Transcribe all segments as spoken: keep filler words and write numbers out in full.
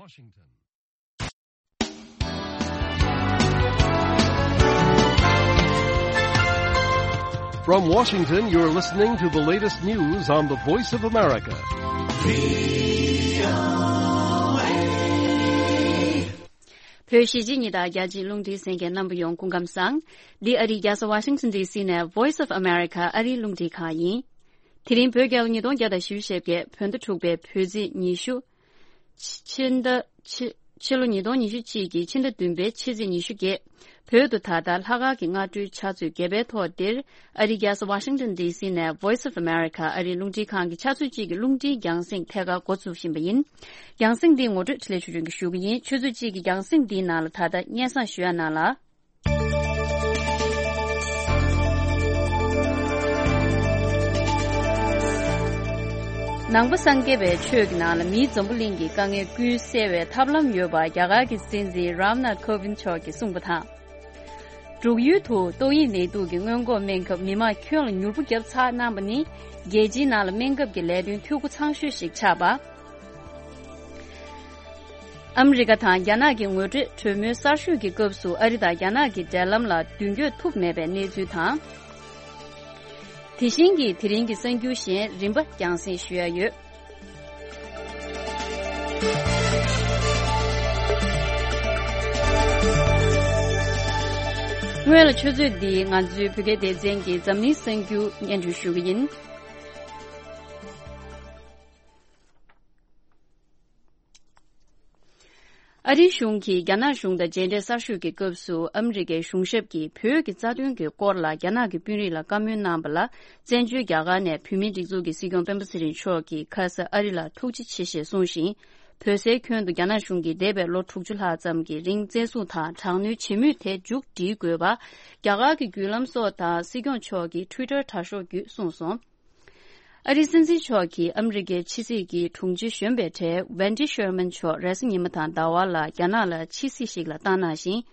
Washington. From Washington, you're listening to the latest news on the Voice of America. བོད་གཞིས་བྱེས་གཉིས་དང་རྒྱ་ཆེའི་རླུང་འཕྲིན་གསན་མཁན་རྣམ་པ་ཡོངས་སྐུ་ཁམས་བཟང་། འདི་ཨ་རིའི་རྒྱལ་ས་Washington D C ནས་Voice of America ཨ་རིའི་རླུང་འཕྲིན་ཁང་ཡིན། དེ་རིང་བོད་རྒྱལ་ལོ་ཉིས་སྟོང་བརྒྱ་དང་བཞི་བཅུ་ཞེ་བརྒྱད། བོད་ཟླ་དྲུག་པའི་བོད་ཚེས་ཉི་ཤུ། ཕྱི་ཟླ་ཕྱི་ཕྱི་ལོ་ཉིས་སྟོང་ཉི་ཤུ་གཅིག་གི་ཕྱི་ཟླ་བདུན་པའི་ཕྱི་ཚེས་ཉི་ཤུ་བརྒྱད། བོད་དུ་ད་ལྟ་ལྷག་དཀར་གྱི་སྔ་དྲོའི་ཕྱག་ཚོད་བརྒྱད་པའི་ཐོག་འདིར། ཨ་རིའི་རྒྱལ་ས་Washington D C ནས་Voice of America ཨ་རིའི་རླུང་འཕྲིན་ཁང་གི་ཕྱག་ཚོད་གཅིག་གི་རླུང་འཕྲིན་རྒྱང་སྲིང་ཐད་ཀར་འགོ་ཚུགས་བཞིན་པ་ཡིན། རྒྱང་སྲིང་འདི་ངོ་སྤྲོད་འཕྲིན་ལས་ཆོས་སྒྲོན་གྱིས་ཞུ་གི་ཡིན། ཆུ་ཚོད་གཅིག་གི་རྒྱང་སྲིང་འདིའི་ནང་ལ་ད་ལྟ་སྙན་སེང་ཞུ་ཡ་གནང་ལ། ནང་པ་སངས་རྒྱས་པའི་ཆོས་ཀྱི་ནང་ལ་མིའི་འཛམ་བུ་གླིང་གི་དཀའ་ངལ་ཀུན་སེལ་བའི་ཐབས་ལམ་ཡོད་པ་རྒྱ་གར་གྱི་སྲིད་འཛིན་རམ་ནཱཐ་ཁོ་ཝིན་མཆོག་གིས་གསུངས་པ་དང་། འབྲུག་ཡུལ་དུ་ཏོག་དབྱིབས་ནད་དུག་གི་སྔོན་འགོག་སྨན་ཁབ་མི་མང་ཁྱོན་ལ་མྱུར་པོ་བརྒྱབ་ཚར་གནང་པ་ནི། རྒྱལ་སྤྱིའི་ནང་ལ་སྨན་ཁབ་ཀྱི་ལས་དོན་འཐུས་སྒོ་ཚང་ཤོས་ཤིག་ཆགས་པ། ཨ་མི་རི་ཀ་དང་རྒྱ་ནག་གི་ངོ་སྤྲོད་གྲོས་མོལ་གསར་ཤོས་ཀྱི་སྐབས་སུ་ཨ་རི་དང་རྒྱ་ནག་གི་འབྲེལ་ལམ་ལ་མདུན་སྐྱོད་ཐུབ་མེད་པའི་གནས་ཚུལ་དང་། དེ་བཞིན་གྱི་དེ་རིང་གི་གསར་འགྱུར་གཞན་རིམ་པ་རྒྱང་སྲིང་ཞུ་ཡ་ཡོད། སྔོན་ལ་ཆུ་ཚོད་འདིའི་ང་ཚོའི་བོད་སྐད་སྡེ་ཚན་གྱི་འཛམ་གླིང་གསར་འགྱུར་སྙན་སྒྲོན་ཞུ་གི་ཡིན། ཨ་རིའི་གཞུང་གིས་རྒྱ་ནག་གཞུང་དང་མཇལ་འཕྲད་གསར་ཤོས་ཀྱི་སྐབས་སུ་ཨ་མི་རི་ཀའི་གཞུང་ཞབས་ཀྱིས་བོད་ཀྱི་རྩ་དོན་གྱི་སྐོར་ལ་རྒྱ་ནག་གི་དཔོན་རིགས་ལ་བཀའ་མོལ་གནང་བ་ལ། བཙན་བྱོལ་རྒྱ་གར་ནས་བོད་མིའི་སྒྲིག་འཛུགས་ཀྱི་སྲིད་སྐྱོང་སྤེན་པ་ཚེ་རིང་མཆོག་གིས་ཁ་ས་ཨ་རི་ལ་ཐུགས་རྗེ་ཆེ་ཞེས་གསུངས་ཤིང་། བོད་སའི་ཁྱོན་དུ་རྒྱ་ནག་གཞུང་གིས་འདས་པའི་ལོ་དྲུག་ཅུ་ལྷག་ཙམ་གྱི་རིང་བཙན་བཟུང་དང་དྲག་གནོན་བྱེད་མུས་དེ་མཇུག་སྒྲིལ་དགོས་པ། རྒྱ་གར་གྱི་བརྒྱུད་ལམ་སོགས་དང་སྲིད་སྐྱོང་མཆོག་གི་ཊུའི་ཊར་དྲ་ཤོག་བརྒྱུད་གསུངས་སོང་། ཨ་རིའི་སྲིད་འཛིན་མཆོག་གིས་ཨ་མི་རི་ཀའི་ཕྱི་སྲིད་ཀྱི་དྲུང་ཆེ་གཞོན་པའི་གྲས་ཝན་ཏི་ཤར་མན་མཆོག་རེས་གཟའ་ཉི་མ་དང་ཟླ་བ་ལ་རྒྱ་ནག་ལ་ཕྱི་སྲིད་ཞིག་ལ་བཏང་གནང་ཞིང་།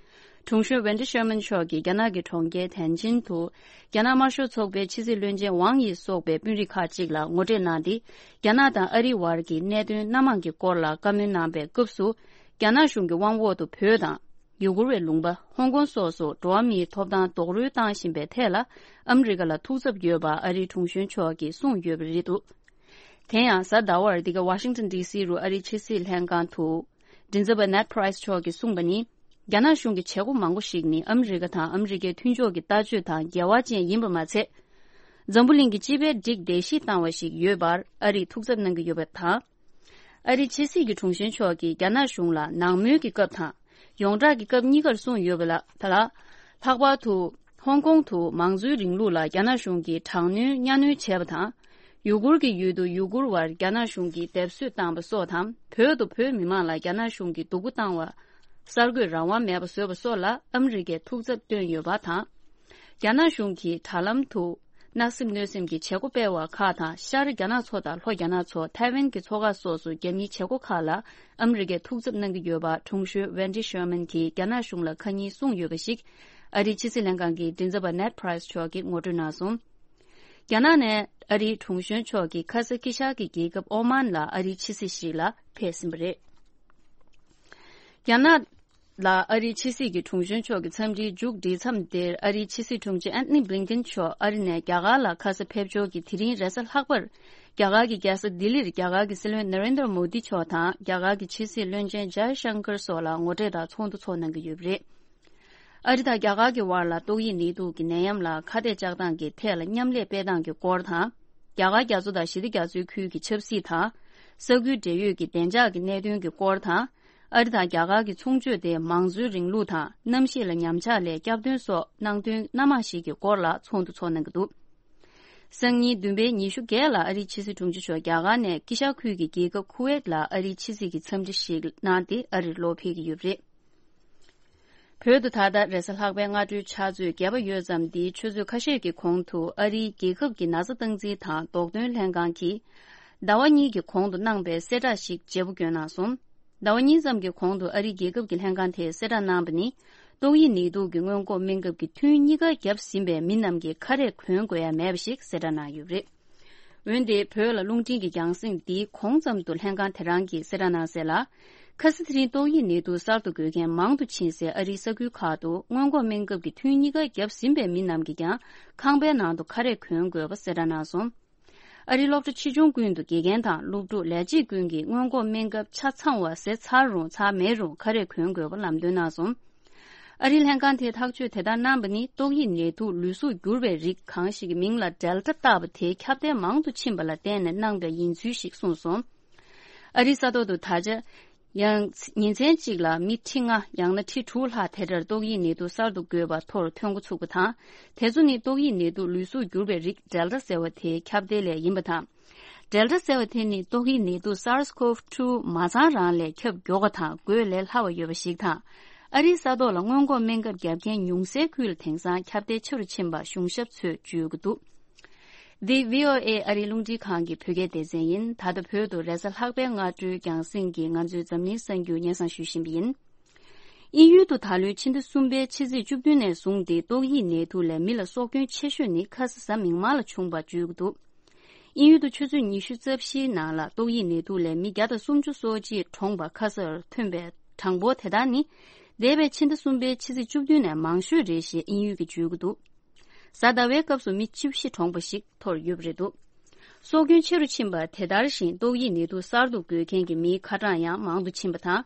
དྲུང་གཞོན་ཝན་ཏི་ཤར་མན་མཆོག་གིས་རྒྱ་ནག་གི་གྲོང་ཁྱེར་ཐན་ཅིན་དུ་རྒྱ་ནག་དམར་ཤོག་ཚོགས་པའི་ཕྱི་སྲིད་བློན་ཆེན་ཝང་ཡི་སོགས་པའི་དཔོན་རིགས་ཁག་ཅིག་ལ་ངོ་སྤྲོད་གནང་སྟེ། རྒྱ་ནག་དང་ཨ་རིའི་བར་གྱི་གནད་དོན་སྣ་མང་གི་སྐོར་ལ་བཀའ་མོལ་གནང་པའི་སྐབས་སུ། རྒྱ་ནག་གཞུང་གི་དབང་འོག་ཏུ་བོད་དང་། ཡུ་གུར་བའི་ལུང་པ། ཧོང་ཀོང་སོགས་སུ་འགྲོ་བ་མིའི་ཐོབ་ཐང་རྡོག་རོལ་བཏང་བཞིན་པའི་ཐད་ལ། ཨ་མི་རི་ཀ་ལ་ཐུགས་འཚབ་ཡོད་པ་ཨ་རིའི་དྲུང་གཞོན་མཆོག་གིས་གསུངས་ཡོད་པ་རེད་འདུག་དེ་ཡང་གཟའ་ཟླ་བར་འདི་ག་ཝ་ཤིང་ཊོན་ཌི་སི་རུ་ཨ་རིའི་ཕྱི་སྲིད་ལྷན་ཁང་དུ། མགྲིན་ཚབ་པ་ནེད་པྲའི་སི་མཆོག་གིས་གསུངས་པ་ནི། རྒྱ་ནག་གཞུང་གི་བྱེད་སྒོ་མང་པོ་ཞིག་ནི་ཨ་མི་རི་ཀ་དང་ཨ་མི་རི་ཀའི་མཐུན་ཕྱོགས་ཀྱི་ལྟ་སྤྱོད་དང་འགལ་བ་ཅན་ཡིན་པ་མ་ཚད། འཛམ་བུ་གླིང་གི་སྤྱི་པའི་སྒྲིག་བདེ་གཤིས་བཏང་བ་ཞིག་ཡོད་པར་ཨ་རིས་ཐུགས་འཚབ་གནང་གི་ཡོད་པ་དང་། ཨ་རིའི་ཕྱི་སྲིད་ཀྱི་དྲུང་གཞོན་མཆོག་གིས་རྒྱ་ནག་གཞུང་ལ་ནང་མོལ་གྱི་སྐབས་དང་། ཡོངས་གྲགས་ཀྱི་སྐབས་གཉིས་ཀར་གསུངས་ཡོད་པ་ལ། ད་ལ། ལྷག་པར་དུ། ཧོང་ཀོང་དུ་མང་གཙོའི་རིང་ལུགས་ལ་རྒྱ་ནག་གཞུང་གིས་དྲག་གནོན་གཉའ་གནོན་བྱས་པ་དང་། ཡུ་གུར་གྱི་ཡུལ་དུ་ཡུ་གུར་བར་རྒྱ་ནག་གཞུང་གིས་སྡེབ་གསོད་བཏང་བ་སོགས་དང་། བོད་དུ་བོད་མི་མང་ལ་རྒྱ་ནག་གཞུང་གིས་སྡུག་པོ་བཏང་བ། གསར་འགོད་རང་དབང་མེད་པ་བཟོས་པ་སོགས་ལ་ཨ་མི་རི་ཀས་ཐུགས་འཚབ་བཏོན་ཡོད་པ་དང་། རྒྱ་ནག་གཞུང་གིས་དྲ་ལམ་དུ། གནག་སེམས་གནོད་སེམས་ཀྱི་བྱེད་སྒོ་སྤེལ་བ་ཁག་དང་། ཤར་རྒྱ་ནག་ཚོ་དང་ལྷོ་རྒྱ་ནག་ཚོ། ཐའེ་ཝན་གྱི་ཚོགས་ཁག་སོགས་སུ་རྒྱབ་གཉེར་བྱེད་སྒོ་ཁག་ལ་ཨ་མི་རི་ཀས་ཐུགས་འཚབ་གནང་གི་ཡོད་པ། དྲུང་གཞོན་ཝན་ཏི་ཤར་མན་གྱིས་རྒྱ་ནག་གཞུང་ལ་ཁ་ཉིན་གསུངས་ཡོད་པ་ཞིག་ཨ་རིའི་ཕྱི་སྲིད་ལྷན་ཁང་གི་མགྲིན་ཚབ་པ་ནེད་པྲའི་སི་མཆོག་གིས་ངོ་སྤྲོད་གནང་སོང་། རྒྱ་ནག་ནས་ཨ་རིའི་དྲུང་གཞོན་མཆོག་གིས་ཁ་ས་དཀྱིལ་ཤར་གྱི་རྒྱལ་ཁབ་ཨོ་མཱན་ལ་ཨ་རིའི་ཕྱི་སྲིད་ཞིག་ལ་ཕེབས་ཟིན་པ་རེད། རྒྱ་ནག་ལ་ཨ་རིའི་ཕྱི་སྲིད་ཀྱི་དྲུང་གཞོན་མཆོག་གི་འཚམས་འདྲིའི་མཇུག་སྒྲིལ་མཚམས་དེར། ཨ་རིའི་ཕྱི་སྲིད་དྲུང་ཆེ་ཨན་ཐོ་ནི་བྷི་ལིན་ཀེན་མཆོག་ཨ་རི་ནས་རྒྱ་གར་ལ་ཁ་ས་ཕེབས་འབྱོར་གྱིས། དེ་རིང་རེས་གཟའ་ལྷག་པར། རྒྱ་གར་གྱི་རྒྱལ་ས་ལྡི་ལིར་རྒྱ་གར་གྱི་སྲིད་བློན་ན་རེན་དྲ་མོ་དི་མཆོག་དང་། རྒྱ་གར་གྱི་ཕྱི་སྲིད་བློན་ཆེན་ཇའི་ཤང་ཀར་སོགས་ལ་ངོ་འཕྲད་དང་ཚོགས་འདུ་ཚོགས་གནང་གི་ཡོད་པ་རེད། ཨ་རི་དང་རྒྱ་གར་གྱི་དབར་ལ་ཏོག་དབྱིབས་ནད་དུག་གི་ནད་ཡམས་ལ་ཁ་གཏད་གཅོག་སྟངས་ཀྱི་ཐད་ལ་མཉམ་ལས་སྤེལ་སྟངས་ཀྱི་སྐོར་དང་། རྒྱ་གར་རྒྱ་མཚོ་དང་ཞི་བདེ་རྒྱ་མཚོའི་ཁུལ་གྱི་ཆབ་སྲིད་དང་། ས་ཁུལ་འབྲེལ་ཡོད་ཀྱི་བདེ་འཇགས་ཀྱི་གནད་དོན་གྱི་སྐོར་དང་། ཨ་རི་དང་རྒྱ་གར་གྱི་ཚོང་སྤྱོད་དེ་མང་གཙོའི་རིང་ལུགས་དང་གནམ་གཤིས་ལ་ཉམས་ཆག་ལས་སྐྱོབ་དོན་སོགས་གནད་དོན་སྣ་མང་ཞིག་གི་སྐོར་ལ་ཚོགས་འདུ་ཚོགས་གནང་གི་འདུག་སང་ཉིན་བདུན་པའི་ཉི་ཤུ་བརྒྱད་ལ་ཨ་རིའི་ཕྱི་སྲིད་དྲུང་ཆེ་མཆོག་རྒྱ་གར་ནས་དཀྱིལ་ཤར་ཁུལ་གྱི་རྒྱལ་ཁབ་ཁུ་ཝེད་ལ་ཨ་རིའི་ཕྱི་སྲིད་ཀྱི་འཚམས་འདྲི་ཞིག་གནང་སྟེ་ཨ་རིར་ལོག་ཕེབས་ཀྱི་ཡོད་པ་རེད། བོད་དུ་ད་ལྟ་རེས་གཟའ་ལྷག་པའི་སྔ་དྲོའི་ཕྱག་ཚོད་བརྒྱད་པ་ཡོལ་ཙམ་འདིའི་ཆུ་ཚོད་ཁ་ཤས་ཀྱི་གོང་དུ་ཨ་རིའི་རྒྱལ་ཁབ་ཀྱི་ན་ཚ་སྟངས་འཛིན་དང་རྡོག་ཐོན་ལྷན་ཁང་གིས་ཟླ་བ་གཉིས་ཀྱི་གོང་དུ་གནང་པའི་གསལ་བསྒྲགས་ཤིག་བརྗེ་པོ་བསྐྱོན་གནང་སོང་། ཟླ་བ་གཉིས་ཙམ་གྱི་གོང་དུ་ཨ་རིའི་རྒྱལ་ཁབ་ཀྱི་ལྷན་ཁང་དེས་གསལ་བསྒྲགས་གནང་པ་ནི། ཏོག་དབྱིབས་ནད་དུག་གི་སྔོན་འགོག་སྨན་ཁབ་ཀྱི་ཐུན་གཉིས་ཀ་བརྒྱབ་ཟིན་པའི་མི་རྣམས་ཀྱིས་ཁ་རས་གོན་དགོས་ཡ་མེད་པ་ཞིག་གསལ་བསྒྲགས་གནང་ཡོད་པ་རེད། འོན་ཏེ་བོད་ལ་རླུང་འཕྲིན་གྱི་རྒྱང་སྲིང་འདིའི་གོང་ཙམ་དུ་ལྷན་ཁང་དེ་རང་གིས་གསལ་བསྒྲགས་གནང་གསལ་ལ། ཁ་སང་དེ་རིང་ཏོག་དབྱིབས་ནད་དུག་གསར་དུ་འགོས་མཁན་མང་དུ་ཕྱིན་སའི་ཨ་རིའི་ས་ཁུལ་ཁག་ཏུ་སྔོན་འགོག་སྨན་ཁབ་ཀྱི་ཐུན་གཉིས་ཀ་བརྒྱབ་ཟིན་པའི་མི་རྣམས་ཀྱིས་ཀྱང་ཁང་པའི་ནང་དུ་ཁ་རས་གོན་དགོས་པ་གསལ་བསྒྲགས་གནང་སོང་། ཨ་རིའི་སློབ་གྲྭ་ཆེ་ཆུང་ཀུན་ཏུ་དགེ་རྒན་དང་སློབ་ཕྲུག་ལས་བྱེད་ཀུན་གྱིས་སྔོན་འགོག་སྨན་ཁབ་ཆ་ཚང་བ་ཟས་ཚར་རུང་ཚར་མེད་རུང་ཁ་རས་གོན་དགོས་པ་ལམ་སྟོན་གནང་སོང་། ཨ་རིའི་ལྷན་ཁང་དེས་ཐག་གཅོད་དེ་ལྟར་གནང་བ་ནི་ཏོག་དབྱིབས་ནད་དུག་ལུས་གཟུགས་འགྱུར་བའི་རིགས་གང་ཞིག་གི་མིང་ལ་ཌེལ་ཊ་བཏགས་པ་དེའི་ཁྱབ་གདལ་མང་དུ་ཕྱིན་པ་ལ་བརྟེན་ནས་གནང་བ་ཡིན་ཚུལ་ཞིག་གསུངས་སོང་། ཨ་རིའི་ས་ཐོག་ཏུ་ད་ཆ་ཡང་ཉིན་མཚན་གཅིག་ལ་མི་ཁྲི་ལྔ་ཡང་ན་ཁྲི་དྲུག་ལྷག་དེ་འདྲར་ཏོག་དབྱིབས་ནད་དུག་གསར་དུ་འགོས་པ་ཐོར་ཐོན་འགོ་ཚུགས་པ་དང་། དེ་ཚོ་ནི་ཏོག་དབྱིབས་ནད་དུག་ལུས་གཟུགས་འགྱུར་བའི་རིགས་ཌེལ་ཊ་ཟེར་བ་དེའི་ཁྱབ་གདལ་ལས་ཡིན་པ་དང་། ཌེལ་ཊ་ཟེར་བ་དེ་ནི་ཏོག་དབྱིབས་ནད་དུག་སཱར་སི་ཀོབ་ཊུ་མ་ཚང་རང་ལས་ཁྱབ་མགྱོགས་པ་དང་འགོས་ལས་སླ་བ་ཡོད་པ་ཞིག་དང་། ཨ་རིའི་ས་ཐོག་ལ་སྔོན་འགོག་སྨན་ཁབ་བརྒྱབ་མཁན་ཉུང་སའི་ཁུལ་ལ་དེང་སང་ཁྱབ་གདལ་ཆེ་རུ་ཕྱིན་པ་གཞུང་ཞབས་ཚོས་བརྗོད་ཀྱི་འདུག་འདི་བྷི་ཨོ་ཨེ་ཨ་རིའི་རླུང་འཕྲིན་ཁང་གི་བོད་སྐད་སྡེ་ཚན་ཡིན། ད་ལྟ་བོད་དུ་རེས་གཟའ་ལྷག་པའི་སྔ་དྲོའི་རྒྱང་སྲིང་གི་ང་ཚོའི་འཛམ་གླིང་གསར་འགྱུར་སྙན་སེང་ཞུ་བཞིན་པ་ཡིན། དབྱིན་ཡུལ་དུ་ད་ལོའི་ཕྱི་ཟླ་གསུམ་པའི་ཕྱི་ཚེས་བཅུ་བདུན་ནས་བཟུང་སྟེ་ཏོག་དབྱིབས་ནད་དུག་ལས་མི་ལ་སྲོག་སྐྱོན་ཆེ་ཤོས་ནི་ཁ་ས་གཟའ་མིག་དམར་ལ་བྱུང་བ་བརྗོད་ཀྱི་འདུག་དབྱིན་ཡུལ་དུ་ཆུ་ཚོད་ཉི་ཤུ་རྩ་བཞིའི་ནང་ལ་ཏོག་དབྱིབས་ནད་དུག་ལས་མི་བརྒྱ་དང་སུམ་ཅུ་སོ་གཅིག་གྲོངས་པ་ཁ་སར་ཐོན་པའི་གྲངས་འབོར་དེ་དག་ནི། འདས་པའི་ཕྱི་ཟླ་གསུམ་པའི་ཕྱི་ཚེས་བཅུ་བདུན་ནས་མང་ཤོས་རེད་ཞེས་དབྱིན་ཡུལ་གྱིས་བརྗོད་ཀྱི་འདུག་གཟའ་ཟླ་བའི་སྐབས་སུ་མི་བཅུ་བཞི་གྲོངས་པ་ཞིག་ཐོར་ཡོད་པ་རེད་འདུག་སྲོག་སྐྱོན་ཆེ་རུ་ཕྱིན་པ་དེ་ལྟར་བཞིན་ཏོག་དབྱིབས་ནད་དུག་གསར་དུ་འགོས་མཁན་གྱི་མིའི་ཁ་གྲངས་ཡང་མང་དུ་ཕྱིན་པ་དང་།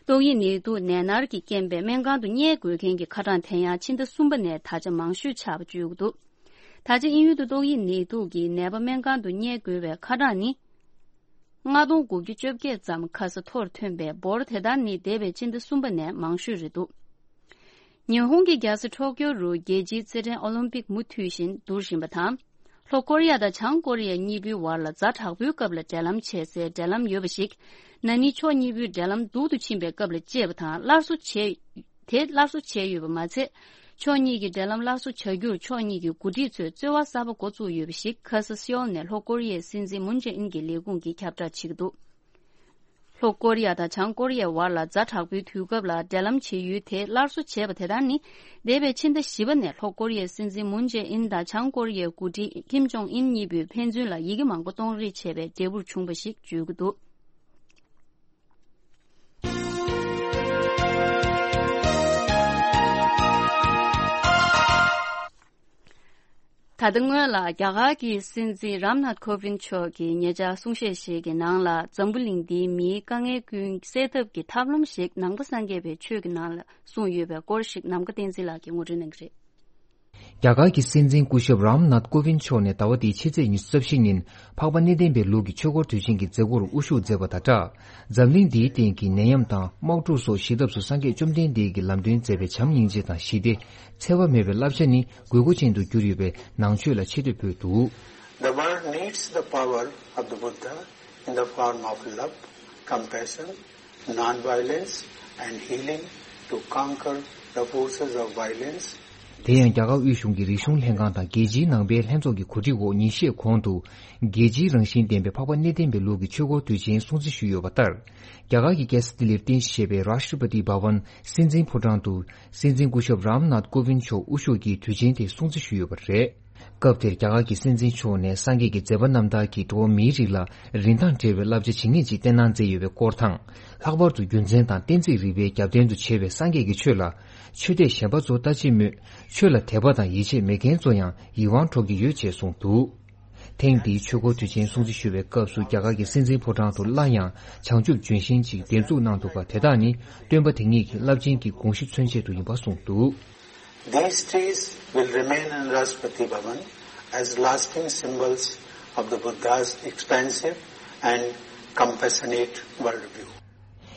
ཏོག་དབྱིབས་ནད་དུག་ནད་མནར་གྱི་རྐྱེན་པས་སྨན་ཁང་དུ་བསྙལ་དགོས་མཁན་གྱི་ཁ་གྲངས་དེ་ཡང་ཕྱི་ཟླ་གསུམ་པ་ནས་ད་ཆ་མང་ཤོས་ཆགས་པ་བརྗོད་ཀྱི་འདུག་ད་ཆ་དབྱིན་ཡུལ་དུ་ཏོག་དབྱིབས་ནད་དུག་གི་ནད་པ་སྨན་ཁང་དུ་བསྙལ་དགོས་པའི་ཁ་གྲངས་ནི། ལྔ་སྟོང་དགུ་བརྒྱ་བཅོ་བརྒྱད་ཙམ་ཁ་ས་ཐོར་ཐོན་པའི་འབོར་དེ་ལྟར་ནི་འདས་པའི་ཕྱི་ཟླ་གསུམ་པ་ནས་མང་ཤོས་རེད་འདུག་ཉི་ཧོང་གི་རྒྱལ་ས་ཊོ་ཀྱོ་རུ་རྒྱལ་སྤྱིའི་རྩེད་འགྲན་ཨོ་ལིམ་པིག་མུ་མཐུད་བཞིན་བསྡུར་བཞིན་པ་དང་། ལྷོ་ཀོ་རི་ཡ་དང་བྱང་ཀོ་རི་ཡ་གཉིས་པོའི་བར་ལ་ཛ་དྲག་པོའི་སྐབས་ལ་འབྲེལ་ལམ་བྱེད་སའི་འབྲེལ་ལམ་ཡོད་པ་ཞིག་ན་ནིང་ཕྱོགས་གཉིས་པོའི་འབྲེལ་ལམ་སྡུག་ཏུ་ཕྱིན་པའི་སྐབས་ལ་བཅད་པ་དང་སླར་གསོ་བྱས། དེ་སླར་གསོ་བྱས་ཡོད་པ་མ་ཚད། ཕྱོགས་གཉིས་ཀྱི་འབྲེལ་ལམ་སླར་གསོ་བྱ་རྒྱུར་ཕྱོགས་གཉིས་ཀྱི་འགོ་ཁྲིད་ཚོས་རྩོལ་བ་གསར་པ་འགོ་བཙུགས་ཡོད་པ་ཞིག་ཁ་ས་སེའོལ་ནས་ལྷོ་ཀོ་རི་ཡའི་སྲིད་འཛིན་མུན་ཇེ་ཨིན་གྱི་ལས་ཁུངས་ཀྱིས་ཁྱབ་བསྒྲགས་བྱེད་ཀྱི་འདུག་ལྷོ་ཀོ་རི་ཡ་དང་བྱང་ཀོ་རི་ཡའི་བར་ལ་ཛ་དྲག་པོའི་དུས་སྐབས་ལ་འབྲེལ་ལམ་བྱེད་ཡུལ་དེ་སླར་གསོ་བྱས་པ་དེ་དག་ནི། འདས་པའི་ཕྱི་ཟླ་བཞི་པ་ནས་ལྷོ་ཀོ་རི་ཡའི་སྲིད་འཛིན་མུན་ཇེ་ཨིན་དང་བྱང་ཀོ་རི་ཡའི་འགོ་ཁྲིད་ཀིམ་ཇོང་ཨིན་གཉིས་པོས་ཕན་ཚུན་ལ་ཡི་གེ་མང་པོ་གཏོང་རེས་བྱས་པའི་འབྲས་བུར་བྱུང་བ་ཞིག་བརྗོད་ཀྱི་འདུག་ད་ལྟ་སྔོན་ལ་རྒྱ་གར་གྱི་སྲིད་འཛིན་རམ་ནཱཐ་ཁོ་ཝིན་མཆོག་གིས་ཉེ་ཆར་གསུང་བཤད་ཞིག་གི་ནང་ལ་འཛམ་བུ་གླིང་འདིའི་མིའི་དཀའ་ངལ་ཀུན་སེལ་ཐབས་ཀྱི་ཐབས་ལམ་ཞིག་ནང་པ་སངས་རྒྱས་པའི་ཆོས་ཀྱི་ནང་ལ་གསུངས་ཡོད་པའི་སྐོར་ཞིག་ནམ་མཁའ་བསྟན་འཛིན་ལགས་ཀྱིས་ངོ་སྤྲོད་གནང་གི་རེད། རྒྱ་གར་གྱི་སྲིད་འཛིན་སྐུ་ཞབས་རམ་ནཱཐ་ཀོ་ཝིན་མཆོག་ནས་ཟླ་བ་འདིའི་ཕྱི་ཚེས་ཉི་ཤུ་རྩ་བཞི་ཉིན་འཕགས་པ་གནས་བརྟན་པའི་ལུགས་ཀྱི་ཆོས་འཁོར་དུས་ཆེན་གྱི་མཛད་སྒོར་དབུ་བཞུགས་མཛད་པ་དང་སྦྲགས། འཛམ་གླིང་འདིའི་སྟེང་གི་ནད་ཡམས་དང་དམག་འཁྲུག་སོགས་ཞི་ཐབས་སུ་སངས་རྒྱས་བཅོམ་ལྡན་འདས་ཀྱིས་ལམ་སྟོན་མཛད་པའི་བྱམས་སྙིང་རྗེ་དང་ཞི་བདེ། འཚེ་བ་མེད་པའི་བསླབ་བྱ་ནི་དགོས་མཁོ་ཅན་དུ་གྱུར་ཡོད་པའི་ནང་ཆོས་ལ་ཆེ་བསྟོད་ཕུལ་འདུག། The world needs the power of the Buddha in the form of love, compassion, non-violence and healing to conquer the forces of violence. དེ་ཡང་རྒྱ་གར་དབུས་གཞུང་གི་རིག་གཞུང་ལྷན་ཁང་དང་རྒྱལ་སྤྱིའི་ནང་པའི་ལྷན་ཚོགས་ཀྱི་གོ་སྒྲིག་འོག་ཉིན་ཤས་གོང་དུ་རྒྱལ་སྤྱིའི་རང་བཞིན་ལྡན་པའི་འཕགས་པ་གནས་བརྟན་པའི་ལུགས་ཀྱི་ཆོས་འཁོར་དུས་ཆེན་སྲུང་བརྩི་ཞུས་ཡོད་པ་ལྟར། རྒྱ་གར་གྱི་རྒྱལ་ས་ལྡི་ལིར་རྟེན་གཞི་བྱས་པའི་རཱཤ་ཊ་པ་ཏི་བྷ་ཝན་སྲིད་འཛིན་ཕོ་བྲང་དུ་སྲིད་འཛིན་སྐུ་ཞབས་རམ་ནཱཐ་ཀོ་ཝིན་མཆོག་དབུ་བཞུགས་ཀྱིས་དུས་ཆེན་དེ་སྲུང་བརྩི་ཞུས་ཡོད་པ་རེད། སྐབས་དེར་རྒྱ་གར་གྱི་སྲིད་འཛིན་མཆོག་ནས་སངས་རྒྱས་ཀྱི་མཛད་པ་རྣམ་ཐར་གྱིས་འགྲོ་བ་མིའི་རིགས་ལ་རིན་ཐང་བྲལ་བའི་བསླབ་བྱ་ཇི་སྙེད་ཅིག་བསྟན་གནང་མཛད་ཡོད་པའི་སྐོར་དང་། ལྷག་པར་དུ་རྒྱུ་མཚན་དང་གཏན་ཚིགས་རིག་པའི་རྒྱབ་རྟེན་དུ་བྱས་པའི་སངས་རྒྱས་ཀྱི་ཆོས་ལ་ཆོས་དད་གཞན་པ་ཚོ་ལྟ་ཅི་སྨོས། ཆོས་ལ་དད་པ་དང་ཡིད་ཆེས་མེད་མཁན་ཚོ་ཡང་ཡིད་དབང་འཕྲོག་གི་ཡོད་ཅེས་གསུངས་འདུག། ཐེངས་འདིའི་ཆོས་འཁོར་དུས་ཆེན་སྲུང་བརྩི་ཞུ་བའི་སྐབས་སུ་རྒྱ་གར་གྱི་སྲིད་འཛིན་ཕོ་བྲང་དུ་སླར་ཡང་བྱང་ཆུབ་ལྗོན་ཤིང་ཅིག་འདེབས་འཛུགས་གནང་འདུག་པ་དེ་དག་ནི་སྟོན་པ་དེ་ཉིད་ཀྱི་རླབས་ཆེན་གྱི་དགོངས་གཞི་མཚོན་ཆེད་དུ་ཡིན་པ་གསུངས་འདུག། These trees will remain in Rashtrapati Bhavan as lasting symbols of the Buddha's expansive and compassionate worldview.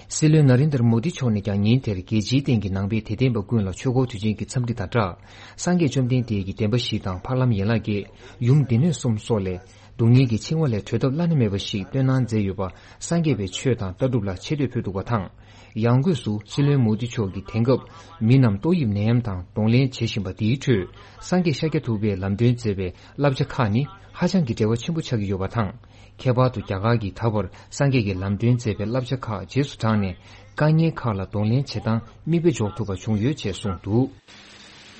སྲིད་བློན་ན་རིན་དར་མོ་དི་མཆོག་ནས་ཀྱང་ཉིན་དེར་རྒྱལ་སྤྱིའི་སྟེང་གི་ནང་པའི་དད་ལྡན་པ་ཀུན་ལ་ཆོས་འཁོར་དུས་ཆེན་གྱི་འཚམས་འདྲི་དང་སྦྲགས། སངས་རྒྱས་བཅོམ་ལྡན་འདས་ཀྱི་བདེན་པ་བཞི་དང་འཕགས་ལམ་ཡན་ལག་བརྒྱད། ཡུམ་སྡེ་སྣོད་གསུམ་སོགས་ལས། སྡུག་བསྔལ་གྱི་འཆིང་བ་ལས་གྲོལ་ཐབས་བླ་ན་མེད་པ་ཞིག་སྟོན་གནང་མཛད་ཡོད་པ། སངས་རྒྱས་པའི་ཆོས་དང་ལྟ་གྲུབ་ལ་ཆེ་བསྟོད་ཕུལ་འདུག་པ་དང་། ཡང་སྒོས་སུ་སྲིད་བློན་མོ་དི་མཆོག་གིས་དེང་སྐབས་མི་རྣམས་ཏོག་དབྱིབས་ནད་ཡམས་དང་གདོང་ལེན་བྱེད་བཞིན་པ་འདིའི་ཁྲོད། སངས་རྒྱས་ཤཱཀྱ་ཐུབ་པས་ལམ་སྟོན་མཛད་པའི་བསླབ་བྱ་ཁག་ནི་ཧ་ཅང་གི་འབྲེལ་བ་ཆེན་པོ་ཆགས་ཀྱི་ཡོད་པ་དང་། ཁྱད་པར་དུ་རྒྱ་གར་གྱིས་ད་བར་སངས་རྒྱས་ཀྱིས་ལམ་སྟོན་མཛད་པའི་བསླབ་བྱ་ཁག་རྗེས་སུ་འབྲངས་ནས་དཀའ་ངལ་ཁག་ལ་གདོང་ལེན་བྱེད་སྟངས་མིག་དཔེ་འཇོག་ཐུབ་པ་བྱུང་ཡོད་ཅེས་གསུངས་འདུག།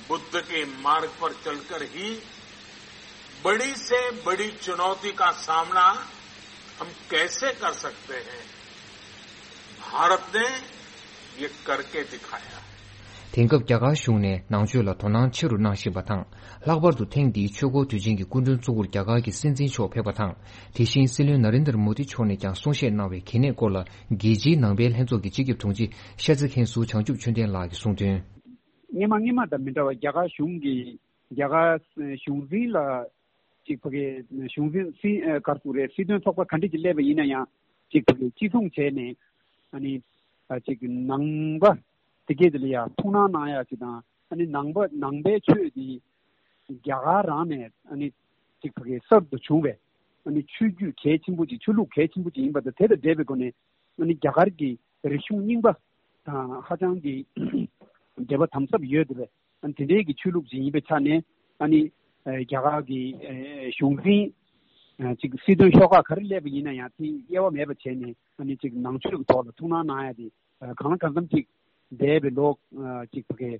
बुद्ध के मार्ग पर चलकर ही बड़ी से बड़ी चुनौती का सामना हम कैसे कर सकते हैं? भारत ने ये करके दिखाया। དེང་སྐབས་རྒྱ་གར་གཞུང་ནས་ནང་ཆོས་ལ་དོ་སྣང་ཆེ་རུ་གནང་བཞིན་པ་དང་། ལྷག་པར་དུ་ཐེངས་འདིའི་ཆོས་འཁོར་དུས་ཆེན་གྱི་སྐུ་མགྲོན་གཙོ་བོར་རྒྱ་གར་གྱི་སྲིད་འཛིན་མཆོག་ཕེབས་པ་དང་། དེ་བཞིན་སྲིད་བློན་ན་རེན་དར་མོ་དི་མཆོག་ནས་ཀྱང་གསུང་བཤད་གནང་བའི་གལ་གནད་སྐོར་ལ། རྒྱལ་སྤྱིའི་ནང་པའི་ལྷན་ཚོགས་ཀྱི་སྤྱི་ཁྱབ་དྲུང་ཆེ་ཤར་རྩེ་མཁན་ཟུར་བྱང་ཆུབ་ཆོས་ལྡན་ལགས་ཀྱིས་གསུངས་དོན། སྔོན་མ་སྔོན་མ་དང་མི་འདྲ་བར་རྒྱ་གར་གཞུང་གིས་རྒྱ་གར་གཞུང་འཛིན་ལ་ཅིག་ཕ་གི་གཞུང་འཛིན་སྲིད་ག་རེ་ཟེར་རེད། སྲིད་དོན་ཚོགས་པ་ག་འདྲ་ཅིག་སླེབས་པ་ཡིན་ན་ཡང་ཅིག་ཕ་གི་གཅིག་མཚུངས་བྱས་ནས་ཨ་ནི་ཅིག་ནང་པ་དེ་གས་དེ་ལ་ཡང་ཐུགས་སྣང་གནང་ཡ་ཅིག་དང་། ཨ་ནི་ནང་པ་ནང་པའི་ཆོས་དེ་རྒྱ་གར་རང་ནས་ཨ་ནི་ཅིག་ཕ་གི་གསར་དུ་བྱུང་བའི་ཨ་ནི་ཆོས་བརྒྱུད་གལ་ཆེན་པོ་ཅིག་ཆོས་ལུགས་གལ་ཆེན་པོ་ཅིག་ཡིན་པ་དང་། དེ་དང་འབྲེལ་བའི་སྒོ་ནས་ཨ་ནི་རྒྱ་གར་གྱི་རིག་གཞུང་རྙིང་པ་དང་ཧ་ཅང་གི་འབྲེལ་བ་དམ་ཟབ་ཡོད་དེ་བས། ཨ་ནི་དེ་འདྲའི་གི་ཆོས་ལུགས་ཅིག་ཡིན་པའི་ཆ་ནས་ཨ་ནི་ཨ་རྒྱ་གར་གྱི་ཨ་གཞུང་འཛིན་ཨ་ཅིག་སྲིད་དོན་ཤོག་ཁག་ག་རེ་སླེབས་པ་ཡིན་ན་ཡང་དེ་དབྱེ་བ་མེད་པ་བྱས་ནས་ཨ་ནི་ཅིག་ནང་ཆོས་ཀྱི་ཐོག་ལ་ཐུགས་སྣང་གནང་ཡ་དེ་ཨ་གང་ལ་གང་འཚམ་ཅིག་འདས་པའི་ལོ་ཨ་ཅིག་ཕ་གི་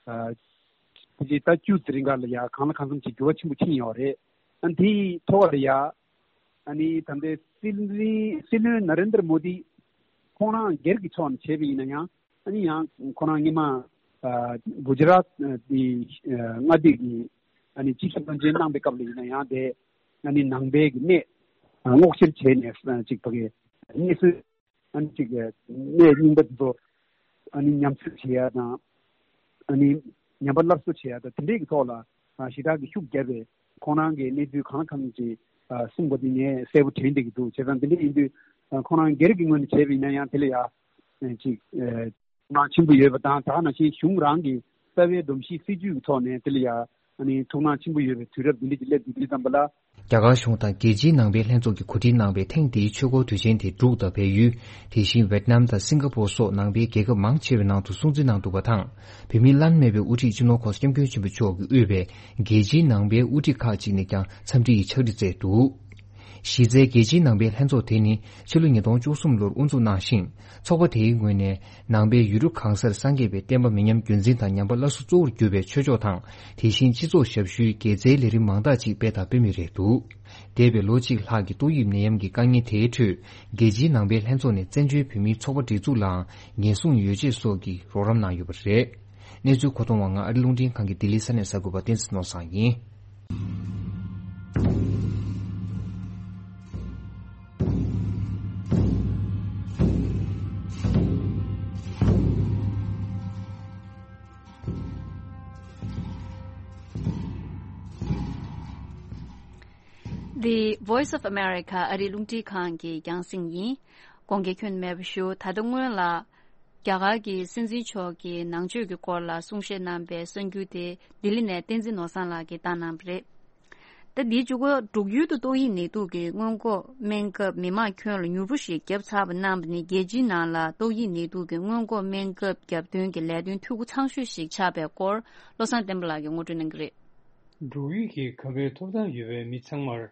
ཨ་ཕལ་ཆེར་ཟླ་བཅུ་ཙམ་རིང་ག་ལ་ཡ་གང་ལ་གང་འཚམ་ཅིག་འགྱུར་བ་ཆེན་པོ་ཕྱིན་ཡོད་རེད། ཨ་ནི་དེའི་ཐོག་ལ་ཡ་ཨ་ནི་ད་ལྟའི་སྲིད་འཛིན་སྲིད་བློན་ན་རེན་དར་མོ་དི་ཁོང་རང་སྒེར་གྱི་ཕྱོགས་ནས་བྱས་པ་ཡིན་ན་ཡང་། ཨ་ནི་ཡང་ཁོ་རང་སྔོན་མ་ཨ་གུ་ཇི་རཱཏ་ཨ་དེ་ཨ་མངའ་སྡེ་གི་ཨ་ནི་སྤྱི་ཁྱབ་བློན་ཆེན་གནང་པའི་སྐབས་ལ་ཡིན་ན་ཡང་དེ་ཨ་ནི་ནང་པའི་གི་གནས་ཨ་སྔོག་བཤེར་བྱས་ནས་ཨ་ཅིག་ཕ་གི་གནས་ཚུལ་ཨ་ནི་ཅིག་གནས་རྙིང་པ་དེ་ཚོ་ཨ་ནི་ཉམས་བཅོས་བྱེད་ཡ་དང་། ཨ་ནི་ཉམས་པ་སླར་གསོ་བྱེད་ཡ་དང་དེ་འདྲས་ཀྱི་ཐོག་ལ་ཨ་ཞེ་དྲག་གི་ཤུགས་བརྒྱབ་པས། ཁོང་རང་གི་གནས་ཚུལ་གང་ལ་གང་འཚམ་ཅིག་ཨ་གསུངས་པ་དེ་ངས་གསལ་པོ་དྲན་བསྡད་ཀྱི་འདུག་བྱས་ཙང་དེ་འདྲ་ཡིན་དུས་ཨ་ཁོང་རང་སྒེར་གྱི་ངོས་ནས་བྱས་པ་ཡིན་ན་ཡང་དེ་ལ་ཡ་ཨ་ཅིག་ཨ་ཐུགས་སྣང་ཆེན་པོ་ཡོད་པ་དང་། ད་ག་ནང་བཞིན་གཞུང་རང་གི་རྩ་བའི་སྒྲོམ་གཞི་སྲིད་ཇུས་ཀྱི་ཐོག་ནས་དེ་ལ་ཡ་ཨ་ནི་ཐུགས་སྣང་ཆེན་པོ་ཡོད་པའི་དུས་རབས་འདི་འདྲ་ཅིག་སླེབས་འདུག་དུས་ཙམ་པ་ལ། རྒྱ་གར་གཞུང་དང་རྒྱལ་སྤྱིའི་ནང་པའི་ལྷན་ཚོགས་ཀྱིས་གོ་སྒྲིག་གནང་བའི་ཐེངས་འདིའི་ཆོས་འཁོར་དུས་ཆེན་དེ་འབྲུག་དང་བལ་ཡུལ། དེ་བཞིན་ཝེད་ནམ་དང་སིང་ག་པོར་སོགས་ནང་པའི་རྒྱལ་ཁབ་མང་ཆེ་བའི་ནང་དུ་སྲུང་བརྩི་གནང་འདུག་པ་དང་། བོད་མིའི་བླ་ན་མེད་པའི་དབུ་ཁྲིད་སྤྱི་ནོར་༸གོང་ས་༸སྐྱབས་མགོན་ཆེན་པོ་མཆོག་གིས་དབུས་པའི་རྒྱལ་སྤྱིའི་ནང་པའི་དབུ་ཁྲིད་ཁག་ཅིག་ནས་ཀྱང་འཚམས་འདྲི་ཡི་ཕྱག་བྲིས་བསྩལ་འདུག་གཞི་རྩའི་རྒྱལ་སྤྱིའི་ནང་པའི་ལྷན་ཚོགས་དེ་ནི་ཕྱི་ལོ་ཉིས་སྟོང་བཅུ་གསུམ་ལོར་དབུ་འཛུགས་གནང་ཞིང་། ཚོགས་པ་དེའི་ངོས་ནས་ནང་པའི་ཡུལ་གྲུ་གང་སར་སངས་རྒྱས་པའི་བསྟན་པ་མི་ཉམས་རྒྱུན་འཛིན་དང་ཉམས་པ་སླར་གསོ་གཙོ་བོར་གྱུར་པའི་ཆོས་ཕྱོགས་དང་། དེ་བཞིན་སྤྱི་ཚོགས་ཞབས་ཞུའི་དགེ་རྩའི་ལས་རིམ་མང་དག་ཅིག་སྤེལ་དང་སྤེལ་མུས་རེད་འདུག་འདས་པའི་ལོ་གཅིག་ལྷག་གི་ཏོག་དབྱིབས་ནད་ཡམས་ཀྱི་དཀའ་ངལ་དེའི་ཁྲོད། རྒྱལ་སྤྱིའི་ནང་པའི་ལྷན་ཚོགས་ནས་བཙན་བྱོལ་བོད་མིའི་ཚོགས་པ་སྒྲིག་འཛུགས་ལའང་ཉེན་སྲུང་ཡོ་བྱད་སོགས་ཀྱི་རོགས་རམ་གནང་ཡོད་པ་རེད། གནས་ཚུལ་མཁོ་གཏོང་བ་ང་ཨ་རི་རླུང་འཕྲིན་ཁང་གི་ལྡི་ལི་ས་གནས་གསར་འགོད་པ་བསྟན་འཛིན་ནོར་བཟང་ཡིན། The Voice of America ཨ་རིའི་རླུང་འཕྲིན་ཁང་གི་རྒྱང་སྲིང་ཡིན། གོང་གི་ཁྱོན་མེད་པ་ཞུ། ད་ལྟ་སྔོན་ལ། རྒྱ་གར་གྱི་སྲིད་འཛིན་མཆོག་གིས་ནང་ཆོས་ཀྱི་སྐོར་ལ་གསུང་བཤད་གནང་པའི་གསར་འགྱུར་དེ་ལྡི་ལི་ནས་བསྟན་འཛིན་ནོར་བཟང་ལགས་ཀྱིས་བཏང་གནང་བ་རེད། ད་འདིའི་མཇུག་གུ་འབྲུག་ཡུལ་དུ་ཏོག་དབྱིབས་ནད་དུག་གི་སྔོན་འགོག་སྨན་ཁབ་མི་མང་ཁྱོན་ལ་མྱུར་པོ་ཞིག་བརྒྱབ་ཚར་བ་གནང་བ་ནི་རྒྱལ་སྤྱིའི་ནང་ལ་ཏོག་དབྱིབས་ནད་དུག་གི་སྔོན་འགོག་སྨན་ཁབ་བརྒྱབ་དོན་གྱི་ལས་དོན་འཐུས་སྒོ་ཚང་ཤོས་ཤིག་ཆགས་པའི་སྐོར་བློ་བཟང་བསྟན་པ་ལགས་ཀྱིས་ངོ་སྤྲོད་གནང་གི་རེད། འབྲུག་ཡུལ་གྱི་ཁབ་སྨན་ཐོབ་ཐང་ཡོད་པའི་མི་ཚང་མར་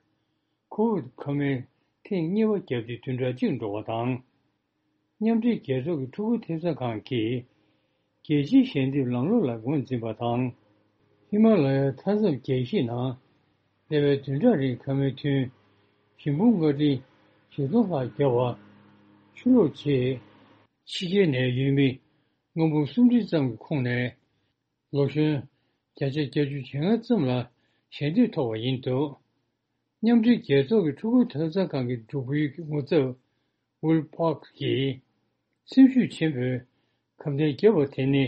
ཁོ་བིད་ཁབ་སྨན་ཐེངས་གཉིས་པ་བརྒྱབ་སྟེ་བདུན་ཕྲག་གཅིག་འགྲོ་བ་དང་། མཉམ་འབྲེལ་རྒྱལ་ཚོགས་ཀྱི་ཕྲུ་གུ་ཐེབས་རྩ་ཁང་གིས་རྒྱལ་སྤྱིའི་ཞལ་འདེབས་ལམ་ལུགས་ལ་ངོས་འཛིན་པ་དང་། ཧི་མ་ལ་ཡའི་མཐའ་མཚམས་རྒྱལ་སྤྱིའི་ནང་འདས་པའི་བདུན་ཕྲག་རིང་ཁབ་སྨན་ཐུན་ཞིང་ཕུང་ལྔ་ཁྲི་བཞི་སྟོང་ལྷག་བརྒྱབ་པ་ཆུ་ལོག་རྗེས། ཕྱི་རྒྱལ་ནས་ཡོད་མི་ལྔ་འབུམ་སུམ་ཁྲི་ཙམ་གྱི་ཁོངས་ནས། ལོ་གཞོན་བརྒྱ་ཆ་བརྒྱད་ཅུ་གྱ་ལྔ་ཙམ་ལ་ཞལ་འདེབས་ཐོབ་པ་ཡིན་འདུག་མཉམ་འབྲེལ་རྒྱལ་ཚོགས་ཀྱི་ཕྲུ་གུའི་ཐོབ་ཐང་ཁང་གི་འབྲུག་ཡུལ་གྱི་ངོ་ཚབ་ཝིལ་པཱག་གིས་སེམས་ཤུགས་ཆེན་པོས་ཁབ་སྨན་བརྒྱབ་པ་དེ་ནི་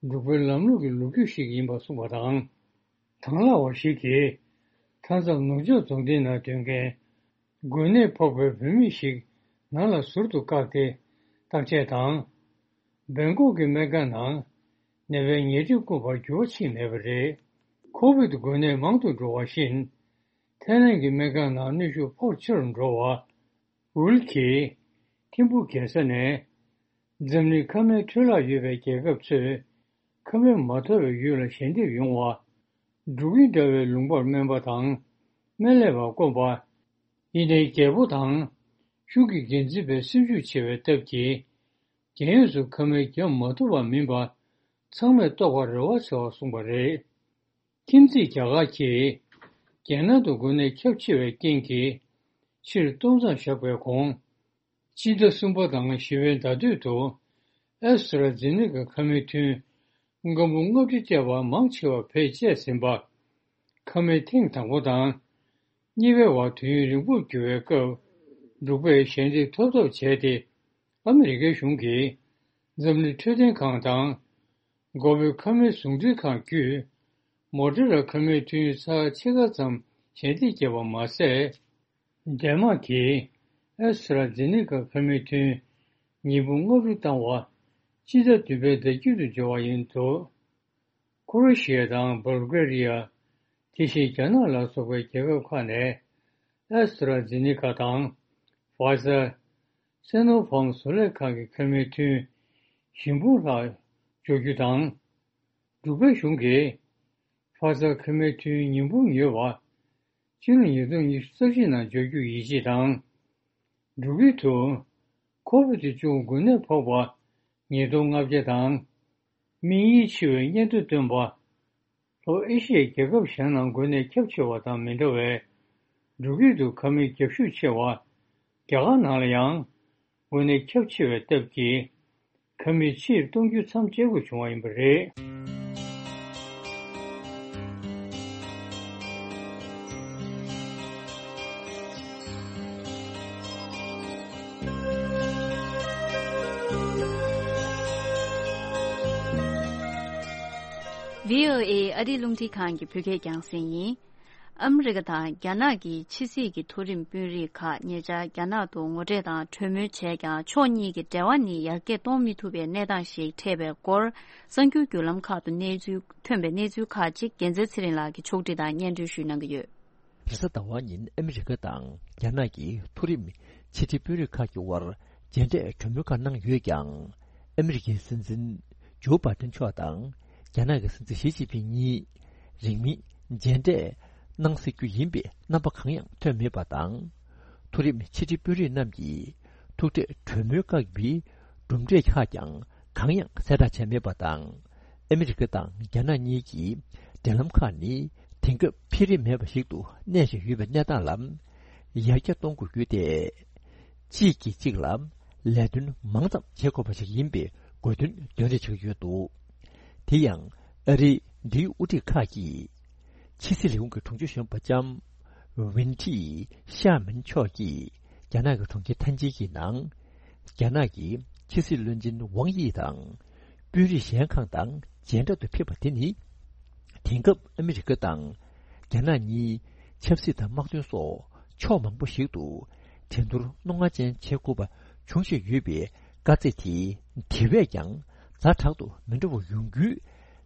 འབྲུག་པའི་ལམ་ལུགས་ཀྱི་ལོ་རྒྱུས་ཤིག་ཡིན་པ་གསུངས་པ་དང་། དང་བླངས་པ་ཞིག་གིས་མཐའ་མཚམས་ནུབ་ཕྱོགས་རྫོང་སྡེའི་ནང་སྡོད་མཁན་འགོས་ནད་ཕོག་པའི་བུད་མེད་ཞིག་ནང་ལ་ཟུར་དུ་བཀག་སྟེ་བརྟག་དཔྱད་དང་། སྦེང་ཀོག་གི་སྨན་ཁང་ནང་ནད་པའི་ཉལ་ཁྲི་བསྐུངས་པར་འགྱུར་བ་ཕྱིན་མེད་པ་རེད། ཁོ་བིད་འགོས་ནད་མང་དུ་འགྲོ་བ་བཞིན། ཐའི་ལན་གྱི་སྨན་ཁང་ནང་གནོན་ཤུགས་ཕོགས་ཆེ་རུ་འགྲོ་བ། ཝུལ་གྱིས་ཐིམ་ཕུག་རྒྱལ་ས་ནས་འཛམ་གླིང་ཁབ་སྨན་འཕྲོད་བརླག་ཡོད་པའི་རྒྱལ་ཁབ་ཚོས་ཁབ་སྨན་མ་ཐོབ་པའི་ཡུལ་ལ་ཞལ་འདེབས་ཡོང་བ། འབྲུག་ཡུལ་འདྲ་བའི་ལུང་པར་སྨན་པ་དང་སྨན་ལས་པ་དཀོན་པ། ཡིན་ནའི་རྒྱལ་པོ་དང་གཞུང་གི་འགན་འཛིན་པའི་སེམས་ཤུགས་ཆེ་བའི་སྟབས་ཀྱིས། རྒྱལ་ཡོངས་སུ་ཁབ་སྨན་བརྒྱབ་མ་ཐུབ་པ་མིན་པ་ཚང་མས་རྟོགས་པར་རེ་བ་ཆེ་བ་གསུངས་པ་རེད། ཁྱིམ་མཚེས་རྒྱ་གར་གྱིས་རྒྱལ་ནང་དུ་འགོས་ནད་ཁྱབ་ཆེ་བའི་རྐྱེན་གྱིས་ཕྱིར་གཏོང་མཚམས་བཞག་པའི་གོང་། སྤྱི་ཟླ་གསུམ་པ་དང་བཞི་པའི་ཟླ་སྟོད་དུ་ཨེ་སི་ཊ་ར་ཛེ་ནེ་ཀ་ཁབ་སྨན་ཐུན་སྐམ་པོ་ལྔ་ཁྲི་སྤྲད་པ་མང་ཆེ་བ་བེད་སྤྱད་ཟིན་པ། ཁབ་སྨན་ཐེངས་དང་པོ་དང་གཉིས་པའི་བར་དུས་ཡུན་རིང་པོར་གྱུར་བའི་སྐབས། འབྲུག་པས་ཞལ་འདེབས་ཐོབ་ཐབས་བྱས་ཏེ། ཨ་མི་རི་ཀའི་གཞུང་གིས་འཛམ་གླིང་འཕྲོད་བསྟེན་ཁང་དང་། མགོ་བོད་ཁབ་སྨན་ཟུང་འབྲེལ་ཁང་བརྒྱུད། མོ་ཌེ་ར་ཁབ་སྨན་ཐུན་ཚར་ཕྱེད་ཀ་ཙམ་ཞལ་འདེབས་བརྒྱབ་པ་མ་ཟད། ཌེན་མཱག་གིས་ཨེ་སི་ཊ་ར་ཛེ་ནེ་ཀ་ཁབ་སྨན་ཐུན་ཉིས་འབུམ་ལྔ་བཅུ་བཏང་བ། སྤྱི་ཟླ་བདུན་པའི་ཟླ་དཀྱིལ་དུ་འབྱོར་བ་ཡིན་འདུག། ཁོ་རེ་ཤི་ཡ་དང་སྦལ་གྷེ་རི་ཡ། དེ་བཞིན་རྒྱ་ནག་ལ་སོགས་པའི་རྒྱལ་ཁབ་ཁག་ནས་ཨེ་སི་ཊ་ར་ཛེ་ནེ་ཀ་དང་། ཕ་ཛར། སེ་ནོ་ཕཱརམ་བཟོ་ལས་ཁང་གི་ཁབ་སྨན་ཐུན་བཞི་འབུམ་ལྷག་འཇོག་རྒྱུ་དང་། འབྲུག་པའི་གཞུང་གིས་ཕ་ཛར་ཁབ་སྨན་ཐུན་ཉིས་འབུམ་ཉོས་པ། ཕྱི་ལོ་ཉིས་སྟོང་ཉི་ཤུ་རྩ་གཅིག་ནང་འཇོག་རྒྱུ་ཡིད་ཆེས་དང་། འབྲུག་ཡུལ་དུ་ཁོ་བིད་བཅུ་དགུ་འགོས་ནད་ཕོག་པ་ཉིས་སྟོང་ལྔ་བརྒྱ་དང་། སྨན་ཡིད་ཆེས་པའི་སྙན་ཐོ་བཏོན་པ། ལྷོ་ཨེ་ཤི་ཡའི་རྒྱལ་ཁབ་གཞན་ནང་འགོས་ནད་ཁྱབ་ཆེ་བ་དང་མི་འདྲ་བའི། འབྲུག་ཡུལ་དུ་ཁབ་སྨན་རྒྱབ་ཤུགས་ཆེ་བ། རྒྱ་གར་ནང་ལ་ཡང་འགོས་ནད་ཁྱབ་ཆེ་བའི་སྟབས་ཀྱིས། ཁབ་སྨན་ཕྱིར་གཏོང་རྒྱུ་མཚམས་བཅད་དགོས་བྱུང་བ་ཡིན་པ་རེད། བྷི་ཨོ་ཨེ་ཨ་རིའི་རླུང་འཕྲིན་ཁང་གི་བོད་སྐད་རྒྱང་སྲིང་ཡིན། ཨ་མི་རི་ཀ་དང་རྒྱ་ནག་གི་ཕྱི་སྲིད་ཀྱི་མཐོ་རིམ་དཔོན་རིགས་ཁག་ཉེ་ཆར་རྒྱ་ནག་ཏུ་ངོ་འཕྲད་དང་གྲོས་མོལ་བྱས་ཀྱང་ཕྱོགས་གཉིས་ཀྱི་འབྲེལ་བ་ནི་ཡར་རྒྱས་གཏོང་མི་ཐུབ་པའི་གནས་སྟངས་ཤིག་འཕྲད་པའི་སྐོར། གསར་འགྱུར་བརྒྱུད་ལམ་ཁག་ཏུ་གནས་ཚུལ་ཐོན་པའི་གནས་ཚུལ་ཁག་ཅིག་རྒྱལ་མཚན་ཚེ་རིང་ལགས་ཀྱིས་ཕྱོགས་སྒྲིག་དང་སྙན་སྒྲོན་ཞུས་གནང་གི་ཡོད། རེས་གཟའ་ཟླ་བ་ཉིན་ཨ་མི་རི་ཀ་དང་རྒྱ་ནག་གི་མཐོ་རིམ་ཕྱི་དྲིལ་དཔོན་རིགས་ཁག་གི་དབར་མཇལ་འཕྲད་གྲོས་མོལ་ཁག་གནང་ཡོད་ཀྱང་། ཨ་མི་རི་ཀའི་སྲིད་འཛིན་ཇོ་བྷའི་ཏན་མཆོག་དང་རྒྱ་ནག་གི་སྲིད་འཛིན་ཞི་ཅིན་ཕིང་གཉིས་རིང་མིན་མཇལ་འཕྲད་གནང་སྲིད་རྒྱུ་ཡིན་པའི་རྣམ་པ་གང་ཡང་ཐོན་མེད་པ་དང་། མཐོ་རིམ་ཕྱི་དྲིལ་དཔོན་རིགས་རྣམས་ཀྱིས་ཐུག་འཕྲད་གྲོས་མོལ་བཀག་པའི་གྲུབ་འབྲས་ཁག་ཀྱང་གང་ཡང་གསལ་བསྒྲགས་བྱས་མེད་པ་དང་། ཨ་མི་རི་ཀ་དང་རྒྱ་ནག་གཉིས་ཀྱི་འབྲེལ་ལམ་ཁག་ནི་དེང་སྐབས་འཕེལ་རིམ་མེད་པ་ཞིག་ཏུ་གནས་བཞིན་ཡོད་པའི་གནས་སྟངས་ལ་ཡར་རྒྱས་གཏོང་དགོས་རྒྱུ་དེ། གཅིག་གིས་གཅིག་ལ་ལས་དོན་མང་ཙམ་བྱེད་དགོས་པ་ཞིག་ཡིན་པའི་དགོས་འདུན་འདོན་རེས་བྱེད་ཀྱི་ཡོད་འདུག། དེ་ཡང་ཨ་རིའི་འབྲེལ་ཡོད་དབུ་ཁྲིད་ཁག་གིས་ཕྱི་སྲིད་ལས་ཁུངས་ཀྱི་དྲུང་ཆེ་གཞོན་པ་ལྕམ་ཝིན་ཁྲི་ཤ་མིན་མཆོག་གིས་རྒྱ་ནག་གི་གྲོང་ཁྱེར་ཐན་ཅིན་གྱི་ནང་རྒྱ་ནག་གི་ཕྱི་སྲིད་བློན་ཆེན་ཝང་དབྱི་དང་། དཔོན་རིགས་གཞན་ཁག་དང་མཇལ་འཕྲད་དུ་ཕེབས་པ་དེ་ནི། དེང་སྐབས་ཨ་མི་རི་ཀ་དང་རྒྱ་ནག་གཉིས་ཆབ་སྲིད་དང་དམག་དོན་སོགས་ཕྱོགས་མང་པོ་ཞིག་ཏུ་འགྲན་བསྡུར་རྣོ་ངར་ཅན་བྱེད་དགོས་པ་བྱུང་བཞིན་ཡོད་པའི་དཀའ་ཚེགས་དེ་དེ་བས་ཀྱང་ཛ་དྲག་ཏུ་མི་འགྲོ་བ་ཡོང་རྒྱུའི་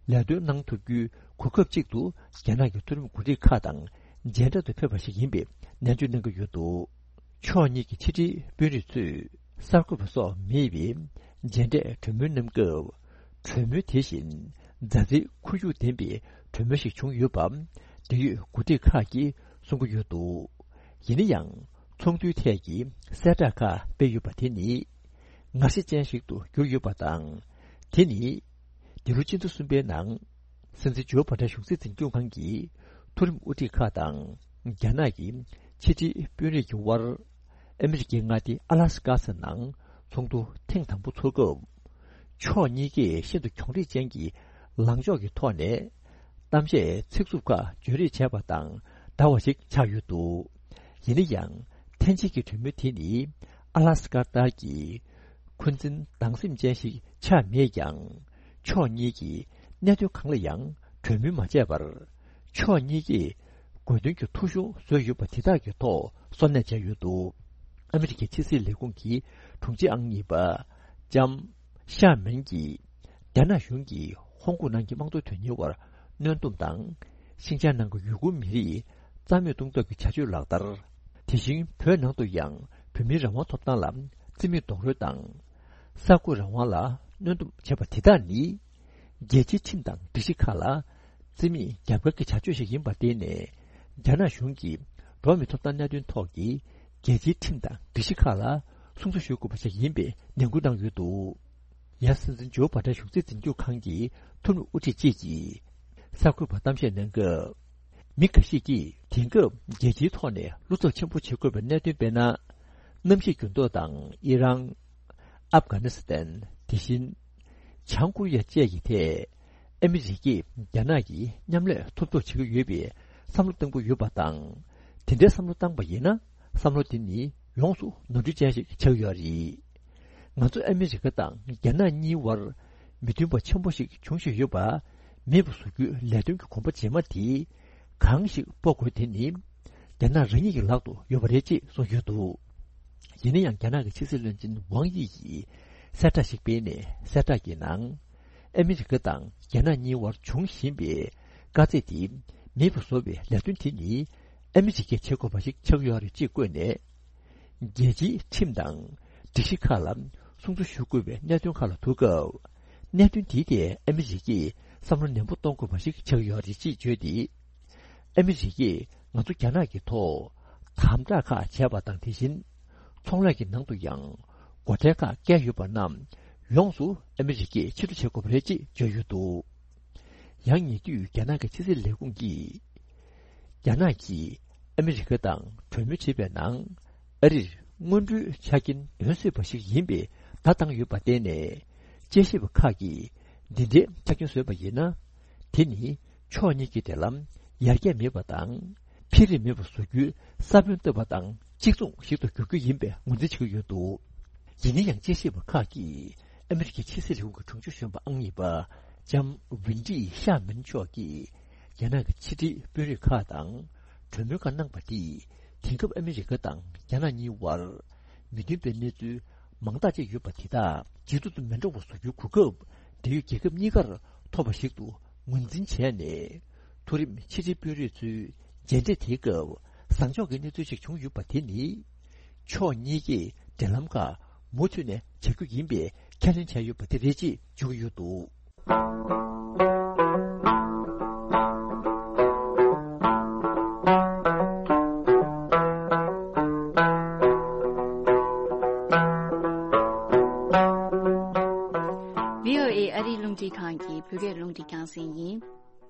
ལས་དོན་གནང་ཐུབ་རྒྱུའི་གོ་སྐབས་ཅིག་ཏུ་རྒྱ་ནག་གི་མཐོ་རིམ་འགོ་ཁྲིད་ཁག་དང་མཇལ་འཕྲད་དུ་ཕེབས་པ་ཞིག་ཡིན་པའི་ནན་བརྗོད་གནང་གི་ཡོད་འདུག། ཕྱོགས་གཉིས་ཀྱི་ཕྱི་དྲིལ་དཔོན་རིགས་ཚོས་གསར་འགོད་པ་སོགས་མེད་པའི་མཇལ་འཕྲད་གྲོས་མོལ་གནང་སྐབས། གྲོས་མོལ་དེ་བཞིན་མཛའ་བརྩེའི་ཁོར་ཡུག་ལྡན་པའི་གྲོས་མོལ་ཞིག་བྱུང་ཡོད་པ་འབྲེལ་ཡོད་འགོ་ཁྲིད་ཁག་གིས་གསུང་གི་ཡོད་འདུག། ཡིན་ན་ཡང་ཚོགས་འདུའི་ཐད་ཀྱི་གསལ་བསྒྲགས་ཁག་སྤེལ་ཡོད་པ་དེ་ནི་ངར་ཤ་ཅན་ཞིག་ཏུ་གྱུར་ཡོད་པ་དང་། དེ་ནི་འདི་ལོ་སྤྱི་ཟླ་གསུམ་པའི་ནང་སྲིད་འཛིན་ཇོ་བྷའི་ཏན་གཞུང་སྲིད་འཛིན་སྐྱོང་ཁང་གི་མཐོ་རིམ་དབུ་ཁྲིད་ཁག་དང་རྒྱ་ནག་གི་ཕྱི་དྲིལ་དཔོན་རིགས་ཀྱི་དབར་ཨ་མི་རི་ཀའི་མངའ་སྡེ་ཨ་ལ་སི་ཀ་ཟེར་ནང་ཚོགས་འདུ་ཐེངས་དང་པོ་འཚོགས་སྐབས། ཕྱོགས་གཉིས་ཀས་ཤིན་ཏུ་གྱོང་རིས་ཅན་གྱི་ལངས་ཕྱོགས་ཀྱི་ཐོག་ནས་གཏམ་བཤད་ཚིག་རྩུབ་ཁག་བརྗོད་རེས་བྱས་པ་དང་འདྲ་བ་ཞིག་ཆགས་ཡོད་འདུག། ཡིན་ན་ཡང་ཐེངས་གཅིག་གི་གྲོས་མོལ་དེ་ནི་ཨ་ལ་སི་ཀ་ལྟར་གྱི་འཁོན་འཛིན་སྡང་སེམས་ཅན་ཞིག་ཆགས་མེད་ཀྱང་། ཕྱོགས་གཉིས་ཀྱིས་གནད་དོན་གང་ལ་ཡང་གྲོས་མོལ་མ་བྱས་པར། ཕྱོགས་གཉིས་ཀས་དགོས་འདུན་གྱི་ཐོ་གཞུང་བཟོས་ཡོད་པ་དེ་དག་གི་ཐོག་སོར་གནས་བྱས་ཡོད་འདུག། ཨ་མི་རི་ཀའི་ཕྱི་སྲིད་ལས་ཁུངས་ཀྱི་དྲུང་ཆེ་ཨང་གཉིས་པ་ལྕམ་ཤ་མིན་གྱིས། རྒྱ་ནག་གཞུང་གིས་ཧོང་ཀོང་ནང་གི་དམངས་གཙོ་དོན་གཉེར་བར་གནོན་སྡོམ་དང་། ཤིན་ཅང་ནང་གི་ཡུ་གུར་མི་རིགས་རྩ་མེད་གཏོང་ཐབས་ཀྱི་བྱ་སྤྱོད་ལག་བསྟར། དེ་བཞིན་བོད་ནང་དུ་ཡང་བོད་མིའི་རང་དབང་ཐོབ་ཐང་ལ་རྩིས་མེད་རྡོག་རོལ་དང་། གསར་འགོད་རང་དབང་ལ་གནོན་སྡོམ་བྱས་པ་དེ་དག་ནི། རྒྱལ་སྤྱིའི་ཁྲིམས་དང་སྒྲིག་གཞི་ཁག་ལ་རྩིས་མེད་རྒྱབ་འགལ་གྱི་བྱ་སྤྱོད་ཞིག་ཡིན་པར་བརྟེན་ནས། རྒྱ་ནག་གཞུང་གིས་འགྲོ་བ་མིའི་ཐོབ་ཐང་གནད་དོན་ཐོག་གི་རྒྱལ་སྤྱིའི་ཁྲིམས་དང་སྒྲིག་གཞི་ཁག་ལ་སྲུང་བརྩི་ཞུ་དགོས་པ་ཞིག་ཡིན་པའི་ནན་སྐུལ་གནང་ཡོད་འདུག། ཡང་སྲིད་འཛིན་ཇོ་བྷའི་ཏན་གཞུང་སྲིད་འཛིན་སྐྱོང་ཁང་གི་མཐོ་རིམ་དབུ་ཁྲིད་ཅིག་གིས་གསར་འགོད་པར་གཏམ་བཤད་གནང་སྐབས། མི་འགའ་ཞིག་གིས་དེང་སྐབས་རྒྱལ་སྤྱིའི་ཐོག་ནས་བློ་འཚབ་ཆེན་པོ་བྱེད་དགོས་པའི་གནད་དོན་དཔེར་ན། གནམ་གཤིས་འགྱུར་ལྡོག་དང་ཨི་རན། ཨབ་གྷ་ནི་སི་ཐན། དེ་བཞིན་བྱང་ཀོ་རི་ཡ་བཅས་ཀྱི་ཐད་ཨ་མི་རི་ཀས་རྒྱ་ནག་གིས་མཉམ་ལས་ཐོབ་ཐོབ་བྱེད་ཀྱི་ཡོད་པའི་བསམ་བློ་བཏང་གི་ཡོད་པ་དང་། དེ་འདྲའི་བསམ་བློ་བཏང་པ་ཡིན་ན། བསམ་བློ་དེ་ནི་ཡོངས་སུ་ནོར་འཁྲུལ་ཅན་ཞིག་ཆགས་ཡོད་རེད། ང་ཚོ་ཨ་མི་རི་ཀ་དང་རྒྱ་ནག་གཉིས་བར་མི་མཐུན་པ་ཆེན་པོ་ཞིག་འབྱུང་བཞིན་ཡོད་པ། མེད་པ་བཟོ་རྒྱུའི་ལས་དོན་གྱི་གོམ་པ་རྗེས་མ་དེ་གང་ཞིག་སྤོ་དགོས་དེ་ནི་རྒྱ་ནག་རང་ཉིད་ཀྱི་ལག་ཏུ་ཡོད་པ་རེད་ཅེས་གསུངས་ཡོད་འདུག། ཡིན་ན་ཡང་རྒྱ་ནག་གི་ཕྱི་སྲིད་བློན་ཆེན་ཝང་དབྱི་ཡིས་གསལ་བསྒྲགས་ཤིག་སྤེལ་ནས། གསལ་བསྒྲགས་ཀྱི་ནང་ཨ་མི་རི་ཀ་དང་རྒྱ་ནག་གཉིས་བར་འབྱུང་བཞིན་པའི་དཀའ་ཚེགས་དེ་མེད་པ་བཟོ་བའི་ལས་དོན་དེ་ནི་ཨ་མི་རི་ཀས་བྱེད་དགོས་པ་ཞིག་ཆགས་ཡོད་རེད་ཅེས་བཀོད་ནས། རྒྱལ་སྤྱིའི་ཁྲིམས་དང་སྒྲིག་གཞི་ཁག་ལ་སྲུང་བརྩི་ཞུ་དགོས་པའི་གནད་དོན་ཁག་ལ་ཐུག་སྐབས། གནད་དོན་དེའི་ཐད་ཨ་མི་རི་ཀས་བསམ་བློ་ནན་པོ་གཏོང་དགོས་པ་ཞིག་ཆགས་ཡོད་རེད་ཅེས་བརྗོད་དེ། ཨ་མི་རི་ཀས་ང་ཚོ་རྒྱ་ནག་གི་ཐོག་དམ་དྲག་ཁག་བྱས་པ་དང་། དེ་བཞིན་ཚོང་ལས་ཀྱི་ནང་དུ་ཡང་སྒོ་ཁྲལ་ཁག་བཀལ་ཡོད་པ་རྣམས་ཡོངས་སུ་ཨ་མི་རི་ཀས་ཕྱིར་སྡུད་བྱེད་དགོས་པ་རེད་ཅེས་བརྗོད་ཡོད་འདུག། ཡང་ཉེ་དུས་རྒྱ་ནག་གི་ཕྱི་སྲིད་ལས་ཁུངས་ཀྱིས། རྒྱ་ནག་གིས་ཨ་མི་རི་ཀ་དང་གྲོས་མོལ་བྱེད་པའི་ནང་། ཨ་རིར་སྔོན་འགྲོའི་ཆ་རྐྱེན་ལྡན་སྲིད་པ་ཞིག་ཡིན་པའི་བརྡ་བཏང་ཡོད་པར་བརྟེན་ནས། དཔྱད་ཞིབ་པ་ཁག་གིས་འདི་འདྲའི་ཆ་རྐྱེན་བཟོས་པ་ཡིན་ན། དེ་ནི་ཕྱོགས་གཉིས་ཀྱི་འབྲེལ་ལམ་ཡར་རྒྱས་མེད་པ་དང་འཕེལ་རིམ་མེད་པ་བཟོ་རྒྱུའི་ས་བོན་བཏབ་པ་དང་གཅིག་མཚུངས་ཤིག་ཏུ་འགྱུར་རྒྱུ་ཡིན་པའི་ངོས་འཛིན་བྱེད་ཀྱི་ཡོད་འདུག། ཡིན་ན་ཡང་དཔྱད་ཞིབ་པ་ཁག་གིས་ཨ་མི་རི་ཀའི་ཕྱི་སྲིད་ལས་ཁུངས་ཀྱི་དྲུང་ཆེ་གཞོན་པ་ཨང་གཉིས་པ་ལྕམ་ཝིན་ཀྲི་ཤ་མིན་མཆོག་གིས་རྒྱ་ནག་གི་ཕྱི་འབྲེལ་དཔོན་རིགས་ཁག་དང་གྲོས་མོལ་ཁག་གནང་པ་དེས། དེང་སྐབས་ཨ་མི་རི་ཀ་དང་རྒྱ་ནག་གཉིས་བར་མི་མཐུན་པའི་གནས་ཚུལ་མང་དག་ཅིག་ཡོད་པ་དེ་དག་ཇེ་སྡུག་ཏུ་མི་འགྲོ་བ་བཟོ་རྒྱུའི་གོ་སྐབས་འབྲེལ་ཡོད་རྒྱལ་ཁབ་གཉིས་ཀར་ཐོབ་པ་ཞིག་ཏུ་ངོས་འཛིན་བྱས་ནས། མཐོ་རིམ་ཕྱི་འབྲེལ་དཔོན་རིགས་ཚོའི་མཇལ་འཕྲད་དེའི་སྐབས་བཟང་ཕྱོགས་ཀྱི་གནས་ཚུལ་ཞིག་བྱུང་ཡོད་པ་དེ་ནི། ཕྱོགས་གཉིས་ཀས་འབྲེལ་ལམ་ཁག་མུ་མཐུད་ནས་བྱ་རྒྱུ་ཡིན་པའི་ཁས་ལེན་བྱས་ཡོད་པ་དེ་རེད་ཅེས་བརྗོད་ཀྱི་ཡོད་འདུག། ཝི་ཨོ་ཨེ་ཨ་རིའི་རླུང་འཕྲིན་ཁང་གི་བོད་སྐད་རླུང་འཕྲིན་རྒྱང་སྲིང་ཡིན།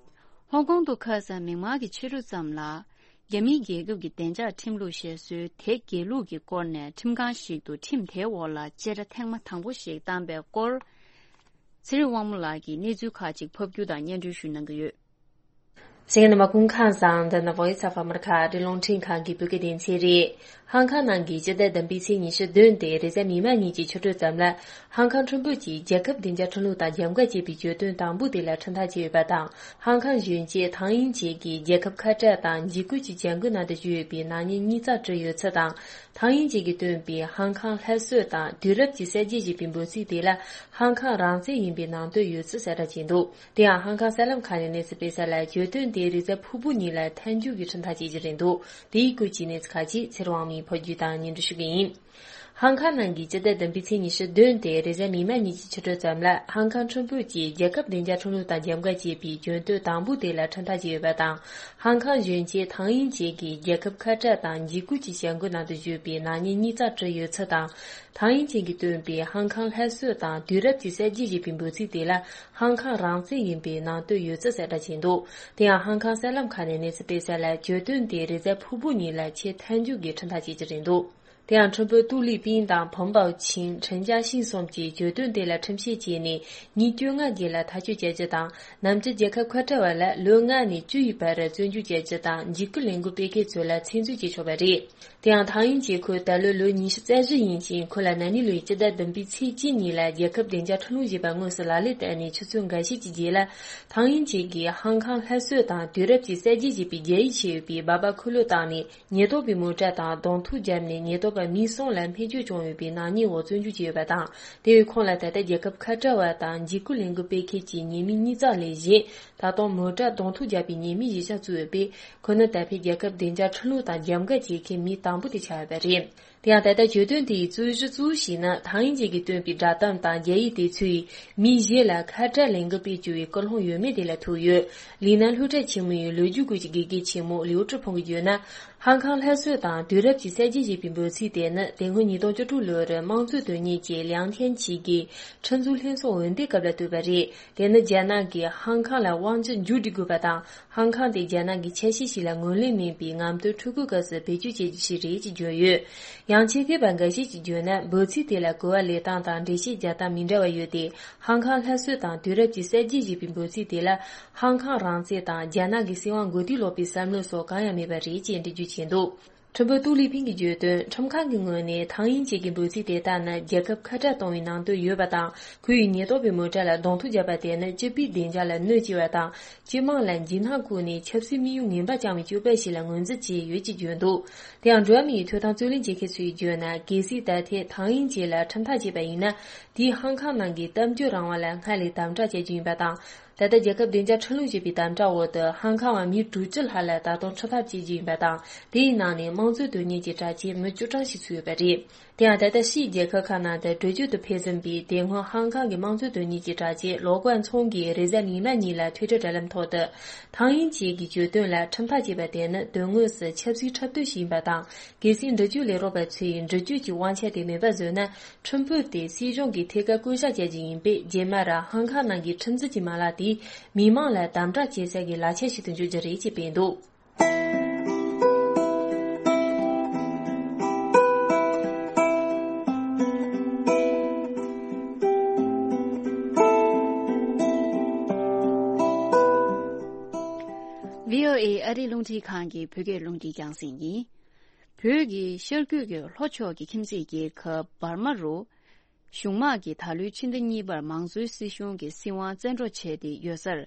ཧོང་ཀོང་དུ་ཁ་སང་མིག་དམར་གྱི་ཕྱི་དྲོ་ཙམ་ལ། རྒྱ་མིའི་རྒྱལ་ཁབ་ཀྱི་བདེ་འཇགས་ཁྲིམས་ལུགས་ཞེས་སུའི་དེ་དགེ་ལུགས་ཀྱི་སྐོར་ནས་ཁྲིམས་ཁང་ཞིག་ཏུ་ཁྲིམས་དེའི་འོག་ལ་བཅད་ཁྲ་ཐེངས་མ་དང་པོ་ཞིག་བཏང་པའི་སྐོར། ཚེ་རིང་དབང་མོ་ལགས་ཀྱིས་གནས་ཚུལ་ཁག་ཅིག་ཕབ་སྒྱུར་དང་སྙན་སྒྲོན་ཞུ་གནང་གི་ཡོད། གསན་མཁན་རྣམ་པ་སྐུ་ཁམས་བཟང་། འདི་ནི་Voice of America ཨ་རིའི་རླུང་འཕྲིན་ཁང་གི་བོད་སྐད་སྡེ་ཚན་རེད། ཧང་ཁང་ནང་གི་སྤྱི་ཟླ་བདུན་པའི་ཚེས་ཉི་ཤུ་བདུན་སྟེ་རེས་གཟའ་མིག་དམར་ཉིན་གྱི་ཕྱི་དྲོ་ཙམ་ལ། ཧང་ཁང་ཁྲིམས་དཔོན་གྱིས་རྒྱལ་ཁབ་བདེ་འཇགས་ཁྲིམས་ལུགས་དང་རྒྱབ་འགལ་བྱས་པའི་གྱོད་དོན་དང་པོ་དེ་ལ་ཁྲིམས་ཐག་བཅད་ཡོད་པ་དང་། ཧང་ཁང་གཞོན་སྐྱེས་ཐང་དབྱིན་ཅེ་གིས་རྒྱལ་ཁབ་ཁ་བྲལ་དང་འཇིགས་སྐུལ་གྱི་བྱ་འགུལ་ནང་དུ་ཞུགས་ཡོད་པའི་ནག་ཉེས་གཉིས་རྩ་བསྒྲིལ་ཡོད་ཚུལ་དང་། ཐང་དབྱིན་ཅེ་གིས་བཏོན་པའི་ཧང་ཁང་སླར་གསོ་དང་དུས་རབས་ཀྱི་གསར་བརྗེ་ཞེས་པའི་འབོད་ཚིག་དེ་ལ་ཧང་ཁང་རང་བཙན་ཡིན་པའི་ནང་དོན་ཡོད་ཚུལ་གསལ་བསྒྲགས་བྱས་འདུག། དེ་ཡང་ཧང་ཁང་གསར་ལམ་ཁག་ནས་གནས་ཚུལ་སྤེལ་གསལ་ལ། གྱོད་དོན་དེ་རེས་གཟའ་ཕུར་བུ་ཉིན་ལ་མཐའ་མཇུག་གི་ཁྲིམས་ཐག་བཅད་རྒྱུ་རེད་འདུག། དེའི་སྐོར་གྱི་གནས་ཚུལ་ཁག་ཅིག་ཚེ་རིང་དབང་མོས་ཕབ་སྒྱུར་དང་སྙན་སྒྲོན་ཞུ་གི་ཡིན། ཧང་ཁང་ནང་གི་སྤྱི་ཟླ་བདུན་པའི་ཚེས་ཉི་ཤུ་བདུན་སྟེ་རེས་གཟའ་མིག་དམར་ཉིན་གྱི་ཕྱི་དྲོ་ཙམ་ལ། ཧང་ཁང་ཁྲིམས་དཔོན་གྱིས་རྒྱལ་ཁབ་བདེ་འཇགས་ཁྲིམས་ལུགས་དང་རྒྱབ་འགལ་བྱས་པའི་གྱོད་དོན་དང་པོ་དེ་ལ་ཁྲིམས་ཐག་བཅད་ཡོད་པ་དང་། ཧང་ཁང་གཞོན་སྐྱེས་ཐང་དབྱིན་ཅེ་གིས་རྒྱལ་ཁབ་ཁ་བྲལ་དང་འཇིགས་སྐུལ་གྱི་བྱ་འགུལ་ནང་དུ་ཞུགས་པའི་ནག་ཉེས་གཉིས་རྩ་བསྒྲིལ་ཡོད་ཚུལ་དང་། ཐང་དབྱིན་ཅེ་གིས་བཏོན་པའི་ཧང་ཁང་སླར་གསོ་དང་དུས་རབས་ཀྱི་གསར་བརྗེ་ཞེས་པའི་འབོད་ཚིག་དེ་ལ་ཧང་ཁང་རང་བཙན་ཡིན་པའི་ནང་དོན་ཡོད་ཚུལ་གསལ་བསྒྲགས་བྱས་འདུག། དེ་ཡང་ཧང་ཁང་གསར་ལམ་ཁག་ནས་གནས་ཚུལ་སྤེལ་གསལ་ལ། གྱོད་དོན་དེ་རེས་གཟའ་ཕུར་བུ་ཉིན་ལ་ཆེས་མཐའ་མཇུག་གི་ཁྲིམས་ཐག་བཅད་རྒྱུ་རེད་འདུག། དེ་ཡང་ཁྲིམས་དཔོན་ཏུའུ་ལི་པིན་དང་ཕོན་པའོ་ཆིང་། ཁྲིན་ཅཱ་ཤིང་གསུམ་གྱིས་གྱོད་དོན་དེ་ལ་ཁྲིམས་བཤེར་བྱས་ནས་ཉིན་བཅོ་ལྔ་རྗེས་ལ་ཐག་གཅོད་བྱ་རྒྱུ་དང་། ནམ་རྒྱུན་རྒྱལ་ཁབ་ཁ་བྲལ་བ་ལ་ལོ་ལྔ་ནས་བཅུ་ཡི་བར་བཙོན་འཇུག་བྱ་རྒྱུ་དང་། འཇིགས་སྐུལ་ལས་འགུལ་སྤེལ་མཁན་ཚོ་ལ་ཚེ་བཙོན་བྱེད་ཆོག་པ་རེད། དེ་ཡང་ཐང་དབྱིན་ཅེ་ཁོས་ད་ལོ་ལོ་ཉི་ཤུ་རྩ་བཞི་ཡིན་ཞིང་། ཁོ་ལ་ན་ནིང་ལོའི་སྤྱི་ཟླ་བདུན་པའི་ཚེས་གཅིག་ཉིན་ལ་རྒྱལ་ཁབ་བདེ་འཇགས་ཁྲིམས་ལུགས་ཞེས་པ་དངོས་སུ་ལག་ལེན་བསྟར་ནས་ཆུ་ཚོད་འགའ་ཤས་ཀྱི་རྗེས་ལ། ཐང་དབྱིན་ཅེ་གིས་ཧང་ཁང་སླར་གསོ་དང་དུས་རབས་ཀྱི་གསར་བརྗེ་ཞེས་པའི་རྒྱ་ཡིག་ཆེ་ཡོད་པའི་སྦག་སྦག་འཁོར་ལོ་བཏང་ནས། ཉེན་རྟོག་པའི་མོ་ཊ་དང་གདོང་ཐུག་བརྒྱབ་ནས། ཉེན་རྟོག་པ་མི་གསུམ་ལ་སྨྲས་སྐྱོན་བྱུང་ཡོད་པའི་ནག་ཉེས་འོག་བཙོན་འཇུག་བྱས་ཡོད་པ་དང་། དེ་བས་ཁོང་ལ་ད་ལྟ་རྒྱལ་ཁབ་ཁ་བྲལ་བ་དང་འཇིགས་སྐུལ་ལས་འགུལ་སྤེལ་མཁན་གྱི་ཉེས་མིང་གཉིས་ཙམ་ལས་གཞན། ད་དུང་མོ་ཊ་གདོང་ཐུག་བརྒྱབ་པའི་ཉེས་མིང་བཞི་ཆ་བཙུགས་ཡོད་པས། ཁོ་ནི་ད་ཕན་རྒྱལ་ཁབ་བདེ་འཇགས་ཁྲིམས་ལུགས་དང་རྒྱབ་འགལ་བྱེད་མཁན་མི་དང་པོ་དེ་ཆགས་ཡོད་པ་རེད། དེ་ཡང་ད་ལྟ་གྱོད་དོན་དེའི་རྩོད་གཞི་གཙོ་བོ་ཞིག་ནི། ཐང་དབྱིན་ཅེ་གིས་བཏོན་པའི་བསྒྲགས་གཏམ་དང་རྒྱ་ཡིག་དེ་ཚོས་མི་གཞན་ལ་ཁ་བྲལ་ལས་འགུལ་སྤེལ་བཅུག་པའི་སྐུལ་སློང་ཡོད་མེད་དེ་ལ་ཐུག་ཡོད། ལི་ནན་སློབ་གྲྭ་ཆེན་མོའི་ལོ་རྒྱུས་སྐོར་གྱི་དགེ་རྒན་ཆེན་མོ་ལིའུ་ཀྲི་ཕུང་གིས་བརྗོད་ན། ཧང་ཁང་སླར་གསོ་དང་དུས་རབས་ཀྱི་གསར་བརྗེ་ཞེས་པའི་འབོད་ཚིག་དེ་ནི་དེ་སྔོན་ཉིས་སྟོང་བཅུ་དྲུག་ལོར་དམངས་གཙོའི་དོན་གཉེར་གྱི་ལིའང་ཐན་ཆི་གིས་ཁྲིམས་བཟོ་ལྷན་ཚོགས་འོས་འདེམས་སྐབས་ལ་བཏོན་པ་རེད། དེ་ནི་རྒྱ་ནག་གིས་ཧང་ཁང་ལ་དབང་ཆ་མཇུག་སྒྲིལ་དགོས་པ་དང་། ཧང་ཁང་དེ་རྒྱ་ནག་གི་ཆ་ཤས་ཤིག་ལ་ངོས་ལེན་མིན་པའི་ངམ་སྟོན་འཕྲུལ་འཁོར་སྐབས་སུ་བེད་སྤྱོད་བྱེད་རྒྱུ་ཞིག་རེད་ཅེས་བརྗོད་ཡོད། ཡང་ཆེད་མཁས་པ་འགའ་ཞིག་གིས་བརྗོད་ན། འབོད་ཚིག་དེ་ལ་གོ་བ་ལེན་སྟངས་དང་འགྲེལ་བཤད་རྒྱག་སྟངས་མི་འདྲ་བ་ཡོད་དེ། ཧང་ཁང་སླར་གསོ་དང་དུས་རབས་ཀྱི་གསར་བརྗེ་ཞེས་པའི་འབོད་ཚིག་དེ་ལ། ཧང་ཁང་རང་བཙན་དང་རྒྱ་ནག་གི་སྲིད་དབང་མགོ་རྟིང་སློག་པའི་བསམ་བློ་སོགས་གང་ཡང་མེད་པ་རེད་ཅེས་འགྲེལ་བརྗོད་བྱས་འདུག་ཁྲིན་པོ་ཏུའུ་ལི་ཕིང་གིས་བརྗོད་དོན། ཁྲིམས་ཁང་གི་ངོས་ནས་ཐང་དབྱིན་ཇི་གི་འབོད་ཚིག་དེ་དག་ནི་རྒྱལ་ཁབ་ཁ་བྲལ་གཏོང་བའི་ནང་དོན་ཡོད་པ་དང་། ཁོ་ཡི་ཉེན་རྟོག་པའི་མོ་ཊ་ལ་གདོང་ཐུག་བརྒྱབ་པ་དེ་ནི་སྤྱི་པའི་བདེ་འཇགས་ལ་གནོད་སྐྱེལ་བ་དང་། སྤྱི་དམངས་ལ་འཇིགས་སྣང་བཀོད་ནས་ཆབ་སྲིད་དམིགས་ཡུལ་ངན་པ་བཅངས་པའི་སྤྱོད་པ་ཞིག་ལ་ངོས་འཛིན་བྱས་ཡོད་ཅེས་བརྗོད་འདུག་དེ་ཡང་འགྲོ་བ་མིའི་ཐོབ་ཐང་རྩོད་ལེན་བྱེད་མཁན་ཚོས་བརྗོད་ན། གལ་སྲིད་ད་ཐེངས་ཐང་དབྱིན་ཇི་ལ་ཁྲིམས་ཐག་བཅད་པ་ཡིན་ན། དེས་ཧང་ཁང་ནང་གི་གཏམ་བརྗོད་རང་དབང་ལ་སྔར་ལས་དམ་དྲག་བྱ་རྒྱུ་ཡིན་པ་དང་། ད་ལྟ་རྒྱལ་ཁབ་བདེ་འཇགས་ཁྲིམས་ལུགས་ཞེས་པའི་དམ་དྲག་འོག་ཏུ་ཧང་ཁང་བ་མི་དྲུག་ཅུ་ལྷག་ལ་ད་དུང་ཁྲིམས་ཐག་བཅད་རྒྱུ་ཡིན་པ་དང་། དེའི་ནང་ནས་དམངས་གཙོའི་དོན་གཉེར་གྱི་དྲག་ཆས་མི་བཅུ་གྲངས་ཤིག་ཚུད་ཡོད་པ་རེད། དེ་ཡང་ད་ལྟ་ཕྱིའི་རྒྱལ་ཁབ་ཁག་ནང་དུ་བྲོས་བྱོལ་དུ་ཕེབས་ཟིན་པའི་དེ་སྔོན་ཧང་ཁང་གི་དམངས་གཙོའི་དོན་གཉེར་གྱི་དྲག་ཆས་ལོ་ཀོན་ཚོང་གིས་རེས་གཟའ་ཉི་མ་ཉིན་ལ་Twitter་དྲ་ལམ་ཐོག་ཏུ། ཐང་དབྱིན་ཇི་གི་བརྗོད་དོན་ལ་ཁྲིམས་ཐག་བཅད་པ་དེ་ནི་དོན་དངོས་སུ་ཆབ་སྲིད་འཁྲབ་སྟོན་ཞིག་ཡིན་པ་དང་། གལ་སྲིད་འབྲི་ཆུའི་ལས་རོགས་པ་ཚོས་འབྲི་གཅོད་ཀྱི་དབང་ཆ་དེ་མེད་པ་བཟོས་ན། ཁྲིམས་དཔོན་དེ་སྲིད་གཞུང་གི་ཐད་ཀར་བསྐོ་གཞག་བྱ་རྒྱུ་ཡིན་པས། རྗེས་མ་ར་ཧང་ཁང་ནང་གི་ཁྲིམས་འཛིན་གྱི་མ་ལག་དེས་མི་མང་ལ་དམ་དྲག་བྱེད་ས་གི་ལག་ཆ་ཞིག་ཏུ་འགྱུར་རྒྱུ་རེད་ཅེས་བསྟན་འདུག་བྷི་ཨོ་ཨེ་ཨ་རིའི་རླུང་འཕྲིན་ཁང་གི་བོད་སྐད་རླུང་འཕྲིན་རྒྱང་སྲིང་ཡིན། བོད་ཀྱི་ཤར་རྒྱུད་ཀྱི་ལྷོ་ཕྱོགས་ཀྱི་ཁྱིམ་མཚེས་རྒྱལ་ཁབ་འབར་མ་རུ། གཞུང་དམག་གིས་ད་ལོའི་ཕྱི་ཟླ་གཉིས་པར་མང་གཙོའི་སྲིད་གཞུང་གི་སྲིད་དབང་བཙན་འཕྲོག་བྱས་ཏེ་ཡོད་སར།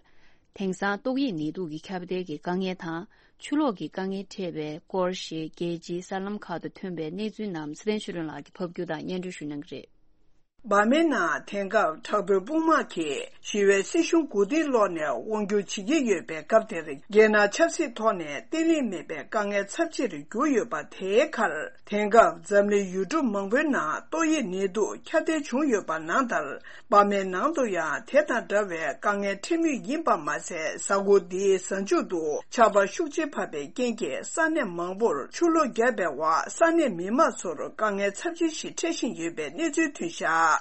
དེང་སང་ཏོག་དབྱིབས་ནད་དུག་གི་ཁྱབ་གདལ་གྱི་དཀའ་ངལ་དང་། ཆུ་ལོག་གི་དཀའ་ངལ་འཕྲད་པའི་སྐོར་ཞེས་རྒྱལ་སྤྱིའི་གསར་ལམ་ཁག་ཏུ་ཐོན་པའི་གནས་ཚུལ་རྣམས་ཚེ་བརྟན་ཆོས་སྒྲོན་ལགས་ཀྱིས་ཕབ་སྒྱུར་དང་སྙན་སྒྲོན་ཞུ་གནང་གི་རེད། འབར་མའི་ནང་དེང་སྐབས་དྲག་པོའི་དཔུང་དམག་གིས་ཞི་བའི་སྲིད་གཞུང་མགོ་རྟིང་སློག་ནས་དབང་སྒྱུར་བྱེད་ཀྱི་ཡོད་པའི་སྐབས་དེར། རྒྱལ་ནང་ཆབ་སྲིད་ཐོག་ནས་བརྟན་ལྷིང་མེད་པའི་དཀའ་ངལ་ཚབས་ཆེར་གྱུར་ཡོད་པ་དེའི་ཁར། དེང་སྐབས་འཛམ་གླིང་ཡུལ་གྲུ་མང་པོའི་ནང་ཏོག་དབྱིབས་ནད་དུག་ཁྱབ་གདལ་བྱུང་ཡོད་པ་ནང་ལྟར། འབར་མའི་ནང་དུ་ཡང་དེ་དང་འདྲ་བའི་དཀའ་ངལ་འཕྲད་མུས་ཡིན་པ་མ་ཟད། གཟའ་འཁོར་འདིའི་གཟའ་མཇུག་ཏུ་ཆར་པ་ཤུགས་ཆེ་བབས་པའི་རྐྱེན་གྱིས་ས་གནས་མང་པོར་ཆུ་ལོག་བརྒྱབ་པའི་འོག་ས་གནས་མི་མང་ཚོར་དཀའ་ངལ་ཚབས་ཆེ་ཞིག་འཕྲད་བཞིན་ཡོད་པའི་གནས་ཚུལ་ཐོན་བཞག་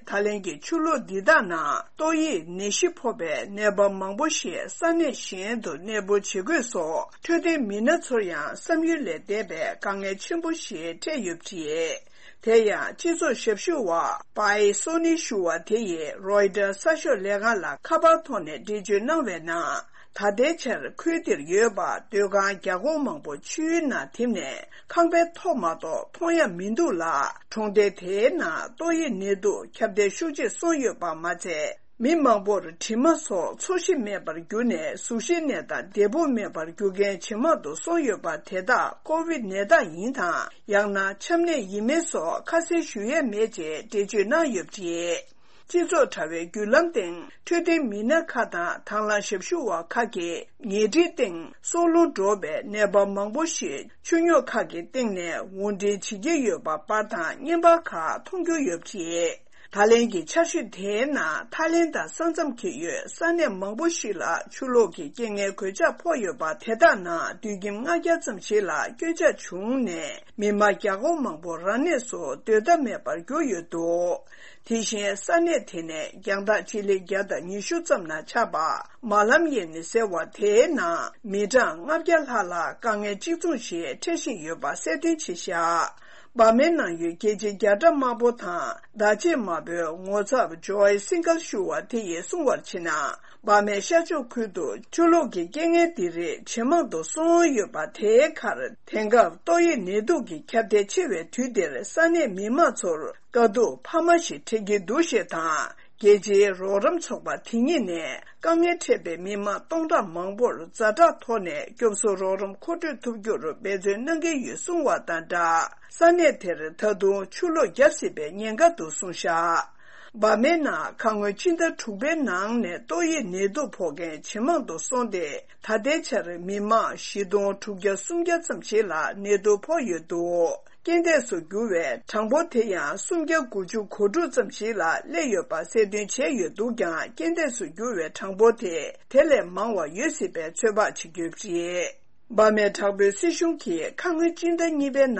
ད་ལན་གྱི་ཆུ་ལོག་འདི་དག་ནང་ཏོག་དབྱིབས་ནད་གཞི་ཕོག་པའི་ནད་པ་མང་པོ་ཞིག་ས་གནས་གཞན་དུ་གནས་སྤོ་བྱེད་དགོས་སོགས། འཕྲོད་བསྟེན་མི་སྣ་ཚོར་ཡང་བསམ་ཡུལ་ལས་འདས་པའི་དཀའ་ངལ་ཆེན་པོ་ཞིག་འཕྲད་ཡོད་པ་རེད། དེ་ཡང་སྤྱི་ཚོགས་ཞབས་ཞུ་བ་པའི་སོ་ནི་ཞུ་བ་དེ་ཡིས་རོའི་ཊར་གསར་ཤོག་ལས་ཁང་ལ་ཁ་པར་ཐོག་ནས་འགྲེལ་བརྗོད་གནང་བའི་ནང་། ད་ལྟའི་ཆར་ཁུལ་དེར་ཡོད་པ་སྡོད་ཁང་བརྒྱ་སྐོར་མང་པོ་ཆུའི་ནང་ཐིམ་ནས་ཁང་པའི་ཐོག་མ་གཏོགས་མཐོང་ཡ་མི་འདུག་ལ། གྲོང་སྡེ་དེའི་ནང་ཏོག་དབྱིབས་ནད་དུག་ཁྱབ་གདལ་ཤུགས་ཆེ་སོང་ཡོད་པ་མ་ཚད། མི་མང་པོར་དྲི་མ་སོགས་ཚོར་ཤེས་མེད་པར་གྱུར་ནས་གཟུགས་གཞི་ནད་དང་བདེ་པོ་མེད་པར་འགྱུར་མཁན་ཇེ་མང་དུ་སོང་ཡོད་པ་དེ་དག་ཀོ་བིད་ནད་རྟགས་ཡིན་དང་། ཡང་ན་ཆམ་ནད་ཡིན་མིན་སོགས་ཁ་གསལ་ཞུ་ཡས་མེད་ཅེས་འགྲེལ་བརྗོད་གནང་ཡོད་པ་རེད། སྤྱི་ཚོགས་དྲ་བའི་བརྒྱུད་ལམ་སྟེང་འཕྲོད་བསྟེན་མི་སྣ་ཁག་དང་དང་བླངས་ཞབས་ཞུ་བ་ཁག་གིས་ཉལ་ཁྲིའི་སྟེང་སྲོག་རླུང་འགྲོ་བའི་ནད་པ་མང་པོ་ཞིག་ཆུ་རྙོག་ཁག་གི་སྟེང་ནས་དབོར་འདྲེན་བྱེད་ཀྱི་ཡོད་པ་པར་དང་བརྙན་པར་ཁག་མཐོང་རྒྱུ་ཡོད་པ་རེད། ད་ལན་གྱི་ཆར་ཞོད་དེའི་ནང་ཐའི་ལེན་དང་ས་མཚམས་འཁེལ་ཡོད་ས་གནས་མང་པོ་ཞིག་ལ་ཆུ་ལོག་གི་རྐྱེན་ངན་གོད་ཆག་ཕོག་ཡོད་པ། དེ་དག་ནང་དུད་ཁྱིམ་ལྔ་བརྒྱ་ཙམ་ཞིག་ལ་སྐྱོན་ཆག་བྱུང་ནས་མི་མང་བརྒྱ་སྐོར་མང་པོ་རང་གནས་སུ་སྡོད་ཐབས་མེད་པར་གྱུར་ཡོད་འདུག་དེ་བཞིན་ས་གནས་དེ་ནས་རྒྱང་ཐག་སྤྱི་ལེ་བརྒྱ་དང་ཉི་ཤུ་ཙམ་ན་ཆགས་པ་མ་ལམ་ཡེ་ནི་ཟེར་བ་དེའི་ནང་མི་གྲངས་ལྔ་བརྒྱ་ལྷག་ལ་དཀའ་ངལ་གཅིག་མཚུངས་ཤིག་འཕྲད་བཞིན་ཡོད་པ་གསལ་སྟོན་བྱས་བཞག་འབར་མའི་ནང་ཡོད་རྒྱལ་སྤྱིའི་རྒྱལ་དྲ་དམར་པོ་དང་བརྡ་ཆད་དམར་པོའི་ངོ་ཚབ་ཇོའི་སིང་གལ་ཞུ་བ་དེ་ཡིས་གསུངས་པར་བྱས་ན། འབར་མའི་ཤར་ཕྱོགས་ཁུལ་དུ་ཆུ་ལོག་གི་རྐྱེན་ངན་འདི་རིགས་ཇེ་མང་དུ་སོང་ཡོད་པ་དེའི་ཁར། དེང་སྐབས་ཏོག་དབྱིབས་ནད་དུག་གི་ཁྱབ་གདལ་ཆེ་བའི་དུས་འདིར་ས་གནས་མི་མང་ཚོར་དཀའ་སྡུག་འཕར་མ་ཞིག་འཕྲད་ཀྱི་འདུག་ཞེས་དང་། རྒྱལ་སྤྱིའི་རོགས་རམ་ཚོགས་པ་དེ་ཉིད་ནས་དཀའ་ངལ་འཕྲད་པའི་མི་མང་སྟོང་ཕྲག་མང་པོར་ཛ་དྲག་ཐོག་ནས་སྐྱོབ་གསོ་རོགས་རམ་མཁོ་སྤྲོད་ཐུབ་རྒྱུར་འབད་བརྩོན་གནང་གི་ཡོད་གསུངས་བ་དང་སྦྲགས། ས་གནས་དེར་ད་དུང་ཆུ་ལོག་བརྒྱབ་སྲིད་པའི་ཉེན་ཁ་འདུག་གསུངས་བཞག་འབར་མའི་ནང་ཁ་སྔོན་ཕྱི་ཟླ་དྲུག་པའི་ནང་ནས་ཏོག་དབྱིབས་ནད་དུག་ཕོག་མཁན་ཇེ་མང་དུ་སོང་སྟེ། ད་ལྟའི་ཆར་མི་མང་བཞི་སྟོང་དྲུག་བརྒྱ་སུམ་བརྒྱ་ཙམ་ཞིག་ལ་ནད་དུག་ཕོག་ཡོད་འདུག་རྐྱེན་འདས་སུ་གྱུར་བའི་གྲངས་འབོར་དེ་ཡང་སུམ་བརྒྱ་དགུ་བཅུ་གོ་དྲུག་ཙམ་ཞིག་ལ་སླེབས་ཡོད་པ་གསལ་སྟོན་བྱས་ཡོད་འདུག་ཀྱང་། རྐྱེན་འདས་སུ་གྱུར་བའི་གྲངས་འབོར་དེ་དེ་ལས་མང་བ་ཡོད་སྲིད་པའི་ཚོད་དཔག་བྱེད་ཀྱི་ཡོད་པ་རེད། འབར་མའི་དྲག་པོའི་སྲིད་གཞུང་གིས་ཁ་སྔོན་སྤྱི་ཟླ་གཉིས་པའི་ནང་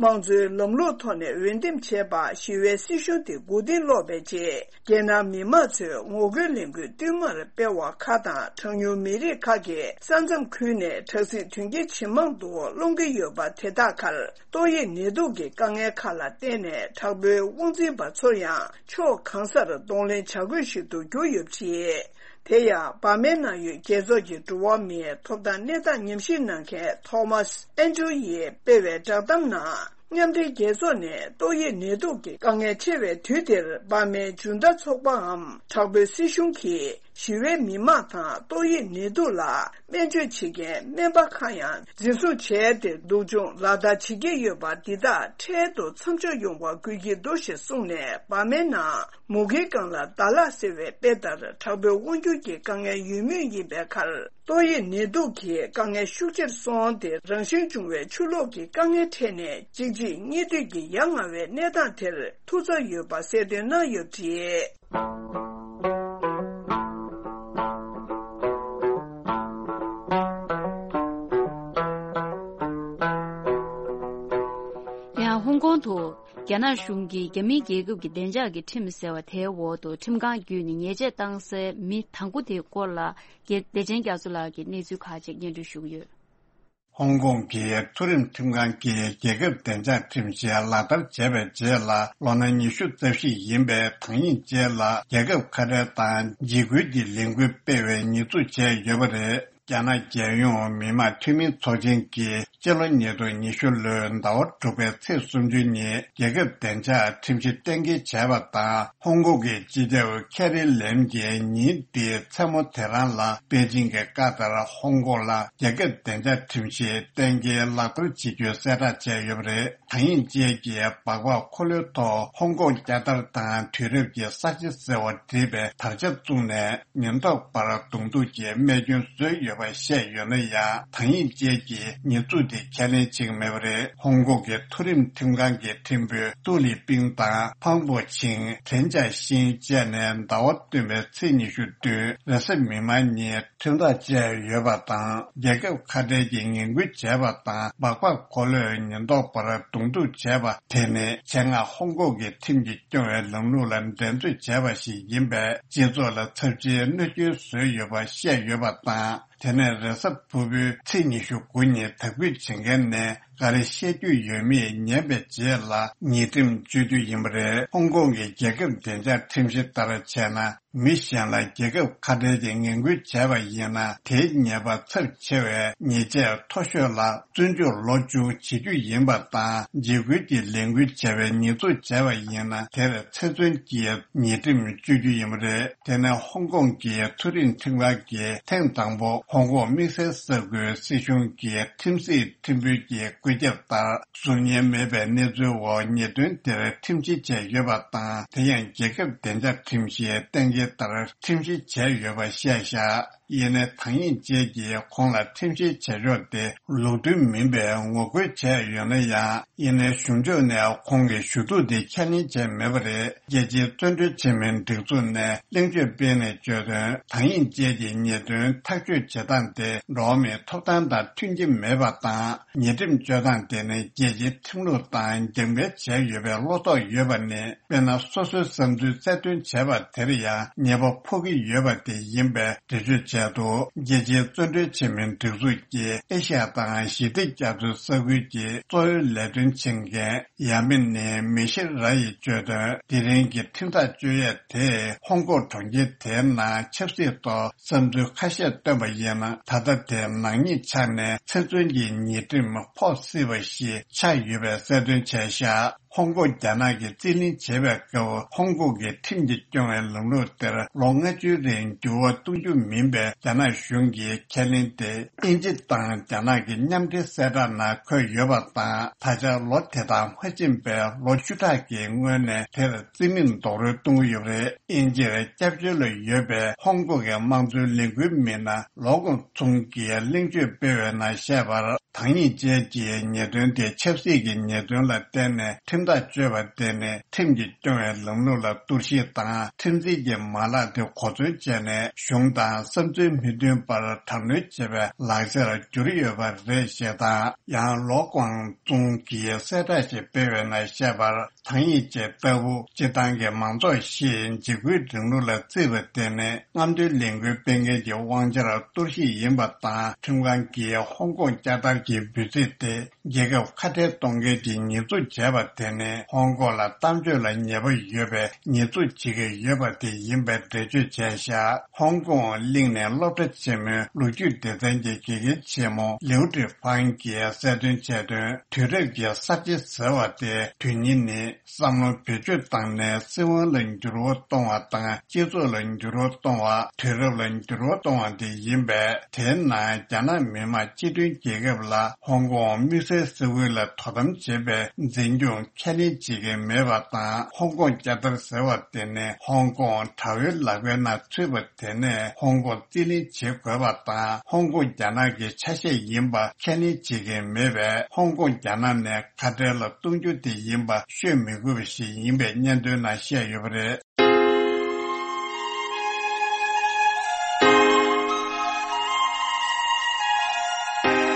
དམངས་གཙོའི་ལམ་ལུགས་ཐོག་ནས་འོས་འདེམས་བྱས་པ་ཞི་བའི་སྲིད་གཞུང་དེ་མགོ་རྟིང་སློག་པའི་རྗེས། རྒྱལ་ནང་མི་མང་ཚོས་ངོ་རྒོལ་ལས་འགུལ་བསྟུད་མར་སྤེལ་བ་ཁག་དང་། གྲངས་ཉུང་མི་རིགས་ཁག་གི་ས་མཚམས་ཁུལ་ནས་དྲག་སྲིད་དོན་རྐྱེན་ཇེ་མང་དུ་སློང་གི་ཡོད་པ་དེ་དག་ཁར། ཏོག་དབྱིབས་ནད་དུག་གི་དཀའ་ངལ་ཁག་ལ་བརྟེན་ནས། དྲག་པོའི་དབང་འཛིན་པ་ཚོར་ཡང་ཕྱོགས་གང་སར་གདོང་ལེན་བྱ་དགོས་ཤིག་ཏུ་གྱུར་ཡོད་པ་རེད། དེ་ཡང་འབར་མའི་ནང་ཡོད་རྒྱལ་ཚོགས་ཀྱི་འགྲོ་བ་མིའི་ཐོབ་ཐང་གནས་སྟངས་ཉམས་ཞིབ་གནང་མཁན་ཐོ་མཱས་ཨན་ཌྲུ་ཡིས་སྤེལ་བའི་བསྒྲགས་གཏམ་ནང་། མཉམ་འབྲེལ་རྒྱལ་ཚོགས་ནས་ཏོག་དབྱིབས་ནད་དུག་གི་དཀའ་ངལ་ཆེ་བའི་དུས་འདིར། འབར་མའི་ཇུན་ཏ་ཚོགས་པའམ་དྲག་པོའི་སྲིད་གཞུང་གིས་ཞི་བའི་མི་མང་དང་ཏོག་དབྱིབས་ནད་དུག་ལ་སྨན་བཅོས་བྱེད་མཁན་སྨན་པ་ཁག་ཡང་འཛིན་བཟུང་བྱས་ཏེ། སྡུག་སྦྱོང་ལག་བསྟར་བྱེད་ཀྱི་ཡོད་པ་འདི་དག་འཕྲལ་དུ་མཚམས་འཇོག་ཡོང་བ་དགོས་ཀྱི་འདུག་ཞེས་གསུངས་ནས། འབར་མའི་ནང་མུ་གེའི་སྒང་ལ་ཟླ་ལྷག་ཟེར་བའི་དཔེ་ལྟར། དྲག་པོའི་དབང་སྒྱུར་གྱི་དཀའ་ངལ་ཡོད་མུས་ཡིན་པའི་ཁར། ཏོག་དབྱིབས་ནད་དུག་གི་དཀའ་ངལ་ཤུགས་ཆེར་སོང་སྟེ། རང་བཞིན་བྱུང་བའི་ཆུ་ལོག་གི་དཀའ་ངལ་འཕྲད་ནས། གཅིག་རྗེས་གཉིས་མཐུད་ཀྱིས་ཡ་ང་བའི་གནས་སྟངས་དེར་ཐུག་ཚར་ཡོད་པ་གསལ་སྟོན་གནང་ཡོད་པ་རེད། ཡང་ཧོང་ཀོང་དུ། རྒྱ་ནག་གཞུང་གིས་རྒྱ་མིའི་རྒྱལ་ཁབ་ཀྱི་བདེ་འཇགས་ཀྱི་ཁྲིམས་ཟེར་བ་དེའི་འོག་ཏུ། ཁྲིམས་ཁང་བརྒྱུད་ནས་ཉེས་ཆད་བཏང་སའི་མི་དང་པོ་དེའི་སྐོར་ལ། རྒྱལ། བདེ་ཆེན་རྒྱ་མཚོ་ལགས་ཀྱིས་གནས་ཚུལ་ཁག་ཅིག་སྙན་སྒྲོན་ཞུ་གི་ཡོད། ཧོང་ཀོང་གི་མཐོ་རིམ་ཁྲིམས་ཁང་གིས་རྒྱལ་ཁབ་བདེ་འཇགས་ཁྲིམས་གཞི་ལག་བསྟར་བྱས་པའི་རྗེས་ལ། ལོ་ན་ཉི་ཤུ་རྩ་བཞི་ཡིན་པའི་ཐང་ཡིང་ཅེ་ལ་རྒྱལ་ཁབ་ཁ་བྲལ་དང་འཇིགས་སྐུལ་གྱི་ལས་འགུལ་སྤེལ་བའི་ཉེས་འཛུགས་བྱས་ཡོད་པ་རེད། རྒྱ་ནག་རྒྱལ་ཡོངས་མི་དམངས་འཐུས་མིའི་ཚོགས་ཆེན་གྱིས་སྤྱི་ལོ་ཉིས་སྟོང་ཉི་ཤུ་ལོའི་ཟླ་བ་དྲུག་པའི་ཚེས་སུམ་ཅུ་ཉིན་རྒྱལ་ཁབ་བདེ་འཇགས་ཁྲིམས་གཞི་གཏན་འཁེལ་བྱས་པ་དང་། ཧོང་ཀོང་གི་སྤྱི་ཁྱབ་ཁེ་རི་ལེམ་གྱིས་ཉིན་འདིའི་མཚན་མོ་དེ་རང་ལ་པེ་ཅིང་གི་བཀའ་ལྟར་ཧོང་ཀོང་ལ་རྒྱལ་ཁབ་བདེ་འཇགས་ཁྲིམས་གཞི་གཏན་འཁེལ་ལག་བསྟར་བྱེད་རྒྱུའི་གསལ་བསྒྲགས་བྱས་ཡོད་པ་རེད། ཐང་ཡིང་ཅེ་གིས་སྦག་སྦག་འཁོར་ལོའི་ཐོག་ཧོང་ཀོང་རྒྱལ་དར་དང་དུས་རབས་ཀྱི་ས་ཆ་ཟེར་བ་བྲིས་པའི་དར་ཆ་བཙུགས་ནས། ཉེན་རྟོག་པར་གདོང་ཐུག་གི་རྨས་སྐྱོན་བཟོས་ཡོད་པ་བཤད་ཡོད་ན་ཡང་། ཐང་ཡིང་ཅེ་གིས་ཉེས་འཛུགས་དེ་ཁས་ལེན་བྱེད་ཀྱི་མེད་པ་རེད། ཧོང་ཀོང་གི་མཐོ་རིམ་ཁྲིམས་ཁང་གི་ཁྲིམས་དཔོན་ཏུའུ་ལི་པིང་དང་ཕང་པོ་ཆིང་། ཁྲེན་ཅཱ་ཤིང་བཅས་ནས་ཟླ་བ་སྟོན་པའི་ཚེས་ཉི་ཤུ་བདུན་རེས་གཟའ་མིག་དམར་ཉིན་ཁྲིམས་ཐག་བཅད་ཡོད་པ་དང་། རྒྱལ་ཁབ་ཁ་བྲལ་གྱི་ངན་སྐུལ་བྱས་པ་དང་། སྦག་སྦག་འཁོར་ལོས་ཉེན་རྟོག་པར་གདོང་ཐུག་བྱས་པ་དེ་ནི་ཆེད་མངགས་ཧོང་ཀོང་གི་ཁྲིམས་ཀྱིས་སྐྱོང་བའི་ལམ་ལུགས་ལ་འགྲན་རྩོད་བྱས་པ་ཞིག་ཡིན་པས། སྤྱི་ཚོགས་ལ་ཚབས་ཆེའི་གནོད་སྐྱོན་བཟོས་ཡོད་པ་བཤད་ཡོད་པ་དང་། དེ་ནས་རེས་གཟའ་ཕུར་བུའི་ཚེས་ཉི་ཤུ་དགུ་ཉིན་དག་འབུད་བྱེད་མཁན་ནས་ག་རེ་བཤད་རྒྱུ་ཡོད་མེད་ཉན་པའི་རྗེས་ལ། ཉེས་ཁྲིམས་གཅོད་རྒྱུ་ཡིན་པ་རེད། ཧོང་ཀོང་གི་རྒྱལ་ཁབ་བདེ་འཇགས་ཁྲིམས་གཞི་ལྟར་བྱས་ན། མི་གཞན་ལ་རྒྱལ་ཁབ་ཁ་བྲལ་གྱི་ངན་སྐུལ་བྱས་པ་ཡིན་ན། དེའི་ཉེས་པ་ཚབས་ཆེ་བའི་ཉེས་ཆད་མཐོ་ཤོས་ལ་བཙོན་འཇུག་ལོ་བཅུ་བྱེད་རྒྱུ་ཡིན་པ་དང་། འཇིགས་སྐུལ་གྱི་ལས་འགུལ་བྱས་པའི་ཉེས་འཛུགས་བྱས་པ་ཡིན་ན། དེར་ཚེ་བཙོན་གྱི་ཉེས་ཁྲིམས་གཅོད་རྒྱུ་ཡིན་པ་རེད། དེ་ནས་ཧོང་ཀོང་གི་མཐོ་རིམ་ཁྲིམས་ཁང་གིས་ཐེངས་དང་པོ་ཧོང་ཀོང་དམིགས་བསལ་ས་ཁུལ་སྲིད་གཞུང་གི་ཁྲིམས་སྲིད་ཁྲིམས་དཔོན་གྱི་བཀོད་ཁྱབ་ལྟར། གཟུགས་བརྙན་མེད་པའི་གནས་ཚུལ་འོག་ཉེས་དོན་དེར་ཁྲིམས་བཤེར་བྱས་ཡོད་པ་དང་། དེ་ཡང་རྒྱལ་ཁབ་བདེ་འཇགས་ཁྲིམས་གཞིའི་གཏན་འཁེལ་ལྟར་ཁྲིམས་བཤེར་བྱས་ཡོད་པ་བཤད་བཞག་ཡིན་ནའི་ཐང་ཡིང་ཅེ་གིས་ཁོང་ལ་ཁྲིམས་བཤེར་བྱེད་ཕྱོགས་དེ་ལུགས་མཐུན་མིན་པའི་ངོ་རྒོལ་བྱས་ཡོད་ན་ཡང་། ཡིན་ནའི་གཞུང་ཕྱོགས་ནས་ཁོང་གི་ཞུ་གཏུག་དེ་ཁས་ལེན་བྱས་མེད་པ་རེད། རྒྱལ་སྤྱིའི་བཙོན་གྲོལ་བྱེད་མིན་སྒྲིག་འཛུགས་ནས་གླེང་བརྗོད་སྤེལ་ནས་བརྗོད་དོན། ཐང་ཡིང་ཅེ་གི་ཉེས་དོན་ཐག་གཅོད་བྱེད་སྟངས་དེ་འགྲོ་བ་མིའི་ཐོབ་ཐང་དང་མཐུན་གྱི་མེད་པ་དང་། ཉེས་ཁྲིམས་གཅོད་སྟངས་དེ་ནི་རྒྱལ་སྤྱིའི་ཁྲིམས་ལུགས་དང་རྒྱབ་འགལ་བྱས་ཡོད་པའི་བློ་དོགས་ཡོད་པ་ནི། དཔེར་ན། སོ་སོའི་བསམ་ཚུལ་གསལ་སྟོན་བྱས་པ་དེར་ཡང་ཉེས་པ་ཕོག་གི་ཡོད་པ་དེ་ཡིན་པའི་འགྲེལ་བརྗོད་བྱས་འདུག་རྒྱལ་སྤྱིའི་བཙོན་གྲོལ་བྱེད་མིན་སྒྲིག་འཛུགས་ཀྱི་ཨེ་ཤ་ཡ་དང་ཞི་བདེ་རྒྱ་མཚོའི་ས་ཁུལ་གྱི་གཙོ་བོའི་ལས་དོན་བྱེད་མཁན་ཡ་མི་ནི་མི་ཤེལ་ར་ཡིས་བརྗོད་དོན། དེ་རིང་གི་ཁྲིམས་ཐག་གཅོད་ཡས་དེས་ཧོང་ཀོང་གྲོང་ཁྱེར་དེའི་ནང་ཆབ་སྲིད་ཐོག་བསམ་ཚུལ་ཁ་ཤས་བཏོན་པ་ཡིན་ན། ད་ལྟ་དེ་ནག་ཉེས་ཆགས་ནས་ཚེ་བཙོན་གྱི་ཉེས་ཁྲིམས་ཕོག་སྲིད་པ་ཞིག་ཆགས་ཡོད་པའི་གསལ་སྟོན་བྱས་བཞག་ཧོང་ཀོང་རྒྱ་ནག་གིས་རྩིས་ལེན་བྱེད་པའི་སྐབས། ཧོང་ཀོང་གི་ཁྲིམས་ཀྱིས་སྐྱོང་བའི་ལམ་ལུགས་དེར་ལོ་ལྔ་བཅུའི་རིང་འགྱུར་བ་གཏོང་རྒྱུ་མིན་པའི་རྒྱ་ནག་གཞུང་གི་ཁས་ལེན་དེ། དབྱིན་ཇི་དང་རྒྱ་ནག་གི་མཉམ་འབྲེལ་གསལ་བསྒྲགས་ནང་འཁོད་ཡོད་པ་དང་། ད་ཆ་ལོ་དེ་དང་མ་ཕྱིན་པའི་ལོ་བཅུ་ཕྲག་གི་སྔོན་ནས་དེར་རྩིས་མེད་རྡོག་རོལ་གཏོང་གི་ཡོད་པ་རེད། དབྱིན་ཇིར་སྐྱབས་བཅོལ་ལ་ཡོད་པའི་ཧོང་ཀོང་གི་དམངས་གཙོའི་ལས་འགུལ་མི་སྣ་ལོ་ཀོང་ཚུང་གིས་གླེང་བརྗོད་སྤེལ་བའི་ནང་བཤད་པར། ཐང་ཡིང་ཅེ་གིས་ཉེས་དོན་དེ་ཆབ་སྲིད་ཀྱི་ཉེས་དོན་ལ་བརྟེན་ནས་ཁྲིམས་ ཁྲིམས་ཐག་གཅོད་པ་དེ་ནི་ཁྲིམས་ཀྱིས་སྐྱོང་བའི་ལམ་ལུགས་ལ་གཏོར་བཤིག་དང་། ཁྲིམས་འཛིན་གྱི་མ་ལག་དེ་གོ་མཚོན་བྱས་ནས་གཞུང་དང་བསམ་ཚུལ་མི་མཐུན་པར་དྲག་གནོན་བྱེད་པའི་ལག་ཆར་གྱུར་ཡོད་པ་རེད་ཅེས་དང་། ཡང་ལོ་ཀོང་ཙུང་གིས་གསལ་བསྒྲགས་ཤིག་སྤེལ་བའི་ནང་བཤད་པར། ཐང་ཡིག་ཅེས་ལྟ་བུ་སྤྱིར་བཏང་གི་མང་ཚོགས་ཤིག་འཇིགས་སྐུལ་རིང་ལུགས་ལ་བརྩིས་པ་དེ་ནི་རྔམ་སྟོན་ལས་འགུལ་སྤེལ་མཁན་གྱི་དབང་ཆར་གཏོར་བཤིག་ཡིན་པ་དང་། ཁྲིམས་ཁང་གིས་ཧོང་ཀོང་བསྐྱར་དར་གྱི་འབོད་ཚིག་དེ་རྒྱལ་ཁབ་ཁ་བྲལ་གཏོང་མཁན་གྱི་ཉེས་འཛུགས་བྱས་པ་དེ་ནི་ཧོང་ཀོང་ལ་གཏམ་བརྗོད་ལ་ཉེས་པ་ཡོད་པའི་ཉེས་འཛུགས་བྱེད་ཀྱི་ཡོད་པ་དེ་ཡིན་པའི་འགྲེལ་བརྗོད་བྱས་བཞག་ཧོང་ཀོང་གླིང་ནས་སློབ་གྲྭ་ཆེན་མོའི་ལོ་རྒྱུས་སྡེ་ཚན་གྱི་དགེ་རྒན་ཆེན་མོ་ལིའུ་ཀྲི་ཧྥང་གིས་གསལ་སྟོན་བྱས་དོན། དུས་རབས་ཀྱི་གསར་བརྗེ་ཟེར་བ་དེ་དོན་སྙིང་ནི། བསམ་བློ་བེད་སྤྱོད་བཏང་ནས་སྲིད་དབང་ལ་འགྱུར་བ་གཏོང་བ་དང་། སྤྱི་ཚོགས་ལ་འགྱུར་བ་གཏོང་བ། དུས་རབས་ལ་འགྱུར་བ་གཏོང་བ་དེ་ཡིན་པས། དེའི་ནང་རྒྱ་ནག་མི་དམངས་སྤྱི་མཐུན་རྒྱལ་ཁབ་ལ་ཧོང་ཀོང་དམིགས་བསལ་ས་ཁུལ་ལ་དོ་དམ་བྱེད་པའི་འཛིན་སྐྱོང་ཁས་ལེན་བྱེད་ཀྱི་མེད་པ་དང་། ཧོང་ཀོང་བསྐྱར་དར་ཟེར་བ་དེ་ནི་ཧོང་ཀོང་དྲ་བོའི་ལག་པའི་ནང་ཚུད་པ་དེ་ནས་ཧོང་ཀོང་རྩིས་ལེན་བྱེད་དགོས་པ་དང་། ཧོང་ཀོང་རྒྱ་ནག་གི་ཆ་ཤས་ཡིན་པ་ཁས་ལེན་བྱེད་ཀྱི་མེད་པས། ཧོང་ཀོང་རྒྱ་ནག་ནས་ཁ་བྲལ་ལ་གཏོང་རྒྱུ་དེ་ཡིན་པ་ཤོད་མི་དགོས་པ་ཞིག་ཡིན་པའི་སྙན་ཐོའི་ནང་བཤད་ཡོད་པ་རེད།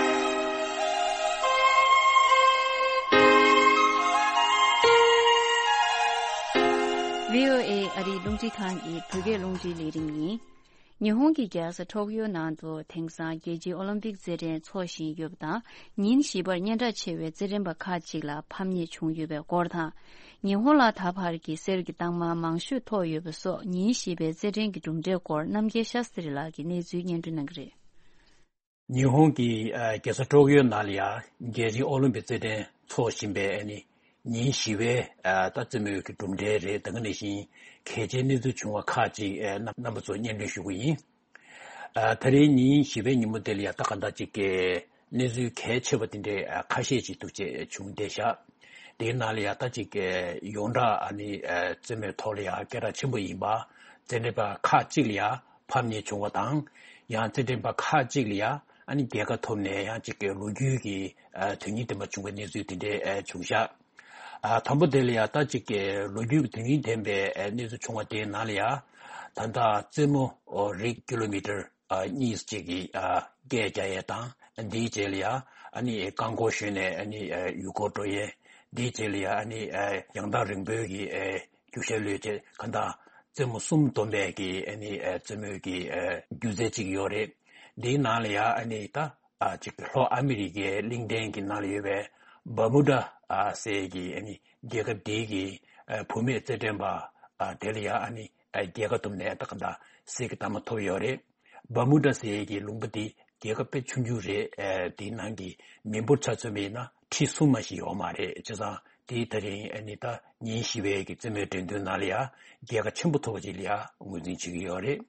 བྷི་ཨོ་ཨེ་ཨ་རིའི་རླུང་འཕྲིན་ཁང་གི་བོད་སྐད་རླུང་འཕྲིན་ལས་རིམ་ཡིན། ཉི་ཧོང་གི་རྒྱལ་ས་ཊོག་ཡོ་ནང་དུ་དེང་སང་རྒྱལ་སྤྱིའི་ཨོ་ལིམ་པིག་རྩེད་འགྲན་འཚོགས་བཞིན་ཡོད་པ་དང་། ཉིན་བཞི་པར་སྙན་གྲགས་ཆེ་བའི་རྩེད་འགྲན་པ་ཁག་ཅིག་ལ་ཕམ་ཉེས་བྱུང་ཡོད་པའི་སྐོར་དང་། ཉི་ཧོང་ལ་ད་བར་གྱི་གསེར་གྱི་རྟགས་མ་མང་ཤོས་ཐོབ་ཡོད་པ་སོགས། ཉིན་བཞི་པའི་རྩེད་འགྲན་གྱི་གྲུབ་འབྲས་སྐོར་རྣམ་རྒྱལ་ཤཱ་སྟྲི་ལགས་ཀྱིས་གནས་ཚུལ་སྙན་སྒྲོན་གནང་གི་རེད། ཉི་ཧོང་གི་ཨ་རྒྱལ་ས་ཀྲོག་ཡོ་ནང་ལ་ཡང་རྒྱལ་སྤྱིའི་ཨོ་ལིམ་པིག་རྩེད་འགྲན་འཚོགས་བཞིན་པའི་ཨ་ནི་ཉིན་བཞི་པའི་ཨ་ད་རྩེད་མོའི་གི་གྲུབ་འབྲས་རེད། ད་ག་ནང་བཞིན་གལ་ཆེའི་གནས་ཚུལ་བྱུང་བ་ཁག་ཅིག་ཨ་རྣམ་རྣམ་པ་ཚོར་སྙན་སྒྲོན་ཞུ་གི་ཡིན། ཨ་ད་རེས་ཉིན་བཞི་པའི་ཉིན་མོ་དེ་ལ་ཡང་ད་ག་འདྲ་ཅིག་གི་གནས་ཚུལ་གལ་ཆེ་བ་དེ་འདྲའི་ཨ་ཁ་ཤས་ཅིག་འདུག་ཅེས་བྱུང་བསྡད་བཞག་དེའི་ནང་ལ་ཡང་ད་ཅིག་གི་ཡོངས་གྲགས་ཨ་ནི་ཨ་རྩེད་མོའི་ཐོག་ལ་ཡང་སྐད་གྲགས་ཆེན་པོ་ཡིན་པ་རྩེད་འགྲན་པ་ཁག་ཅིག་ལ་ཡང་ཕམ་ཉེས་བྱུང་བ་དང་། ཡང་རྩེད་འགྲན་པ་ཁག་ཅིག་ལ་ཡང་ཨ་ནི་རྒྱལ་ཁ་ཐོབ་ནས་ཡང་ཅིག་གི་ལོ་རྒྱུས་ཀྱི་ཨ་དོན་སྙིང་ལྡན་པ་བྱུང་བའི་གནས་ཚུལ་དེ་འདྲའི་ཨ་བྱུང་བཞག་ཨ་དང་པོ་དེ་ལ་ཡང་ད་ཅིག་གི་ལོ་རྒྱུས་ཀྱི་དོན་སྙིང་ལྡན་པའི་ཨ་གནས་ཚུལ་བྱུང་བ་དེའི་ནང་ལ་ཡང་ད་ལྟ་རྩེད་མོ་རིགས་ཀི་ལོ་མི་ཊར་ཨ་གཉིས་ཅིག་གི་ཨ་བརྒྱད་རྒྱག་ཡས་དང་། འདིའི་རྗེས་ལ་ཡང་ཨ་ནི་རྐང་འཁོར་ཞོན་ནས་ཨ་ནི་ཨ་ཡུལ་སྐོར་འགྲོ་ཡས། འདིའི་རྗེས་ལ་ཡང་ཨ་ནི་ཨ་ཡང་ཐག་རིང་པོའི་གི་ཨ་རྒྱུག་ཤར་གློད་ཅེས་གང་ལྟར་རྩེད་མོ་གསུམ་བསྡོམས་པའི་གི་ཨ་ནི་ཨ་རྩེད་མོའི་གི་ཨ་སྒྱུ་རྩལ་ཅིག་ཡོད་རེད། འདིའི་ནང་ལ་ཡང་ཨ་ནི་ད་ཨ་ཅིག་ལྷོ་ཨ་མི་རི་ཀའི་གླིང་ཕྲན་གྱི་ནང་ལ་ཡོད་པའི་བར་མུ་ཌ་ཨ་ཟེར་གི་ཨ་ནི་རྒྱལ་ཁབ་དེའི་གི་ཨ་བུད་མེད་རྩེད་འགྲན་པ་ཨ་དེ་ལ་ཡང་ཨ་ནི་ཨ་རྒྱལ་ཁ་ཐོབ་ནས་ད་གང་ལྟར་གསེར་གྱི་རྟགས་མ་ཐོབ་ཡོད་རེད། བར་མུ་ཌ་ཟེར་ཡས་ཀྱི་ལུང་པ་འདི་རྒྱལ་ཁབ་དཔེ་ཆུང་ཆུང་རེད། ཨེ་དེའི་ནང་གི་མི་འབོར་ཆ་མཚོན་པ་ཡིན་ན་ཁྲི་གསུམ་མ་ཞིག་ཡོད་མ་རེད། བྱས་ཙང་དེ་ད་རིང་ཨ་ནི་ད་ཉིན་བཞི་པའི་གི་རྩེད་མོའི་འགྲན་བསྡུར་ནང་ལ་ཡང་རྒྱལ་ཁ་ཆེན་པོ་ཐོབ་པ་ཅིག་ལ་ཡང་ངོས་འཛིན་བྱེད་ཀྱི་ཡོད་རེད།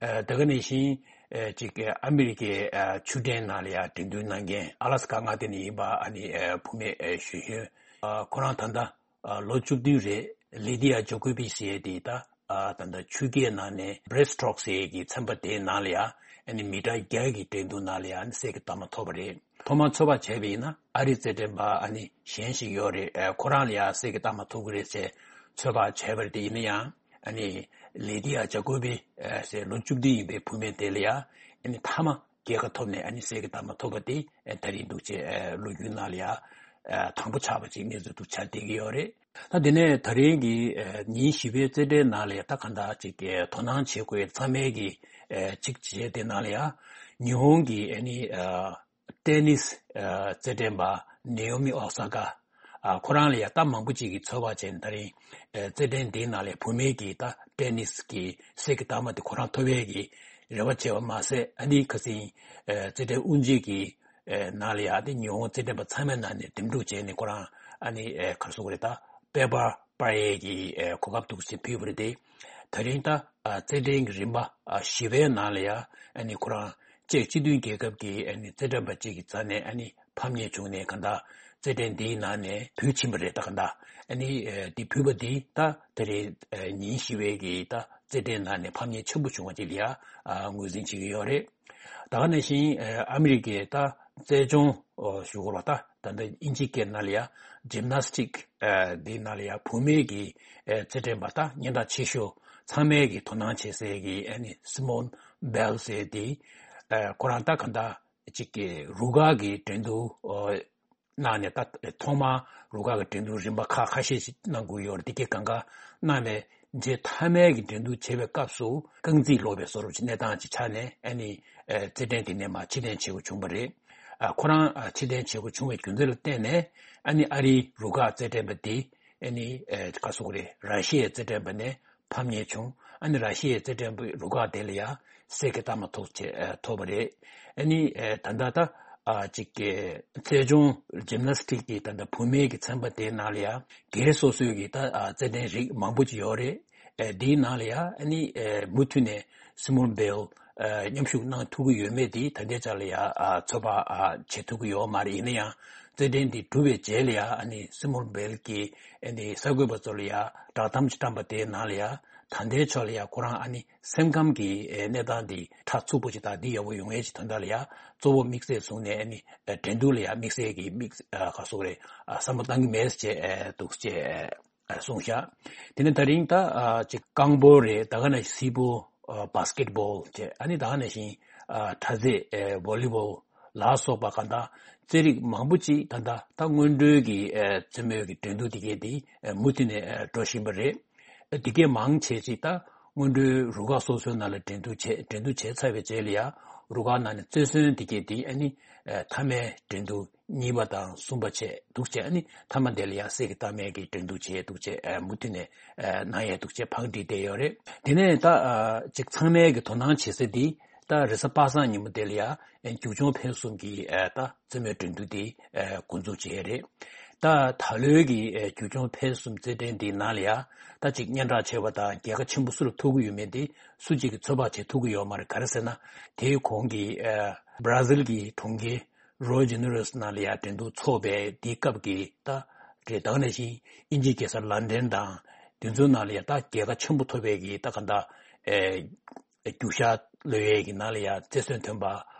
ཨེ་ད་ག་ནང་བཞིན་ཨེ་ཅིག་ཨ་མི་རི་ཀའི་ཨེ་ཆུ་ཕྲན་ནང་ལ་ཡང་འགྲན་བསྡུར་གནང་མཁན་ཨ་ལ་སི་ཀ་མངའ་སྡེ་ནས་ཡིན་པ་ཨ་ནི་ཨེ་བུད་མེད་ཨེ་གཞོན་གཞོན་ཨ་ཁོ་རང་ད་ལྟ་ཨ་ལོ་བཅུ་བདུན་རེད། ལི་ཏི་ཡ་ཇོ་ཀོ་བི་ཅི་ཟེར་དེ་ད་ཨ་ད་ལྟ་ཆུ་རྐྱལ་ནང་ནས་བྷྲེསྟ་སི་ཊོག་ཟེར་གྱི་ཚན་པ་དེའི་ནང་ལ་ཡང་ཨ་ནི་མི་ཊར་བརྒྱ་གི་འགྲན་བསྡུར་ནང་ལ་ཡང་ཨ་ནི་གསེར་གྱི་རྟགས་མ་ཐོབ་པ་རེད། ཐོག་མར་ཚོད་དཔག་བྱས་པ་ཡིན་ན་ཨ་རིའི་རྩེད་འགྲན་པ་ཨ་ནི་གཞན་ཞིག་ཡོད་རེད། ཨ་ཁོ་རང་ལ་ཡང་གསེར་གྱི་རྟགས་མ་ཐོབ་ཀྱི་རེད་ཅེས་ཚོད་དཔག་བྱས་པ་རེད། དེ་ཡིན་ན་ཡང་ཨ་ནི་ལི་ཏི་ཡ་ཇ་ཀོ་བི་ཨ་ཟེར་ལོ་བཅུ་བདུན་ཡིན་པའི་བུད་མེད་དེ་ལ་ཡང་ཨ་ནི་མཐའ་མ་རྒྱལ་ཁ་ཐོབ་ནས་ཨ་ནི་གསེར་གྱི་རྟགས་མ་ཐོབ་པ་དེ་ཨ་ད་རིང་འདུག་ཅེས་ཨ་ལོ་རྒྱུས་ནང་ལ་ཡང་ཨ་དང་པོ་ཆགས་པ་ཅིག་གནས་ཚུལ་འདུག་ཆགས་བསྡད་ཀྱི་ཡོད་རེད། ད་དེ་ནས་ད་རིང་གི་ཨ་ཉིན་བཞི་པའི་རྩེད་འགྲན་ནང་ལ་ཡང་ད་གང་ལྟར་ཅིག་ཨ་དོ་སྣང་བྱེད་དགོས་ཚང་མའི་གི་ཨ་ཅིག་བྱས་དེ་ནང་ལ་ཡང་ཉི་ཧོང་གི་ཨ་ནི་ཨ་ཏེ་ནིས་ཨ་རྩེད་འགྲན་པ་ནེ་ཡོ་མི་ཨོ་ས་ཀ་ཨ་ཁོ་རང་ལ་ཡང་ད་མང་པོ་ཅིག་གིས་ཚོད་དཔག་བྱས་ནས་ད་རིང་ཨ་རྩེད་འགྲན་འདིའི་ནང་ལ་བུད་མེད་ཀྱི་ད་ཏེ་ནིས་ཀྱི་གསེར་གྱི་རྟགས་མ་དེ་ཁོ་རང་ཐོབ་ཡས་ཀྱི་རེ་བ་བྱས་པ་མ་ཟད། ཨ་ནི་ཁ་སང་ཨ་རྩེད་འགྲན་དབུ་འབྱེད་ཀྱི་ཨ་ནང་ལ་ཡང་དེ་ཉི་ཧོང་རྩེད་འགྲན་པ་ཚང་མའི་ནང་ནས་འདེམས་སྒྲུག་བྱས་ནས་ཁོ་རང་ཨ་ནི་ཨ་ག་རེ་ཟེར་དགོས་རེད། ད་པེ་པར་སྤར་ཡས་ཀྱི་ཨ་གོ་སྐབས་འདུག་སེ་ཕུལ་བ་རེད་དེ། ད་རིང་ད་ཨ་རྩེད་འགྲན་གྱི་རིམ་པ་ཨ་བཞི་པའི་ནང་ལ་ཡང་ཨ་ནི་ཁོ་རང་ཅེཀ་སྤྱི་མཐུན་རྒྱལ་ཁབ་ཀྱི་ཨ་ནི་རྩེད་འགྲན་པ་གཅིག་གི་རྩ་ནས་ཨ་ནི་ཕམ་ཉེས་བྱུང་ནས་གང་ལྟར་རྩེད་འགྲན་འདིའི་ནང་ནས་བུད་ཕྱིན་པ་རེད། ད་གང་ལྟར་ཨ་ནི་ཨ་འདི་བུད་པ་འདི་ད་ད་རེས་ཨ་ཉིན་བཞི་པའི་གི་ད་རྩེད་འགྲན་ནང་ནས་ཕམ་ཉེས་ཆེན་པོ་བྱུང་བ་ཅིག་ལ་ཡང་ཨ་ངོས་འཛིན་བྱེད་ཀྱི་ཡོད་རེད། ད་ག་ནང་བཞིན་ཨ་ཨ་མི་རི་ཀའི་ད་ རྩལ་སྦྱོང་ཞུ་དགོས་པ། ད་ད་ལྟ་དབྱིན་ཇིའི་སྐད་ནང་ལ་ཡ་ཇིམ་ནཱས་ཊིག་འདིའི་ནང་ལ་ཡ་བུད་མེད་ཀྱི་རྩེད་འགྲན་པ་ད་སྙན་གྲགས་ཆེ་ཤོས། ཚང་མས་ཀྱི་དོ་སྣང་བྱེད་སའི་གི་ཨ་ནི་སི་མོན་བེལ་ཟེར་དེ། ཁོ་རང་ད་ག་འདྲ་ཅིག་གི་རུ་ཁག་གི་འགྲན་བསྡུར་གནང་ནས། ད་ཐོག་མར་རུ་ཁག་གི་འགྲན་བསྡུར་རིམ་པ་ཁག་ཁ་ཤས་ཤིག་གནང་དགོས་ཡོད་རེད། དེ་གའི་སྒང་ག་གནང་ནས་མཇལ་མཐའ་མའི་གི་འགྲན་བསྡུར་བྱེད་པའི་སྐབས་སུ་རྐང་རྩིས་ལོག་པའི་བཟོ་འདྲ་ཅིག་གནས་སྟངས་ཅིག་ཆགས་ནས། ཨ་ནི་རྩེད་འགྲན་དེ་ནས་མར་ཕྱིར་འཐེན་བྱེད་དགོས་བྱུང་བ་རེད། ཁོ་རང་ཕྱིར་འཐེན་བྱེད་དགོས་བྱུང་བའི་རྒྱུ་མཚན་ལ་བརྟེན་ནས། ཨ་ནི་ཨ་རིའི་རུ་ཁག་རྩེད་འགྲན་པ་དེ་ཨ་ནི་ག་རེ་ཟེར་དགོས་རེད། ར་ཤི་ཡའི་རྩེད་འགྲན་པ་ནས་ཕམ་ཉེས་བྱུང་། ཨ་ནི་ར་ཤི་ཡའི་རྩེད་འགྲན་པའི་རུ་ཁག་དེ་ལ་ཡ་གསེར་གྱི་རྟགས་མ་ཐོབ་བྱས་ཐོབ་པ་རེད། ཨ་ནི་ད་ལྟ་ད་ཅིག་གི་རྩལ་སྦྱོང་ཇིམ་ནཱས་ཊིག་གི་ད་ལྟ་བུད་མེད་ཀྱི་ཚན་པ་དེའི་ནང་ལ་ཡ་སྒེར་སོ་སོའི་གི་ད་རྩེད་འགྲན་རིགས་མང་པོ་ཅིག་ཡོད་རེད། དེའི་ནང་ལ་ཡ་ཨ་ནི་མུ་མཐུད་ནས་སི་མོན་བེལ་མཉམ་ཞུགས་གནང་ཐུབ་ཀྱི་ཡོད་མེད་དེ་ད་ལྟའི་ཆ་ལ་ཡ་ཚོད་དཔག་བྱེད་ཐུབ་ཀྱི་ཡོད་མ་རེད། ཡིན་ན་ཡང་རྩེད་འགྲན་འདི་གྲུབ་པའི་རྗེས་ལ་ཡ་ཨ་ནི་སི་མོན་བེལ་གྱིས་ཨ་ནི་གསར་འགོད་པ་ཚོ་ལ་ཡ་བསྒྲགས་གཏམ་ཅིག་བཀྲམ་པ་དེའི་ནང་ལ་ཡ། ད་ལྟའི་ཆ་ལ་ཡ་ཁོ་རང་ཨ་ནི་སེམས་ཁམས་ཀྱི་གནས་སྟངས་འདི་ཕྲ་ཚུགས་པོ་ཅིག་དང་འདི་ཡག་པོ་ཡོང་ཡས་ཀྱི་དོན་དག་ལ་ཡ་གཙོ་བོ་དམིགས་བསལ་བཟུང་ནས། ཨ་ནི་འགྲན་བསྡུར་ལ་ཡ་དམིགས་བསལ་གྱི་དམིགས་ག་རེ་ཟེར་དགོས་རེད། བསམ་བློ་བཏང་གི་མེད་ཅེས་འདུག་ཅེས་གསུངས་ཤག་དེ་ནས་ད་རིང་ད་ཅིག་རྐང་སྤོལ་རེད། ད་ག་ནང་བཞིན་སིལ་སྤོལ་བྷ་སི་ཀེ་ཊི་བོལ་བྱས། ཨ་ནི་ད་ག་ནང་བཞིན་དྲ་རྩེད་བོ་ལི་བོལ་ལ་སོགས་པ་ག་འདྲ་རྩེད་རིགས་མང་པོ་ཅིག་ད་ལྟ་ད་སྔོན་འགྲོའི་གི་རྩེད་མོའི་གི་འགྲན་བསྡུར་དེ་གས་དེ་མུ་མཐུད་ནས་འགྲོ་བཞིན་པ་རེད། དེ་གས་མང་ཆེ་ཅིག་ད་སྔོན་འགྲོའི་རུ་ཁག་སོ་སོའི་ནང་ལ་འགྲན་བསྡུར་བྱས། འགྲན་བསྡུར་བྱས་ཚར་བའི་རྗེས་ལ་ཡ་རུ་ཁག་ནང་ནས་རྩེར་སོན་དེ་གས་དེ་ཨ་ནི་མཐའ་མའི་འགྲན་བསྡུར་གཉིས་པ་དང་གསུམ་པ་བྱས་འདུག་བྱས། ཨ་ནི་མཐའ་མ་དེ་ལ་ཡ་གསེར་གྱི་རྟགས་མའི་གི་འགྲན་བསྡུར་བྱས་འདུག་བྱས། མུ་མཐུད་ནས་གནང་ཡས་འདུག་བྱས་ཕར་འགྲིལ་བསྡད་ཡོད་རེད། དེ་ནས་ད་ཅིག་ཚང་མས་གི་དོ་སྣང་བྱེད་ས་འདི་ད་རེས་གཟའ་པ་སངས་ཉིན་མོ་དེ་ལ་ཡ་རྒྱུག་མཆོང་འཕེན་གསུམ་གྱི་ད་རྩེད་མོའི་འགྲན་བསྡུར་འདི་འགོ་འཛུགས་བྱས་རེད། ད་ད་ལོའི་གི་རྒྱུག་མཆོང་འཕེན་གསུམ་རྩེད་འགྲན་འདི་ནང་ལ་ཡ་ད་ཅིག་སྙན་གྲགས་ཆེ་བ་དང་རྒྱལ་ཁ་ཆེན་པོ་སུ་ལ་ཐོབ་ཀྱི་ཡོད་མེད་དེ་སུ་གཅིག་གིས་ཚོད་དཔག་བྱེད་ཐུབ་ཀྱི་ཡོད་མ་རེད། ག་རེ་ཟེར་ན་དེའི་གོང་གི་བྷ་ར་ཟིལ་གྱི་གྲོང་ཁྱེར་རོ་ཇི་ནེ་རོས་ནང་ལ་ཡ་འགྲན་བསྡུར་ཚོགས་པའི་དེའི་སྐབས་ཀྱི་ད་རེད། ད་ག་ནང་བཞིན་དབྱིན་ཇིའི་རྒྱལ་ས་ལན་ཌན་དང་དེ་ཚོའི་ནང་ལ་ཡ་ད་རྒྱལ་ཁ་ཆེན་པོ་ཐོབ་པའི་གི་ད་ག་འདྲ་རྒྱུག་ཤར་གློད་ཡས་ཀྱི་ནང་ལ་ཡ་རྩེར་སོན་ཐོན་པ་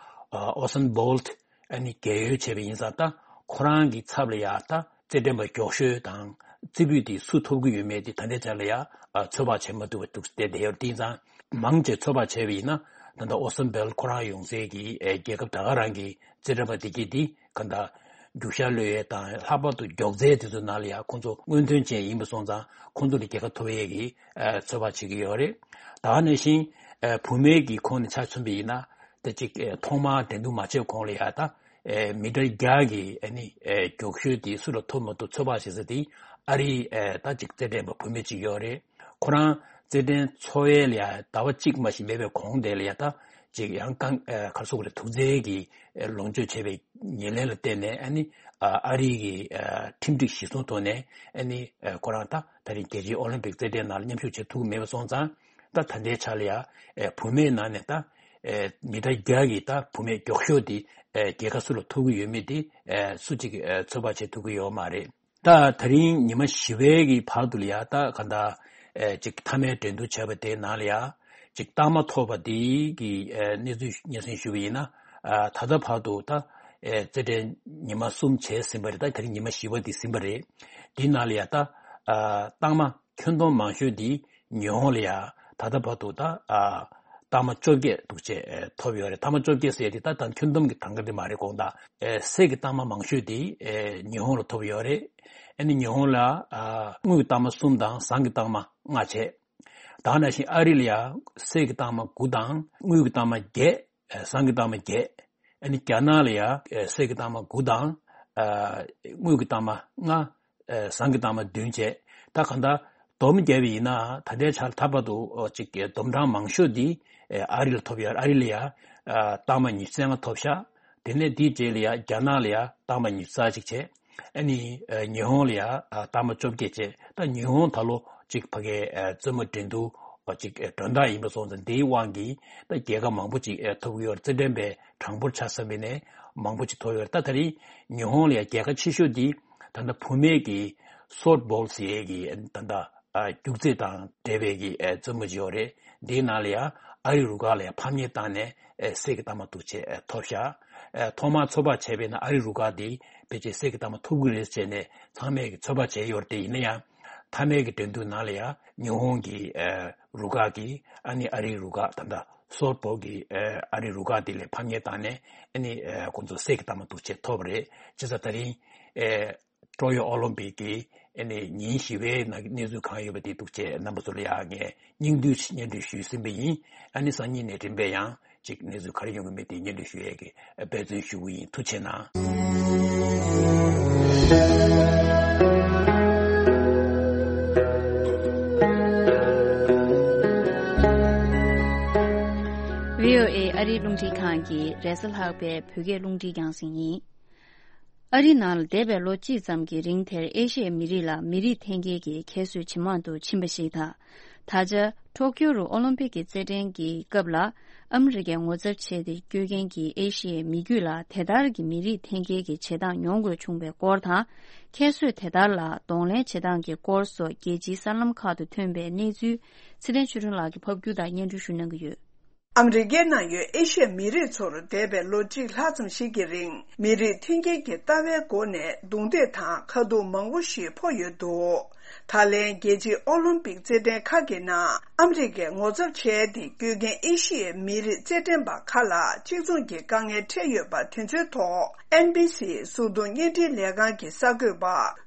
ཨོ་སན་བྷོལ་ཊི། ཨ་ནི་རྒས་ཡོལ་བྱས་པ་ཡིན་ཙང་། ད་ཁོ་རང་གི་ཚབ་ལ་ཡ་ད་རྩེད་འགྲན་པ་མགྱོགས་ཤོས་དང་རྩེ་ཕུད་དེ་སུ་ཐོབ་ཀྱི་ཡོད་མེད་དེ་ད་ལྟའི་ཆ་ལ་ཡ་ཚོད་དཔག་བྱེད་མ་ཐུབ་པ་འདུག་བསྡད་བསྡད་ཡོད། དེ་ཡིན་ཙང་མང་ཆེ་ཚོད་དཔག་བྱས་པ་ཡིན་ན། ད་ལྟ་ཨོ་སན་བྷོལ་ཊི་ཁོ་རང་ཡོང་སའི་གི་རྒྱལ་ཁབ་ད་ག་རང་གི་རྩེད་འགྲན་པ་དེ་གྱད་དེ་ག་འདྲ་རྒྱུག་ཤར་གློད་ཡས་དང་། ལྷག་པར་དུ་མགྱོགས་རྩལ་དེ་ཚོའི་ནང་ལ་ཡ་ཁོང་ཚོ་སྔོན་ཐོན་ཅན་ཡིན་པ་སོང་ཙང་ཁོང་ཚོ་ལ་རྒྱལ་ཁ་ཐོབ་ཡས་ཀྱི་ཚོད་དཔག་བྱེད་ཀྱི་ཡོད་རེད། ད་ག་ནང་བཞིན་བུད་མེད་ཀྱི་ཁོངས་ནས་ཆ་མཚོན་པ་ཡིན་ན། ད་ཅིག་ཐོག་མར་འགྲན་བསྡུར་མ་བྱས་གོང་ལ་ཡ་ད་མི་ཊར་བརྒྱ་གི་ཨ་ནི་མགྱོགས་ཤོས་དེ་སུ་ལ་ཐོབ་མ་ཐོབ་ཚོད་དཔག་བྱེད་ས་དེ་ཨ་རིའི་ད་ཅིག་རྩེད་འགྲན་པ་བུད་མེད་ཅིག་ཡོད་རེད། ཁོ་རང་རྩེད་འགྲན་འཚོགས་ཡས་ལ་ཡ་ཟླ་བ་གཅིག་མ་ཞིག་མེད་པའི་གོང་དེ་ལ་ཡ་ད་ཅིག་ཡང་རྐང་ག་རེ་ཟེར་དགོས་རེད། དུག་རྫས་ཀྱི་ལོངས་སྤྱོད་བྱས་པའི་ཉེར་ལེན་ལ་བརྟེན་ནས། ཨ་ནི་ཨ་རི་གི་ཁྲིམས་སྒྲིག་གཞིར་བཟུང་ཐོག་ནས་ཨ་ནི་ཁོ་རང་ད་ད་རིང་རྒྱལ་སྤྱིའི་ཨོ་ལིམ་པིག་རྩེད་འགྲན་ནང་ལ་མཉམ་ཞུགས་བྱེད་ཐུབ་ཀྱི་མེད་པ་སོང་ཙང་། ད་ད་ལྟའི་ཆ་ལ་ཡ་བུད་མེད་ནང་ནས་ད་མི་ཊར་བརྒྱ་གི་ད་བུད་མེད་མགྱོགས་ཤོས་དེ་རྒྱལ་ཁ་སུ་ལ་ཐོབ་ཀྱི་ཡོད་མེད་དེ་སུ་གཅིག་གིས་ཚོད་དཔག་བྱེད་ཐུབ་ཀྱི་ཡོད་མ་རེད། ད་ད་རིང་ཉི་མ་བཞི་པའི་གི་བར་དུ་ལ་ཡ་ད་ག་འདྲ་ཅིག་མཐའ་མའི་འགྲན་བསྡུར་བྱས་པ་དེའི་ནང་ལ་ཡ་ཅིག་རྟགས་མ་ཐོབ་པ་དེ་གི་གནས་ཚུལ་སྙན་སེང་ཞུས་པ་ཡིན་ན། ད་ལྟ་བར་དུ་ད་རྩེད་འགྲན་ཉི་མ་གསུམ་བྱས་ཟིན་པ་རེད། ད་ད་རིང་ཉི་མ་བཞི་པ་དེ་ཟིན་པ་རེད། དེའི་ནང་ལ་ཡ་ད་རྟགས་མ་ཁྱོན་བསྡོམས་མང་ཤོས་དེ་ཉི་ཧོང་ལ་ཡ་ད་ལྟ་བར་དུ་ད་རྟགས་མ་བཅོ་བརྒྱད་འདུག་བྱས་ཐོབ་ཡོད་རེད། རྟགས་མ་བཅོ་བརྒྱད་ཟེར་དེ་ད་ད་ཁྱོན་བསྡོམས་ཀྱི་གྲངས་ཀ་དེ་མ་རེད། དགོངས་དག་གསེར་གྱི་རྟགས་མ་མང་ཤོས་དེ་ཉི་ཧོང་ལ་ཐོབ་ཡོད་རེད། ཨ་ནི་ཉི་ཧོང་ལ་དངུལ་གྱི་རྟགས་མ་གསུམ་དང་ཟངས་ཀྱི་རྟགས་མ་ལྔ་བྱས། ད་ག་ནང་བཞིན་ཨ་རི་ལ་ཡ་གསེར་གྱི་རྟགས་མ་དགུ་དང་དངུལ་གྱི་རྟགས་མ་བརྒྱད། ཨ་ཟངས་ཀྱི་རྟགས་མ་བརྒྱད། ཨ་ནི་རྒྱ་ནག་ལ་ཡ་ཨ་གསེར་གྱི་རྟགས་མ་དགུ་དང་ཨ་དངུལ་གྱི་རྟགས་མ་ལྔ། ཨ་ཟངས་ཀྱི་རྟགས་མ་བདུན་བྱས། ད་གང་ལྟར་བསྡོམས་བརྒྱབ་པ་ཡིན་ན་ད་ལྟའི་ཆར་ད་བར་དུ་ཨོ་ཅིག་བསྡོམས་གྲངས་མང་ཤོས་འདི་ཨ་རི་ལ་ཐོབ་ཡོད། ཨ་རི་ལ་ཡ་ཨ་རྟགས་མ་ཉི་ཤུ་རྩ་ལྔ་ཐོབ་ཤག་དེ་ནས་དེའི་རྗེས་ལ་ཡ་རྒྱ་ནག་ལ་ཡ་རྟགས་མ་ཉི་ཤུ་རྩ་གཅིག་བྱས། ཨ་ནི་ཨ་ཉི་ཧོང་ལ་ཡ་ཨ་རྟགས་མ་བཅོ་བརྒྱད་བྱས། ད་ཉི་ཧོང་ད་ལོ་ཅིག་ཕ་གའི་ཨ་རྩེད་མོ་འགྲན་བསྡུར་ཨ་ཅིག་ཨ་སྒྲོ་འདོགས་ཡིན་པ་སོང་ཙང་། དེའི་དབང་གིས་ད་རྒྱལ་ཁ་མང་པོ་ཅིག་ཨ་ཐོབ་ཀྱི་ཡོད་རེད། རྩེད་འགྲན་པའི་གྲངས་འབོར་ཆ་བསམ་པ་ཡིན་ན་མང་པོ་ཅིག་ཐོབ་ཡོད་རེད། ད་ད་རེས་ཉི་ཧོང་ལ་ཡ་རྒྱལ་ཁ་ཆེ་ཤོས་འདི་ད་ལྟ་བུད་མེད་ཀྱི་སོབ་བྷོལ་ཟེར་ཡས་ཀྱི་ད་ལྟ་ ཨ་རྒྱུག་རྩེད་དང་འབྲེལ་བའི་གི་ཨ་རྩེད་མོ་ཅིག་ཡོད་རེད། འདིའི་ནང་ལ་ཡང་ཨ་རི་རུ་ཁག་ལ་ཡང་ཕམ་ཉེས་བཏང་ནས་ཨ་གསེར་གྱི་རྟགས་མ་དུ་ཆེ་ཨ་ཐོབ་ཤག་ཨ་ཐོག་མར་ཚོད་དཔག་བྱས་པས་ན་ཨ་རི་རུ་ཁག་འདི་ཕལ་ཆེར་གསེར་གྱི་རྟགས་མ་ཐོབ་ཀྱི་རེད་ཟེར་ནས་ཚང་མས་ཀྱི་ཚོད་དཔག་བྱས་ཡོད་རེད། དེ་ཡིན་ན་ཡང་མཐའ་མའི་གི་འགྲན་བསྡུར་ནང་ལ་ཡང་ཉི་ཧོང་གི་ཨ་རུ་ཁག་གིས་ཨ་ནི་ཨ་རིའི་རུ་ཁག་ད་ལྟ་སོབ་པོལ་གྱི་ཨ་རིའི་རུ་ཁག་དེ་ལ་ཕམ་ཉེས་བཏང་ནས་ཨ་ནི་ཨ་ཁོང་ཚོ་གསེར་གྱི་རྟགས་མ་དུ་ཆེ་ཐོབ་པ་རེད། བྱས་ཙང་ད་རིང་ཨ་ཀྲོ་ཡོ་ཨོ་ལིམ་པིག་གི་ཨ་ནི་ཉིན་བཞི་པའི་ནང་གི་གནས་ཚུལ་གང་ཡོད་པ་དེ་འདུག་བྱས་རྣམ་པ་ཚོ་ལ་ཡང་ངས་སྙིང་བསྡུས་ཤིག་སྙན་སྒྲོན་ཞུས་ཟིན་པ་ཡིན། ཨ་ནི་སང་ཉིན་ནས་རིམ་པས་ཡང་ཅིག་གནས་ཚུལ་ག་རེ་ཡོང་གི་མེད་དེ་སྙན་སྒྲོན་ཞུ་ཡས་ཀྱི་འབད་བརྩོན་ཞུ་གི་ཡིན། ཐུགས་རྗེ་གནང་། བྷི་ཨོ་ཨེ་ཨ་རིའི་རླུང་འཕྲིན་ཁང་གི་རེས་གཟའ་ལྷག་པའི་བོད་སྐད་རླུང་འཕྲིན་རྒྱང་སྲིང་ཡིན། ཨ་རི་ནང་ལ་འདས་པའི་ལོ་གཅིག་ཙམ་གྱི་རིང་དེར་ཨེ་ཤི་ཡའི་མི་རིགས་ལ་མི་རིགས་འཐེན་འཁྱེར་གྱི་ཁྱད་གསོད་ཇེ་མང་དུ་ཕྱིན་པ་ཞིག་དང་། ད་ཆ་ཊོ་ཀྱོ་རུ་ཨོ་ལིམ་པིག་གི་རྩེད་འགྲན་གྱི་སྐབས་ལ་ཨ་མི་རི་ཀས་ངོ་ཚབ་བྱས་ཏེ་སྐྱོད་མཁན་གྱི་ཨེ་ཤི་ཡའི་མི་རྒྱུད་ལ་དེ་ལྟར་གྱི་མི་རིགས་འཐེན་འཁྱེར་གྱི་བྱེད་སྟངས་མྱོང་དགོས་བྱུང་བའི་སྐོར་དང་། ཁྱད་གསོད་དེ་ལྟར་ལ་གདོང་ལེན་བྱེད་སྟངས་ཀྱི་སྐོར་སོགས་རྒྱལ་སྤྱིའི་གསར་ལམ་ཁག་ཏུ་ཐོན་པའི་གནས་ཚུལ་ཚེ་བརྟན་ཆོས་སྒྲོན་ལགས་ཀྱིས་ཕབ་སྒྱུར་དང་སྙན་སྒྲོན་ཞུ་གནང་གི་ཡོད། ཨ་མི་རི་ཀའི་ནང་ཡོད་ཨེ་ཤི་ཡ་མི་རིགས་ཚོར་འདས་པའི་ལོ་གཅིག་ལྷག་ཙམ་ཞིག་གི་རིང་མི་རིགས་འཐེན་འཁྱེར་གྱི་ལྟ་བའི་སྒོ་ནས་རྡུང་རྡེག་དང་ཁ་ཐུག་མང་པོ་ཞིག་ཕོག་ཡོད་འདུག་ད་ལན་རྒྱལ་སྤྱིའི་ཨོ་ལིམ་པིག་རྩེད་འགྲན་ཁག་གི་ནང་ཨ་མི་རི་ཀས་ངོ་ཚབ་བྱས་ཏེ་སྐྱོད་མཁན་ཨེ་ཤི་ཡའི་མི་རིགས་རྩེད་འགྲན་པ་ཁག་ལ་གཅིག་མཚུངས་ཀྱི་དཀའ་ངལ་འཕྲད་ཡོད་པ་དེ་ཚོའི་ཐོག་ཨེན་བྷི་སི་སུ་ཏུ་བརྙན་འཕྲིན་ལས་ཁང་གི་གསར་འགོད་པ་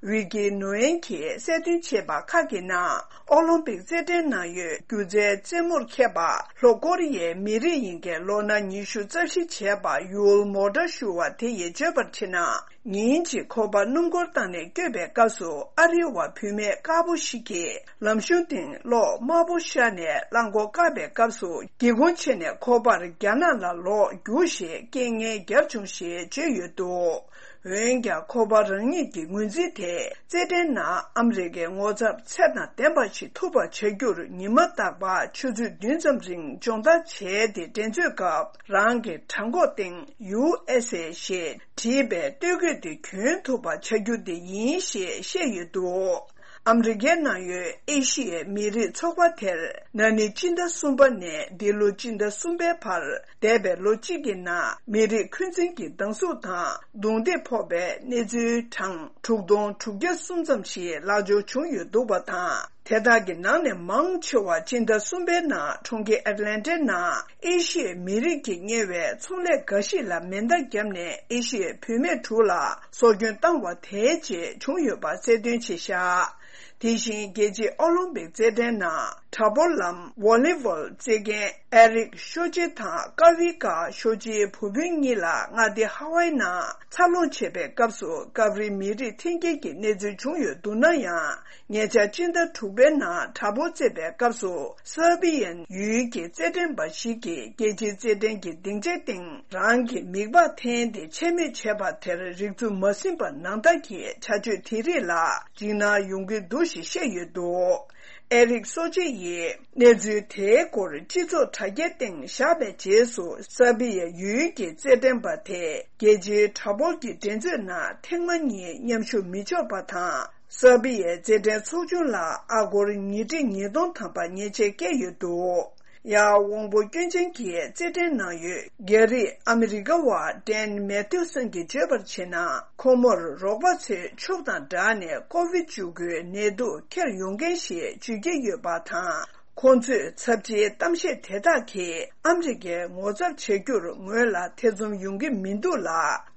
ཝི་ཀི་ནོ་ཨེན་གྱིས་གསལ་སྟོན་བྱས་པ་ཁག་གི་ནང་། ཨོ་ལིམ་པིག་རྩེད་འགྲན་ནང་ཡོད་སྒྱུ་རྩལ་རྩེད་མོར་མཁས་པ་ལྷོ་ཀོ་རི་ཡའི་མི་རིགས་ཡིན་མཁན་ལོ་ན་ཉི་ཤུ་རྩ་བཞི་བྱས་པ་ཡུལ་མོ་ཏྲ་ཞུ་བ་དེ་ཡིས་བརྗོད་པར་བྱས་ན། ཉིན་གཅིག་ཁོ་པ་སྣུམ་འཁོར་བཏང་ནས་སྐྱོད་པའི་སྐབས་སུ་ཨ་རིའི་བ་བུད་མེད་དཀར་པོ་ཞིག་གིས་ལམ་གཞུང་སྟེང་གློག་དམར་པོ་ཤར་ནས་རླངས་འཁོར་བཀག་པའི་སྐབས་སུ་སྒེའུ་ཁུང་ཕྱེ་ནས་ཁོ་པར་རྒྱ་ནག་ལ་ལོག་རྒྱུགས་ཞེས་སྐད་ངན་བརྒྱབ་བྱུང་ཞེས་བརྗོད་ཡོད་འདུག་འོན་ཀྱང་ཁོ་པ་རང་ཉིད་ཀྱི་ངོས་འཛིན་དེ་རྩེད་འགྲན་ནང་ཨ་མི་རི་ཀའི་ངོ་ཚབ་ཚད་དང་ལྡན་པ་ཞིག་ཐུབ་པ་བྱ་རྒྱུར་ཉི་མ་རྟག་པར་ཆུ་ཚོད་བདུན་ཙམ་རིང་སྦྱོང་བརྡར་བྱས་ཏེ་འགྲན་རྩོད་སྐབས་རང་གི་བྲང་ཁོག་སྟེང་ཡུ་ཨེས་ཨེ་ཞེས་བྲིས་པའི་སྟོད་གོས་དེ་གྱོན་ཐུབ་པ་བྱ་རྒྱུ་དེ་ཡིན་ཞེས་བཤད་ཡོད་འདུག་ཨ་མི་རི་ཀའི་ནང་ཡོད་ཨེ་ཤི་ཡའི་མི་རིགས་ཚོགས་པ་དེར་ན་ནིང་སྤྱི་ཟླ་གསུམ་པ་ནས་འདི་ལོ་སྤྱི་ཟླ་གསུམ་པའི་བར་འདས་པའི་ལོ་གཅིག་གི་ནང་མི་རིགས་འཁོན་འཛིན་གྱི་སྡང་ཟུག་དང་རྡུང་རྡེག་ཕོག་པའི་གནས་ཚུལ་གྲངས་དྲུག་སྟོང་དྲུག་བརྒྱ་གསུམ་ཙམ་ཞིག་ལག་འབྱོར་བྱུང་ཡོད་འདུག་པ་དང་། དེ་དག་གི་ནང་ནས་མང་ཆེ་བ་སྤྱི་ཟླ་གསུམ་པའི་ནང་གྲོང་ཁྱེར་ཨེཊ་ལན་ཊའི་ནང་ཨེ་ཤི་ཡའི་མི་རིགས་ཀྱིས་གཉེར་བའི་ཚོང་ལས་འགའ་ཞིག་ལ་མེ་མདའ་བརྒྱབ་ནས་ཨེ་ཤི་ཡའི་བུད་མེད་དྲུག་ལ་སྲོག་སྐྱོན་བཏང་བ་དེའི་རྗེས་བྱུང་ཡོད་པ་གསལ་སྟོན་བྱས་བཞག་དེ་བཞིན་རྒྱལ་སྤྱིའི་ཨོ་ལིམ་པིག་རྩེད་འགྲན་ནང་དྲག་པོ་ལམ་ཝོ་ལི་བོལ་རྩེད་མཁན་ཨེ་རིག་ཤོ་ཅེ་དང་ཀ་ཝི་ཀ་ཤོ་ཅེའི་བུ་སྤུན་གཉིས་ལ་མངའ་སྡེ་ཧ་ཝའི་ནང་འཚར་ལོངས་བྱེད་པའི་སྐབས་སུ་སྐབས་རེ་མི་རིགས་འཐེན་འཁྱེར་གྱི་གནས་ཚུལ་བྱུང་ཡོད་འདུག་ན་ཡང་། ཉེ་ཆར་སྤྱི་ཟླ་དྲུག་པའི་ནང་དྲག་པོ་རྩེད་པའི་སྐབས་སུ་སར་བི་ཡན་ཡུལ་གྱི་རྩེད་འགྲན་པ་ཞིག་གིས་རྒྱལ་སྤྱིའི་རྩེད་འགྲན་གྱི་སྡིངས་ཆའི་སྟེང་རང་གི་མིད་པ་འཐེན་ཏེ་ཆད་མེད་བྱས་པ་དེར་རིག་འཛུགས་མ་ཟིན་པ་ནང་ལྟ་གི་བྱ་སྤྱོད་དེ་རིགས་ལ་འཇིགས་སྣང་ཡོང་གི་འདུག་ཞེས་བཤད་ཡོད་འདུག་ཨེ་རིག་སོ་ཅེ་ཡིས་གནས་ཚུལ་དེའི་སྐོར་སྤྱི་ཚོགས་དྲ་རྒྱའི་སྟེང་བཞག་པའི་རྗེས་སུ་སར་བི་ཡ་ཡུལ་གྱི་རྩེད་འགྲན་པ་དེས་རྒྱལ་སྤྱིའི་དྲག་པོ་གི་འགྲན་རྩོད་ནང་ཐེངས་མ་གཉིས་མཉམ་ཞུགས་མི་ཆོག་པ་དང་། སར་བི་ཡའི་རྩེད་འགྲན་ཚོགས་ཆུང་ལ་ཨ་སྒོར་ཉིས་ཁྲི་ཉིས་སྟོང་ཐམ་པ་ཉེས་ཆད་བཀལ་ཡོད་འདུག་ཡང་དབང་པོ་སྐྱོན་ཅན་གྱི་རྩེད་འགྲན་ནང་ཡོད་རྒྱ་རིགས་ཨ་མི་རི་ཀ་བ་ཌན་མེ་ཐིའུ་སན་གྱིས་བརྗོད་པར་བྱས་ན། ཁོ་མོར་རོགས་པ་ཚོས་ཕྱུགས་དང་སྦྲགས་ནས་ཀོ་བིད་བཅུ་དགུའི་ནད་དུག་འཁྱེར་ཡོང་མཁན་ཞེས་བརྗོད་ཀྱི་ཡོད་པ་དང་། ཁོང་ཚོས་ཚབས་ཆེའི་གཏམ་བཤད་དེ་དག་གིས་ཨ་མི་རི་ཀའི་ངོ་ཚབ་བྱ་རྒྱུར་ངོས་ལ་ཐེ་ཚོམ་ཡོང་གི་མི་འདུག་ལ།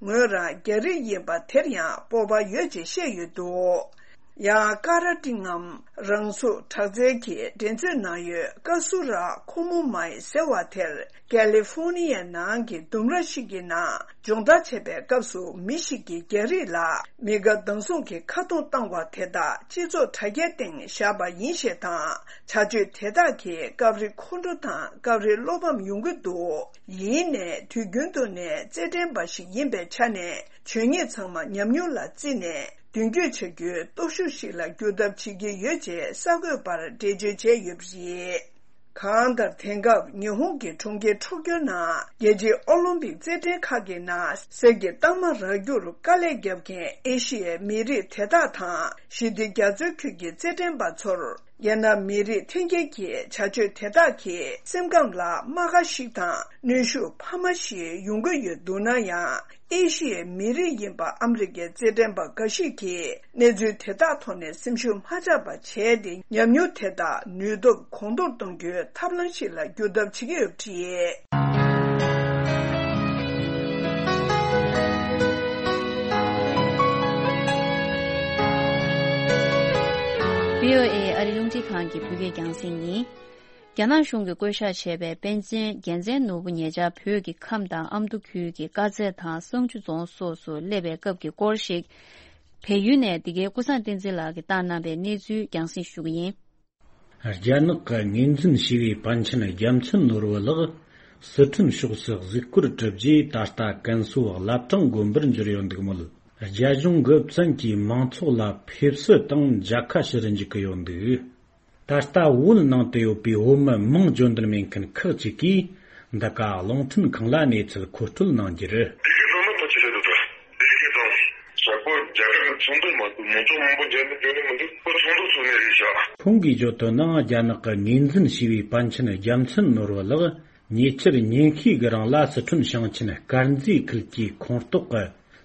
ངོས་རང་རྒྱ་རིགས་ཡིན་པ་དེར་ཡང་སྤོབས་པ་ཡོད་ཅེས་བཤད་ཡོད་འདུག་ཡང་ཀ་ར་ཊི་ངམ་རང་སྲུང་དྲག་རྩལ་གྱི་འགྲན་རྩོད་ནང་ཡོད་ཀ་སུ་ར་ཁོ་མོ་མའི་ཟེར་བ་དེར་ཀ་ལི་ཧྥོ་ནི་ཡའི་ནང་གི་ལྡུམ་ར་ཞིག་གི་ནང་སྦྱོང་བརྡར་བྱེད་པའི་སྐབས་སུ་མི་ཞིག་གིས་རྒྱ་རིགས་ལ་མི་དགའ་སྡང་ཟུང་གི་ཁ་རྡུང་བཏང་བ་དེ་དག་སྤྱི་ཚོགས་དྲ་རྒྱའི་སྟེང་བཞག་པ་ཡིན་ཞེས་དང་། བྱ་སྤྱོད་དེ་དག་གིས་སྐབས་རེ་ཁོང་ཁྲོ་དང་སྐབས་རེ་བློ་ཕམ་ཡོང་གི་འདུག་ཡིན་ནའི་དུས་རྒྱུན་དུ་ནས་རྩེད་འགྲན་པ་ཞིག་ཡིན་པའི་ཆ་ནས་བྱས་ཉེས་ཚང་མ་ཉམས་མྱོང་ལ་བརྩིས་ནས་མདུན་སྐྱོད་བྱ་རྒྱུའི་སྟོབས་ཤུགས་ཤིག་ལ་འགྱུར་ཐབས་བྱེད་ཀྱི་ཡོད་ཅེས་གསར་འགོད་པར་འགྲེལ་བརྗོད་བྱས་ཡོད་པ་རེད། གང་ལྟར་དེང་སྐབས་ཉི་ཧོང་གི་གྲོང་ཁྱེར་ཊོ་ཀྱོ་ནང་རྒྱལ་སྤྱིའི་ཨོ་ལིམ་པིག་རྩེད་འགྲན་ཁག་གི་ནང་གསེར་གྱི་རྟགས་མ་རག་རྒྱུར་དཀའ་ལས་བརྒྱབ་མཁན་ཨེ་ཤི་ཡའི་མི་རིགས་དེ་དག་དང་ཞི་བདེ་རྒྱ་མཚོའི་ཁུལ་གྱི་རྩེད་འགྲན་པ་ཚོར་ རྒྱ་ནག་མི་རིགས་འཐེན་འཁྱེར་གྱི་བྱ་སྤྱོད་དེ་དག་གིས་སེམས་ཁམས་ལ་རྨ་ཁ་ཞིག་དང་གནོན་ཤུགས་འཕར་མ་ཞིག་ཡོང་གི་ཡོད་འདུག་ན་ཡང་། ཨེ་ཤི་ཡའི་མི་རིགས་ཡིན་པ་ཨ་མི་རི་ཀའི་རྩེད་འགྲན་པ་འགའ་ཞིག་གིས་གནས་ཚུལ་དེ་དག་ཐོག་ནས་སེམས་ཤུགས་མ་ཆག་པ་བྱས་ཏེ། ཉམས་མྱོང་དེ་དག་ནུས་སྟོབས་གོང་མཐོར་གཏོང་རྒྱུའི་ཐབས་ལམ་ཞིག་ལ་འགྱུར་ཐབས་བྱེད་ཀྱི་ཡོད་པ་རེད། བྷི་ཨོ་ཨེ་ཨ་རིའི་རླུང་འཕྲིན་ཁང་གི་བོད་སྐད་རྒྱང་སྲིང་ཡིན། རྒྱ་ནག་གཞུང་གིས་བསྐོ་བཞག་བྱས་པའི་པཎ་ཆེན་རྒྱལ་མཚན་ནོར་བུ་ཉེ་ཆར་བོད་ཀྱི་ཁམས་དང་ཨ་མདོ་ཁུལ་གྱི་དཀར་མཛེས་དང་བསང་ཆུ་རྫོང་སོགས་སུ་སླེབས་པའི་སྐབས་ཀྱི་སྐོར་ཞིག་བལ་ཡུལ་ནས་འདི་གའི་ཀུན་བཟང་བསྟན་འཛིན་ལགས་ཀྱིས་བཏང་གནང་བའི་གནས་ཚུལ་རྒྱང་སྲིང་ཞུ་གི་ཡིན། རྒྱ་ནག་གི་ངོས་འཛིན་བྱས་པའི་པཎ་ཆེན་རྒྱལ་མཚན་ནོར་བུ་ལགས་སི་ཁྲོན་ཕྱོགས་སུ་གཟིགས་སྐོར་གྲུབ་རྗེས། ད་ལྟ་ཀན་སུའུ་བླ་བྲང་དགོན་པར་འབྱོར་ཡོད་འདུག་མོད། རྒྱ་གཞུང་གི་བཙན་གྱིས་མང་ཚོགས་ལ་ཕེབས་བསུ་དང་མཇལ་ཁ་ཞུ་རུ་འཇུག་གི་ཡོད་འདུག་ད་ལྟ་བོད་ནང་དུ་ཡོད་པའི་བོད་མི་མིང་བརྗོད་འདོད་མེད་མཁན་ཁག་ཅིག་གིས་འདི་ག་རླུང་འཕྲིན་ཁང་ལ་གནས་ཚུལ་མཁོ་སྤྲོད་གནང་རྒྱུར། དེ་གའི་བོད་མི་ཐོག་ཆེ་ཆེ་དུ་དུ། དེ་གའི་དང་། ཞག་པོ་རྒྱ་གར་གྱི་ཚོགས་འདུ་མ་གཏོགས་མང་ཚོགས་མང་པོ་མཇལ་འདོད་འཇོན་ནི་མི་འདུག་ཁོ་ཚོགས་འདུ་ཚོགས་ནི་རེད་ཤག་ཁོང་གིས་བརྗོད་དོན་ནང་། རྒྱ་ནག་གི་ངོས་འཛིན་བྱས་པའི་པཎ་ཆེན་རྒྱལ་མཚན་ནོར་བུ་ལགས་ཉེ་ཆར་ཉིན་ཤས་ཀྱི་རིང་ལ་སི་ཁྲོན་ཞིང་ཆེན་དཀར་མཛེས་ཁུལ་གྱི་ཁོངས་གཏོགས་ཀྱི་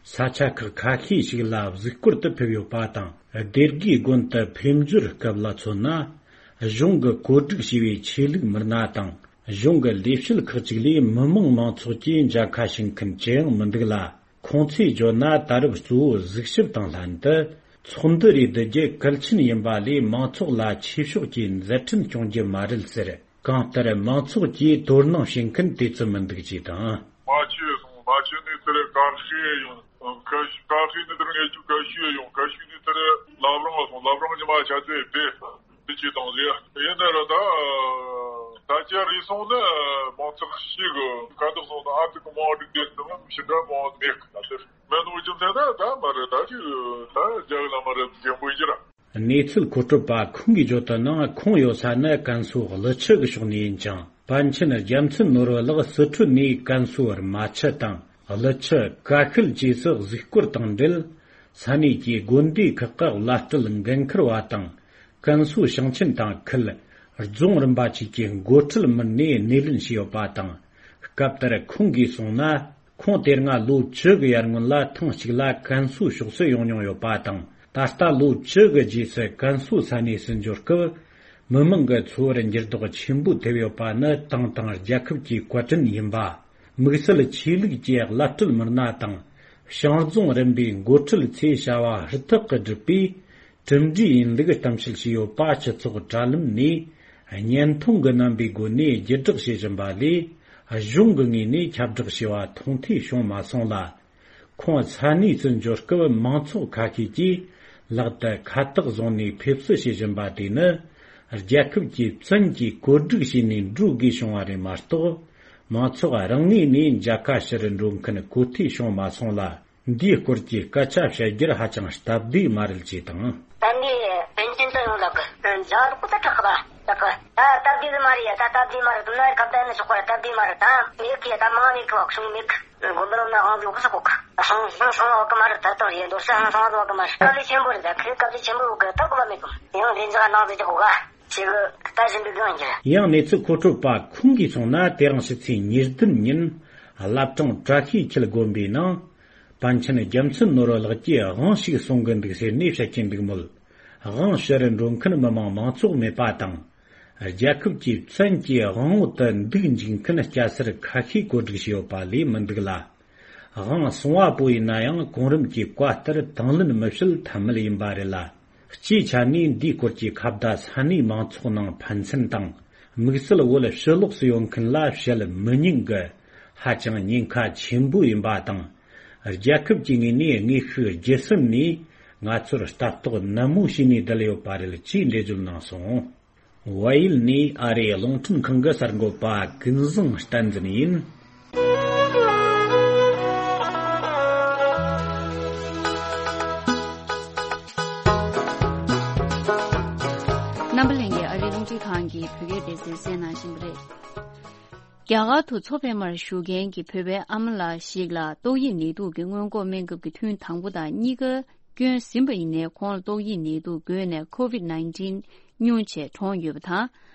ས་ཆ་ཁག་ཁ་ཤས་ཤིག་ལ་གཟིགས་སྐོར་དུ་ཕེབས་ཡོད་པ་དང་། སྡེ་དགེ་དགོན་དུ་ཕེབས་འབྱོར་སྐབས་ལ་མཚོན་ན། གཞུང་གིས་བཀོད་སྒྲིག་བྱས་པའི་ཆོས་ལུགས་མི་སྣ་དང་། གཞུང་གི་ལས་བྱེད་ཁག་ཅིག་ལས་མི་མང་མང་ཚོགས་ཀྱིས་མཇལ་ཁ་ཞུ་མཁན་ཅི་ཡང་མི་འདུག་ལ། ཁོང་ཚོས་བརྗོད་ན། ད་རུང་གཙོ་བོ་གཟིགས་ཞིབ་དང་ལྷན་དུ་ཚོགས་འདུ་རེ་བསྡུ་རྒྱུ་གལ་ཆེན་ཡིན་པ་ལས། མང་ཚོགས་ལ་ཆོས་ཕྱོགས་ཀྱི་མཛད་འཕྲིན་སྐྱོང་རྒྱུ་མ་རེད་ཟེར། གང་ལྟར་མང་ཚོགས་ཀྱིས་དོ་སྣང་བྱེད་མཁན་དེ་ཙམ་མི་འདུག་ཅེས་དང་། རྨ་ཆུ་སོང་། རྨ་ཆུ་ནས་དེར་ཀན་ཤུའུ་ཡོང་། ཀན་ཤུའུ་ཀན་ཤུའུ་ནས་དེར་ངེད་ཆུ་ཀན་ཤུའུ་ཡོང་། ཀན་ཤུའུ་ནས་དེར་བླ་བྲང་ལ་སོང་། བླ་བྲང་ནས་མར་ཆ་ཚེ་བེ་དེ་ཅི་དང་ཟེར། ཡིན་ན་ར་ད་ད་ཅི་རེད་སོང་ན་མང་ཚོགས་ཤིག་གི་ཁ་འདུག་སོང་ན། ཨ་ཙི་གི་མང་འགྲིག་དེ་ཙམ་ཞི་འདྲ་མང་མེད་གི་ད་དེར། མེད་ནོ་རྒྱུ་མཚན་ད་ད་མ་རེད། ད་ཅི་ད་རྒྱ་གི་ལ་མ་རེད། རྒན་པོ་ཡིན་གྱི་ར། གནས་ཚུལ་མཁོ་སྤྲོད་པ་ཁོང་གིས་བརྗོད་དོན་ནང་། ཁོང་ཡོད་ས་ནི་ཀན་སུའུ་ཀླུ་ཆུ་གི་ཕྱོགས་ནས་ཡིན་ཅིང་། པཎ་ཆེན་རྒྱལ་མཚན་ནོར་བུ་ལགས་སི་ཁྲོན་ནས་ཀན་སུའུ་རྨ་ཆུ་དང་ཀླུ་ཆུ་ཀ་ཤུལ་བཅས་སུ་གཟིགས་སྐོར་དང་འབྲེལ། ས་གནས་ཀྱི་དགོན་སྡེ་ཁག་གི་བླ་སྤྲུལ་འགན་འཁུར་བ་དང་། ཀན་སུའུ་ཞིང་ཆེན་དང་ཁུལ་རྫོང་རིམ་པ་བཅས་ཀྱི་འགོ་ཁྲིད་མི་སྣས་སྣེ་ལེན་བྱས་ཡོད་པ་དང་། སྐབས་དེར་ཁོང་གིས་གསུངས་ན། ཁོང་དེ་སྔ་ལོ་བཅུ་གི་ཡར་སྔོན་ལ་ཐེངས་གཅིག་ལ་ཀན་སུའུ་ཕྱོགས་སུ་ཡོང་མྱོང་ཡོད་པ་དང་། ད་ལྟ་ལོ་བཅུ་གི་རྗེས་སུ་ཀན་སུའུ་ས་གནས་སུ་འབྱོར་སྐབས། མི་མང་གི་འཚོ་བར་འགྱུར་ལྡོག་ཆེན་པོ་ཐེབས་ཡོད་པ་ནི་ཏང་དང་རྒྱལ་ཁབ་ཀྱི་བཀའ་དྲིན་ཡིན་པ། དམིགས་བསལ་ཆོས་ལུགས་ཀྱི་བླ་སྤྲུལ་མི་སྣ་དང་། ཞིང་རྫོང་རིམ་པའི་འགོ་ཁྲིད་ཚོས་བྱ་བ་ཧུར་ཐག་གིས་བསྒྲུབས་པས། གྲུབ་འབྲས་ཡིན་ལུགས་གཏམ་བཤད་བྱས་ཡོད་པ་སྤྱི་ཚོགས་དྲ་ལམ་ནས་བརྙན་ཐུང་གི་རྣམ་པའི་སྒོ་ནས་བརྒྱུད་བསྒྲགས་བྱེད་བཞིན་པ་ལས། གཞུང་གི་ངོས་ནས་ཁྱབ་བསྒྲགས་བྱས་པ་མཐོང་ཐོས་བྱུང་མ་སོང་ལ། ཁོང་ས་གནས་སུ་འབྱོར་སྐབས་མང་ཚོགས་ཁ་ཤས་ཀྱིས་ལག་ཏུ་ཁ་བཏགས་བཟུང་ནས་ཕེབས་བསུ་བྱེད་བཞིན་པ་དེ་ནི། རྒྱལ་ཁབ་ཀྱི་བཙན་གྱིས་བཀོད་སྒྲིག་བྱས་ནས་འགྲོ་དགོས་བྱུང་བ་རེད་མ་གཏོགས། མང་ཚོགས་རང་ངོས་ནས་མཇལ་ཁ་ཞུ་རུ་འགྲོ་མཁན་གོ་ཐོས་བྱུང་མ་སོང་ལ། འདིའི་སྐོར་གྱི་སྐད་ཆ་བཤད་རྒྱུར་ཧ་ཅང་སྟབས་བདེ་མ་རེད་ཅེས་དང་། ད་འདི་པཎ་ཆེན་དུ་ཡོང་ལ་གི་མཇལ་རོགས་ད་དྲག་ག་ད་གི་ད་སྟབས་བདེ་མ་རེད་ཡ། ད་སྟབས་བདེ་མ་རེད། དུ་ན་ཁ་བརྡ་ནི་ཆོག་པ་རེད། སྟབས་བདེ་མ་རེད། ད་མེད་གི་ད་མང་མེད་གི་བ་གསུང་མེད་གི་དགོན་པ་ལོ་ན་དབང་ལུགས་སུ་གོ་གི་སོང་སོང་སོང་བ་གི་མ་རེད། ད་དོ་ཡེ་འདོར་ས་ཧང་སོང་བ་གི་མ་རེད། དཀའ་ལས་ཆེན་པོ་རེད། ད་ཁི་དཀའ་ལས་ཆེན་པོ་གི་ད་གོ་བ་མེད་གི་ཡང་དེ་འཇག་ནང་དུ་གི་གོ་ག་ཆེ་གི་ད་བཞིན་པའི་སྒང་གི་ཡང་གནས་ཚུལ་མཁོ་སྤྲོད་པ་ཁོང་གིས་གསུངས་ན། དེ་རིང་ཕྱི་ཚེས་ཉེར་བདུན་ཉིན་བླ་བྲང་བཀྲ་ཤིས་འཁྱིལ་དགོན་པའི་ནང་། པཎ་ཆེན་རྒྱལ་མཚན་ནོར་བུ་ལགས་ཀྱིས་དབང་ཞིག་གསུང་གི་འདུག་ཟེར་ནས་བཤད་ཀྱིན་འདུག་མོད། དབང་ཞུ་རུ་འགྲོ་མཁན་མི་མང་མང་ཚོགས་མེད་པ་དང་། རྒྱལ་ཁབ་ཀྱི་བཙན་གྱིས་དབང་འོག་ཏུ་འདུག་འཇུག་མཁན་སྐྱ་སེར་ཁ་ཤས་བཀོད་སྒྲིག་བྱས་ཡོད་པ་ལས་མི་འདུག་ལ། དབང་སོང་བ་པོ་ཡིན་ན་ཡང་གོང་རིམ་གྱི་བཀའ་ལྟར་དང་ལེན་མི་བྱེད་ཐབས་མེད་ཡིན་པ་རེད་ལ། སྤྱིའི་ཆ་ནས་འདིའི་སྐོར་གྱི་ཁ་བརྡ་ས་གནས་མང་ཚོགས་ནང་ཕན་ཚུན་དང་། དམིགས་བསལ་བོད་ཕྱི་ལོགས་སུ་ཡོད་མཁན་ལ་བཤད་མི་ཉན་གི་ཧ་ཅང་ཉེན་ཁ་ཆེན་པོ་ཡིན་པ་དང་། རྒྱལ་ཁབ་ཀྱི་ངོས་ནས་དངོས་ཤུགས་བརྒྱུད་གསུམ་ནས་ང་ཚོར་ལྟ་རྟོག་ནན་མོ་བྱས་ནས་བསྡད་ཡོད་པ་རེད་ཅེས་འགྲེལ་བརྗོད་གནང་སོང་། བལ་ཡུལ་ནས་ཨ་རིའི་རླུང་འཕྲིན་ཁང་གི་གསར་འགོད་པ་ཀུན་བཟང་བསྟན་འཛིན་ཡིན། རྣམ་པ་ལྷན་རྒྱས། ཨ་རིའི་རླུང་འཕྲིན་ཁང་གི་བོད་སྐད་སྡེ་ཚན་གསན་གནང་བཞིན་པ་རེད། རྒྱ་གར་དུ་མཚོ་པདྨར་བཞུགས་མཁན་གྱི་བོད་པའི་ཨ་མ་ལགས་ཤིག་ལ་ཏོག་དབྱིབས་ནད་དུག་གི་སྔོན་འགོག་སྨན་ཁབ་ཀྱི་ཐུན་དང་པོ་དང་གཉིས་ཀ་བསྐྱོན་ཟིན་པ་ཡིན་ནའི། ཁོང་ལ་ཏོག་དབྱིབས་ནད་དུག་འགོས་ནས་ཁོ་ཝིད་ནའིན་ཊིན་ སྙུང་བྱས་གྲོངས་ཡོད་པ་དང་།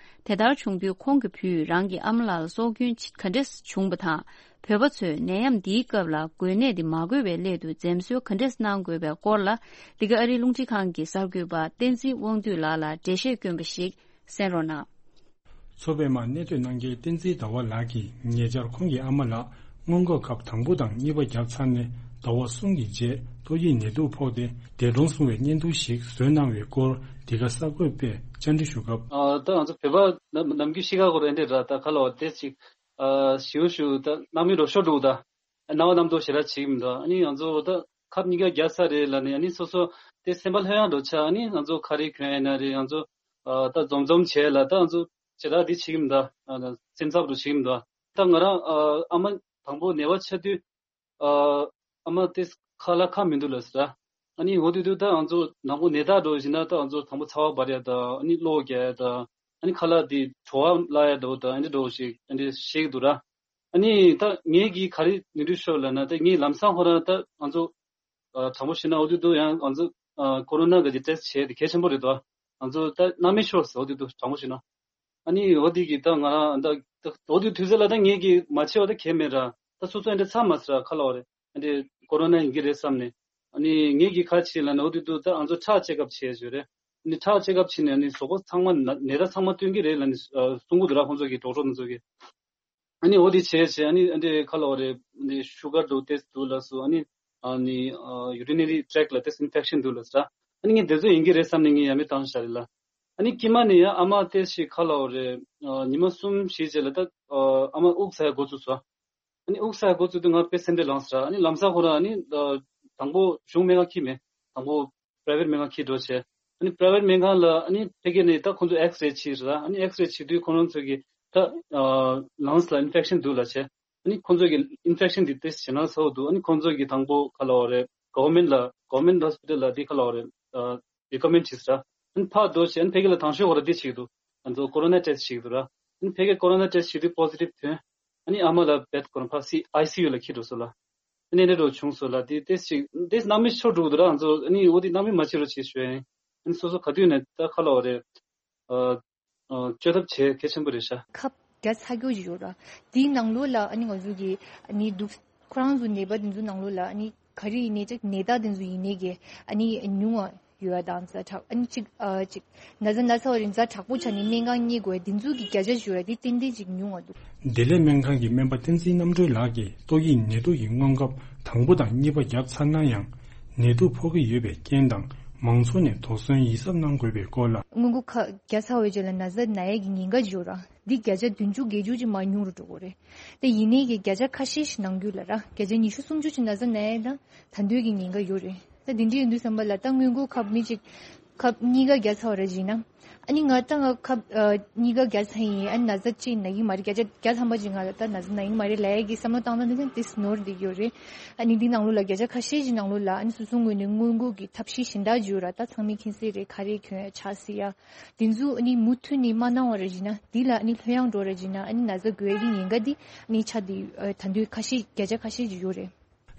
དེ་ལྟར་བྱུང་དུས་ཁོང་གི་བུས་རང་གི་ཨ་མ་ལགས་ལ་སྲོག་སྐྱོན་ག་འདྲས་བྱུང་བ་དང་། བོད་པ་ཚོས་ནད་ཡམས་འདིའི་སྐབས་ལ་འགོས་ནད་དེ་མ་འགོས་པའི་སླད་དུ་འཛེམ་ཟོན་ག་འདྲས་གནང་དགོས་པའི་སྐོར་ལ། འདི་ག་ཨ་རིའི་རླུང་འཕྲིན་ཁང་གི་གསར་འགོད་པ་བསྟན་འཛིན་དབང་འདུས་ལགས་ལ་འགྲེལ་བཤད་བསྐྱོན་པ་ཞིག་གསན་རོགས་གནང་། མཚོ་པདྨར་གནས་སྡོད་གནང་མཁན་བསྟན་འཛིན་ཟླ་བ་ལགས་ཀྱིས་ཉེ་ཆར་ཁོང་གི་ཨ་མ་ལགས་སྔོན་འགོག་ཁབ་དང་པོ་དང་གཉིས་པ་བརྒྱབ་ཚར་ནས་ཟླ་བ་གསུམ་གྱི་རྗེས་ཏོག་དབྱིབས་ནད་དུག་ཕོག་སྟེ་འདས་གྲོངས་སོང་བའི་བརྙན་ཐུང་ཞིག་བཟོས་གནང་བའི་སྐོར་འདི་ག་གསར་འགོད་པས་བཅར་འདྲི་ཞུ་སྐབས། ཨ་ད་ང་ཚོ་བོད་པ་ནམ་ནམ་རྒྱུན་ཤི་ཁ་གོ་རེ་འདྲེ་ར་ད་ཁ་ལོ་དེ་ཅིག་ཨ་ཞིའུ་ཞུ་ད་གནམ་མི་རོ་ཤོ་འགྲོ་ད་རྣ་བ་རྣམ་རྟོག་ཞེ་དྲག་བྱེད་ཀྱི་མི་འདུག་ཨ་ནི་ང་ཚོ་ད་ཁབ་གཉིས་ཀ་རྒྱག་ས་རེད་ལ་ནི་ཨ་ནི་སོ་སོ་དེ་སེམས་པ་ལྷོད་ཡངས་འགྲོ་ཆ་ཨ་ནི་ང་ཚོ་ཁ་རི་གྱོན་ཡིན་ན་རེད་ང་ཚོ་ཨ་ད་འཛོམས་འཛོམས་བྱས་ལ་ད་ང་ཚོ་ཞེ་དྲག་འདི་བྱེད་ཀྱི་མི་འདུག་ཨ་ད་སེམས་འཚབ་རུ་བྱེད་ཀྱི་མི་འདུག་ད་ང་རང་ཨ་ཨ་མ་དང་པོ་ནད་པ་ཆགས་དུས། ཨ་ཨ་མ་དེ་ཁ་ལ་ཁ་མི་འདུག་ལ་ཟེར། ཨ་ནི་འོ་དེ་དུས་ད་ང་ཚོ་དང་པོ་ནད་རྟགས་འགྲོ་བཞིན་ན་ད་ང་ཚོ་དང་པོ་ཚ་བ་འབར་ཡ་ད་ཨ་ནི་གློ་རྒྱག་ཡ་ད་ཨ་ནི་ཁ་ལག་དེ་བྲོ་བ་བརླག་ཡ་འགྲོ་ད་ཨ་འདྲ་འགྲོ་ཞིག་ཨ་འདྲ་ཤེས་ཀྱི་འདུག་ར། ཨ་ནི་ད་ངེད་ཀྱིས་ག་རེ་ནུས་མཐུ་ཤོར་ལབ་ན་ད་ངས་ལམ་སང་ཁོ་རང་ད་ང་ཚོ་ཨ་དྲང་པོ་བཤད་ན་འོ་དེ་དུས་ཡང་ང་ཚོ་ཨ་ཀོ་རོ་ན་གི་ཊེ་སི་ཊི་བྱས་དེ་གལ་ཆེན་པོ་རེད་དོ། ང་ཚོ་ད་སྣང་མེད་ཤོར་སོང་འོ་དེ་དུས་དྲང་པོ་བཤད་ན། ཨ་ནི་འོ་དེ་གི་ད་ང་རང་ད་ད་འོ་དེ་དུས་ཚོད་ལ་ད་ངེད་ཀྱིས་མ་བྱས་པ་ད་གལ་མེད་ར། ད་སོ་སོ་ཨེ་འདྲ་ཚ་མ་ཟེར་ར་ཁ་ལོ་རེད། ཨ་འདྲ་ཀོ་རོ་ན་ཡིན་གྱི་རེད་བསམ་ནས། ཨ་ནི་ངེད་ཀྱིས་ག་བྱས་ལབ་ན་འོ་དེ་དུས་ད་ང་ཚོ་ཁྲག་ཅེག་ཨབ་བྱས་ཡོད་རེད། ཨ་ནི་ཁྲག་ཅེག་ཨབ་བྱས་ནས་ཨ་ནི་གཟུགས་པོ་ཚང་མ་ན་ནད་རྟགས་ཚང་མ་སྟོན་གྱི་རེད་ལབ་ནས་གསུང་གི་འདུག་ར་ཁོང་ཚོ་གི་ཌོག་ཊར་ཁོང་ཚོ་གི། ཨ་ནི་འོ་དེ་བྱས་བྱས་ཨ་ནི་ཨ་འདྲ་ཁ་ལོ་རེད་ཨ་ནི་ཤུ་གར་འདུག་ཏེ་འདུག་ལབ་སོང་ཨ་ནི་ཨ་ནི་ཡུ་རི་ནེ་རི་ཊེག་ལ་ཏེ་ཨིན་ཕེག་ཤན་འདུག་ལབ་ཟེར། ཨ་ནི་ངས་དེ་ཚོ་ཡིན་གྱི་རེད་བསམ་ནས་ངས་ཡ་མེད་བཏང་བཞག་རེད་ལ། ཨ་ནི་དཀྱིལ་མ་ནས་ཡང་ཨ་མ་ཏེ་ཞིག་ཁ་ལོ་རེད་ཨ་ཉི་མ་གསུམ་བཞི་རྗེས་ལ་ད་ཨ་མ་དབུགས་ཟ་ཡ་འགོ་ཚུགས་སོང་། ཨ་ནི་དབུགས་ཟ་ཡ་འགོ་ཚུགས་དུས་ང་དཔེ་སེམས་ཁྲལ་ལངས་ཟེར་ཨ་ནི་ལམ་སང་ཁོ་རང་ཨ་ནི་དང་པོ་གཞུང་སྨན་ཁང་ཁྱེར་མེད་དང་པོ། པ་རའི་ཝེཊ་སྨན་ཁང་ཁྱེར་འགྲོ་བྱས། ཨ་ནི་པ་རའི་ཝེཊ་སྨན་ཁང་ལ་ཨ་ནི་ཕ་གི་ནས་ད་ཁོང་ཚོ་ཨེགས་རེ་བྱས་ར། ཨ་ནི་ཨེགས་རེ་བྱེད་དུས་ཁོང་རང་ཚོ་གིས་ད་ལངས་ལ་ཨིན་ཕེག་ཤན་འདུག་ལབ་བྱས། ཨ་ནི་ཁོང་ཚོ་གིས་ཨིན་ཕེག་ཤན་འདི་ཏེ་སི་ཊི་བྱེད་ན་ཚ་བོ་འདུག་ཨ་ནི་ཁོང་ཚོ་གིས་དང་པོ་ག་ལབ་དགོས་རེད། གོ་ཝར་མེན་ཊི་ལ་གོ་ཝར་མེན་ཊི་ཧོ་སི་པི་ཊལ་ལ་འདི་ག་ལབ་དགོས་རེད། རི་ཀོ་མེན་ཊི་བྱས་ར། ཨ་ནི་ཕར་འགྲོ་བྱས་ཨ་ནི་ཕ་གི་ལ་དང་ཤོས་ཁོ་ར་འདི་བྱེད་ཀྱི་འདུག་ང་ཚོ་ཀོ་རོ་ན་ཊེ་སི་ཊི་བྱེད་ཀྱི་འདུག་ར། ཨ་ནི་ཕ་གིར་ཀོ་རོ་ན་ཊེ་སི་ཊི་བྱེད་དུས་པོ་སི་ཊིབ་ཐོན། ཨ་ནི་ཨ་མ་ལ་བེད་ཁོ་རང་ཕར་སི་ཨའི་སི་ཡུ་ལ་ཁྱེར་འགྲོ་སོང་ལ། ཨ་ནི་འདྲ་འགྲོ་བྱུང་སོང་ལ་དེ་ཏེ་ཞིག་ཏེ་སྣང་མེད་ཤོར་འགྲོ་གི་འདུག་ར་ང་ཚོ་ཨ་ནི་འོ་དེ་སྣང་མེད་མ་བྱེད་རོགས་བྱེད་ཞུ་ཡ་ཡིན། ཨ་ནི་སོ་སོ་ག་དུས་ནས་ད་ཁ་ལོ་རེད། ཨ་ཨ་བཅོས་ཐབས་བྱེད་གལ་ཆེན་པོ་རེད་ཤག་ཁབ་རྒྱག་ཚར་རྒྱུ་ཞིག་ཡོད་ར། དེའི་ནང་ལོགས་ལ་ཨ་ནི་ང་ཚོ་གི་ཨ་ནི་འདུག་ཁོ་རང་ཚོ་ནད་པ་དེ་ཚོའི་ནང་ལོགས་ལ་ཨ་ནི་ག་རེ་ཡིན་ནའི་ཅིག་ནད་རྟགས་དེ་ཚོ་ཡིན་ནའི་གི་ཨ་ནི་ཉུང་བ། ཡོད་པ་དང་ཛ་དྲག་ཨ་ནི་གཅིག་ཨ་གཅིག་ན་ཚ་ན་ཚ་བ་རིང་ཛ་དྲག་པོ་ཆགས་ནས་སྨན་ཁང་གཉིད་དགོས་དེ་ཚོའི་གི་བརྒྱ་ཆ་ཞུ་བ་དེ་ཏན་ཏན་གཅིག་ཉུང་བ་འདུག་བདེ་ལེགས་སྨན་ཁང་གི་སྨན་པ་བསྟན་འཛིན་རྣམ་གྲོལ་ལགས་ཀྱིས་ཏོག་དབྱིབས་ནད་དུག་གི་སྔོན་ཁབ་དང་པོ་དང་གཉིས་པ་བརྒྱབ་ཚར་ན་ཡང་ནད་དུག་ཕོག་གི་ཡོད་པའི་རྐྱེན་དང་མང་ཚོགས་ནས་དོགས་ཟོན་ཡིད་གཟབ་གནང་དགོས་པའི་སྐོར་ལ། སྔོན་འགོག་ཁབ་བརྒྱབ་ཚར་བའི་རྗེས་ལ་ན་ཚ་ན་ཡས་ཀྱི་ཉེན་ཁ་ཡོད་ར། འདི་བརྒྱ་ཆ་བདུན་ཅུ་བརྒྱད་ཅུ་ཅིག་མར་ཉུང་རུ་འགྲོ་གི་རེད། དེ་ཡིན་ནའི་གི་བརྒྱ་ཆ་ཁ་ཤས་ཤིག་ནང་ཁུལ་ལ་ར་བརྒྱ་ཆ་ཉི་ཤུ་སུམ་ཅུ་ཅིག་ན་ཚ་ན་ཡས་དང་ད་དུང་གི་ཉེན་ཁ་ཡོད་རེད། ད་དེ་འདྲ་ཡིན་དུས་ཙམ་པ་ལ་ད་སྔོན་འགོག་ཁབ་མི་གཅིག་ཁབ་གཉིས་ཀ་བརྒྱབ་ཚར་བ་རེད་བྱས་ན། ཨ་ནི་ང་ད་ང་ཁབ་ཨ་གཉིས་ཀ་བརྒྱབ་ཚར་ཡིན། ཨ་ནི་ན་ཚ་གཅིག་ན་གི་མ་རེད། བརྒྱ་ཆ་བརྒྱ་ཐམ་པ་ཅིག་ང་ལ་ད་ན་ཚ་ན་གི་མ་རེད་ལབ་ཡས་ཀྱི་བསམ་བློ་བཏང་ན་འདི་ཙམ་དེ་ནོར་བསྡད་ཡོད་རེད། ཨ་ནི་འདི་ནང་ལོགས་ལ་བརྒྱ་ཆ་ཁ་ཤས་ཅིག་ནང་ལོགས་ལ་ཨ་ནི་སོ་སོའི་ངོས་ནས་སྔོན་འགོག་གི་ཐབས་ཤེས་གཞན་དག་ཅིག་ཡོད་ར། ད་ཚང་མས་མཁྱེན་གསལ་རེད། ཁ་རས་གྱོན་ཡ་ཕྱག་བསིལ་ཡ། དེ་ཚོ་ཨ་ནི་མུ་མཐུད་ནས་མ་གནང་བ་རེད་བྱས་ན་འདི་ལ་ཨ་ནི་ལྷོད་ཡངས་འགྲོ་རེད་བྱས་ན་ཨ་ནི་ན་ཚ་འགོས་ཀྱི་ཉེན་ཁ་འདི་ཨ་ནི་ཆགས་བསྡད་ཡོད། ཨ་ད་དུང་ཁ་ཤས་བརྒྱ་ཆ་ཁ་ཤས་ཅིག་ཡོད་རེད།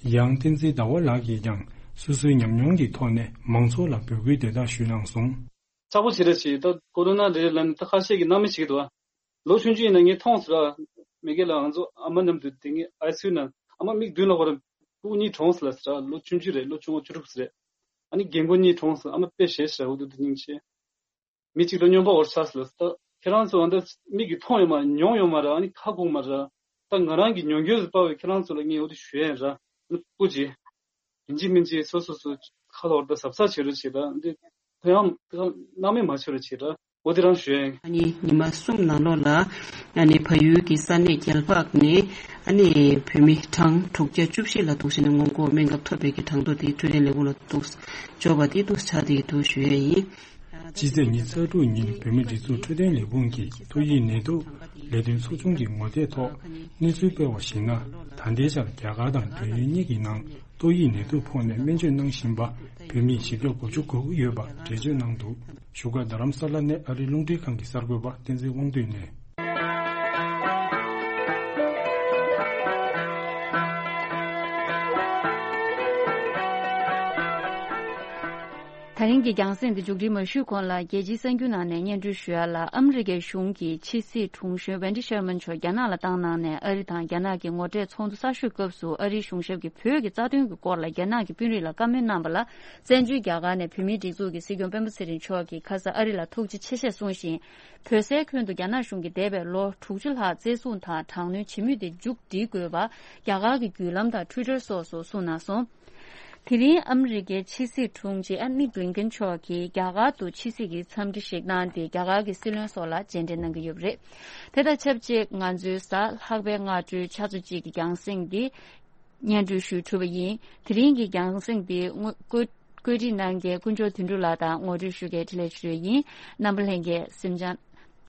ཡང་བསྟན་འཛིན་ཟླ་བ་ལགས་ཀྱིས་ཀྱང་སོ་སོའི་ཉམས་མྱོང་གི་ཐོག་ནས་མང་ཚོགས་ལ་འབོད་སྐུལ་དེ་དག་ཞུས་གནང་སོང་། ཆགས་པོ་བྱེད་རེ་བྱེད་ད་ཀོ་རོ་ན་རེད་ལབ་ནས་ད་ཁ་ཤས་ཀྱིས་སྣང་མེད་བྱེད་ཀྱི་འདུག་ཨ། ལོ་ཆུང་ཆུང་ཡིན་ན་ངས་མཐོང་ཟེར་ཨ། མི་སྒེར་ལ་ང་ཚོ་ཨ་མ་མཉམ་དུ་དེ་ངས་ཨའི་སི་ཡུ་ན་ཨ་མ་མིག་མདུན་ལ་ཧོ་ར་སྤུ་གུ་གཉིས་གྲོངས་ཟེར་ལ་ཟེར་ཨ། ལོ་ཆུང་ཆུང་རེད། ལོ་ཆུང་བ་བཅུ་དྲུག་ཟེར་རེད། ཨ་ནི་རྒན་རྒོན་གཉིས་གྲོངས་ཟེར་ཨ་མ་དཔེ་ཞེད་ཟེར་ཨ། འུ་དུ་དེ་སྙིང་རྗེ། མི་གཅིག་དང་སྨྱོན་པ་འོར་ཆགས་ལ་ད་ཁྱེད་རང་ཚོ་འདི་མིག་གིས་མཐོང་ཡོད་མ་མྱོང་ཡོད་མ་ར། ཨ་ནི་ཁ་སྒུག་མ་ར། ད་ང་རང་གི་མྱོང་འགྱོད་ཟིག་པ་བས་ཁྱེད་རང་ཚོ་ལ་ངས་འོ་དེ་ཞུ་ཡ་ཡིན་ར། ཨ་ནི་སྤུ་ཅི་ཡིན་གཅིག་མིན་གཅིག་སོ་སོ་སོ་ཁ་ལ་འོར་ད་གཟབ་གཟབ་བྱེད་རོགས་བྱེད་ར། འདི་ཁོ་ཡང་སྣང་མེད་མ་བྱེད་རོགས་བྱེད་ར། འོ་དེ་རང་ཞུ་ཡ་ཡིན། ཨ་ནི་ཉི་མ་གསུམ་ནང་ལོགས་ལ་ཨ་ནི་བལ་ཡུལ་གྱི་ས་གནས་རྒྱལ་འཕགས་ནས་ཨ་ནི་བོད་མི་གྲངས་དྲུག་བརྒྱ་བཅུ་བཞི་ལ་གཏུགས་ཤིང་སྔོན་འགོག་སྨན་ཁབ་ཐོབ་པའི་གི་གྲངས་ཐོ་དེ་འཕྲོད་བསྟེན་ལས་ཁུངས་ལ་གཏུགས་འབྱོར་བ་དེ་འདུག་ཆགས་དེ་འདུག་ཞུ་ཡ་ཡིན། སྤྱི་ཚེས་ཉི་ཤུ་རྩ་དྲུག་ཉིན་བོད་མིའི་སྒྲིག་འཛུགས་འཕྲོད་བསྟེན་ལས་ཁུངས་ཀྱིས་ཏོག་དབྱིབས་ནད་དུག་ལས་དོན་ཚོགས་ཆུང་གི་ངོ་དེབ་ཐོག་གནས་ཚུལ་སྤེལ་བར་གཞིགས་ན། ད་ལྟའི་ཆར་རྒྱ་གར་དང་འབྲེལ་ཡོད་གཉིས་ཀྱི་ནང་ཏོག་དབྱིབས་ནད་དུག་ཕོག་ནས་སྨན་བཅོས་གནང་བཞིན་པ་བོད་མི་བཞི་བརྒྱ་གོ་དགུ་ཡོད་པ་འགྲེལ་བརྗོད་གནང་འདུག་བཞུགས་སྒར་རྡ་རམ་ས་ལ་ནས་ཨ་རིའི་རླུང་འཕྲིན་ཁང་གི་གསར་འགོད་པ་བསྟན་འཛིན་དབང་འདུས་ནས། ད་ ད་རིང་གི་རྒྱང་སྲིང་འདི་མཇུག་སྒྲིལ་མ་ཞུས་གོང་ལ། རྒྱལ་སྤྱིའི་གསར་འགྱུར་ནང་ནས་སྙན་སྒྲོན་ཞུ་ཡ་ལ། ཨ་མི་རི་ཀའི་གཞུང་གིས་ཕྱི་སྲིད་དྲུང་གཞོན་Wendy Sherman་མཆོག་རྒྱ་ནག་ལ་བཏང་གནང་ནས། ཨ་རི་དང་རྒྱ་ནག་གི་ངོ་འཕྲད་ཚོགས་འདུ་གསར་ཤོས་སྐབས་སུ་ཨ་རིའི་གཞུང་ཞབས་ཀྱིས་བོད་ཀྱི་རྩ་དོན་གྱི་སྐོར་ལ་རྒྱ་ནག་གི་དཔོན་རིགས་ལ་བཀའ་མོལ་གནང་བ་ལ། བཙན་བྱོལ་རྒྱ་གར་ནས་བོད་མིའི་སྒྲིག་འཛུགས་ཀྱི་སྲིད་སྐྱོང་སྤེན་པ་ཚེ་རིང་མཆོག་གིས་ཁ་ས་ཨ་རི་ལ་ཐུགས་རྗེ་ཆེ་ཞེས་གསུངས་ཤིང་། བོད་སའི་ཁྱོན་དུ་རྒྱ་ནག་གཞུང་གིས་འདས་པའི་ལོ་དྲུག་ཅུ་ལྷག་བཙན་བཟུང་དང་དྲག་གནོན་བྱེད་མུས་དེ་མཇུག་སྒྲིལ་དགོས་པ་རྒྱ་གར་གྱི་བརྒྱུད་ལམ་དང་Twitter་སོགས་སུ་གསུངས་གནང་སོང་། དེ་རིང་ཨ་མི་རི་ཀའི་ཕྱི་སྲིད་དྲུང་ཆེ་Antony Blinken་མཆོག་གིས་རྒྱ་གར་དུ་ཕྱི་སྲིད་ཀྱི་འཚམས་འདྲི་ཞིག་གནང་སྟེ། རྒྱ་གར་གྱི་སྲིད་བློན་སོགས་ལ་མཇལ་འཕྲད་གནང་གི་ཡོད་པ་རེད། དེ་དང་ཆབས་ཅིག་ང་ཚོའི་གཟའ་ལྷག་པའི་སྔ་དྲོའི་ཆུ་ཚོད་གཅིག་གི་རྒྱང་སྲིང་འདི་སྙན་སྒྲོན་ཞུས་གྲུབ་པ་ཡིན། དེ་རིང་གི་རྒྱང་སྲིང་འདི་བཀོད་བཀོད་སྒྲིག་གནང་མཁན་དཀོན་མཆོག་དོན་གྲུབ་ལགས་དང་ངོ་སྤྲོད་ཞུ་མཁན་འཕྲིན་ལས་ཆོས་སྒྲོན་ཡིན། རྣམ་པ་ལྷན་རྒྱས་གཟིམ་འཇགས།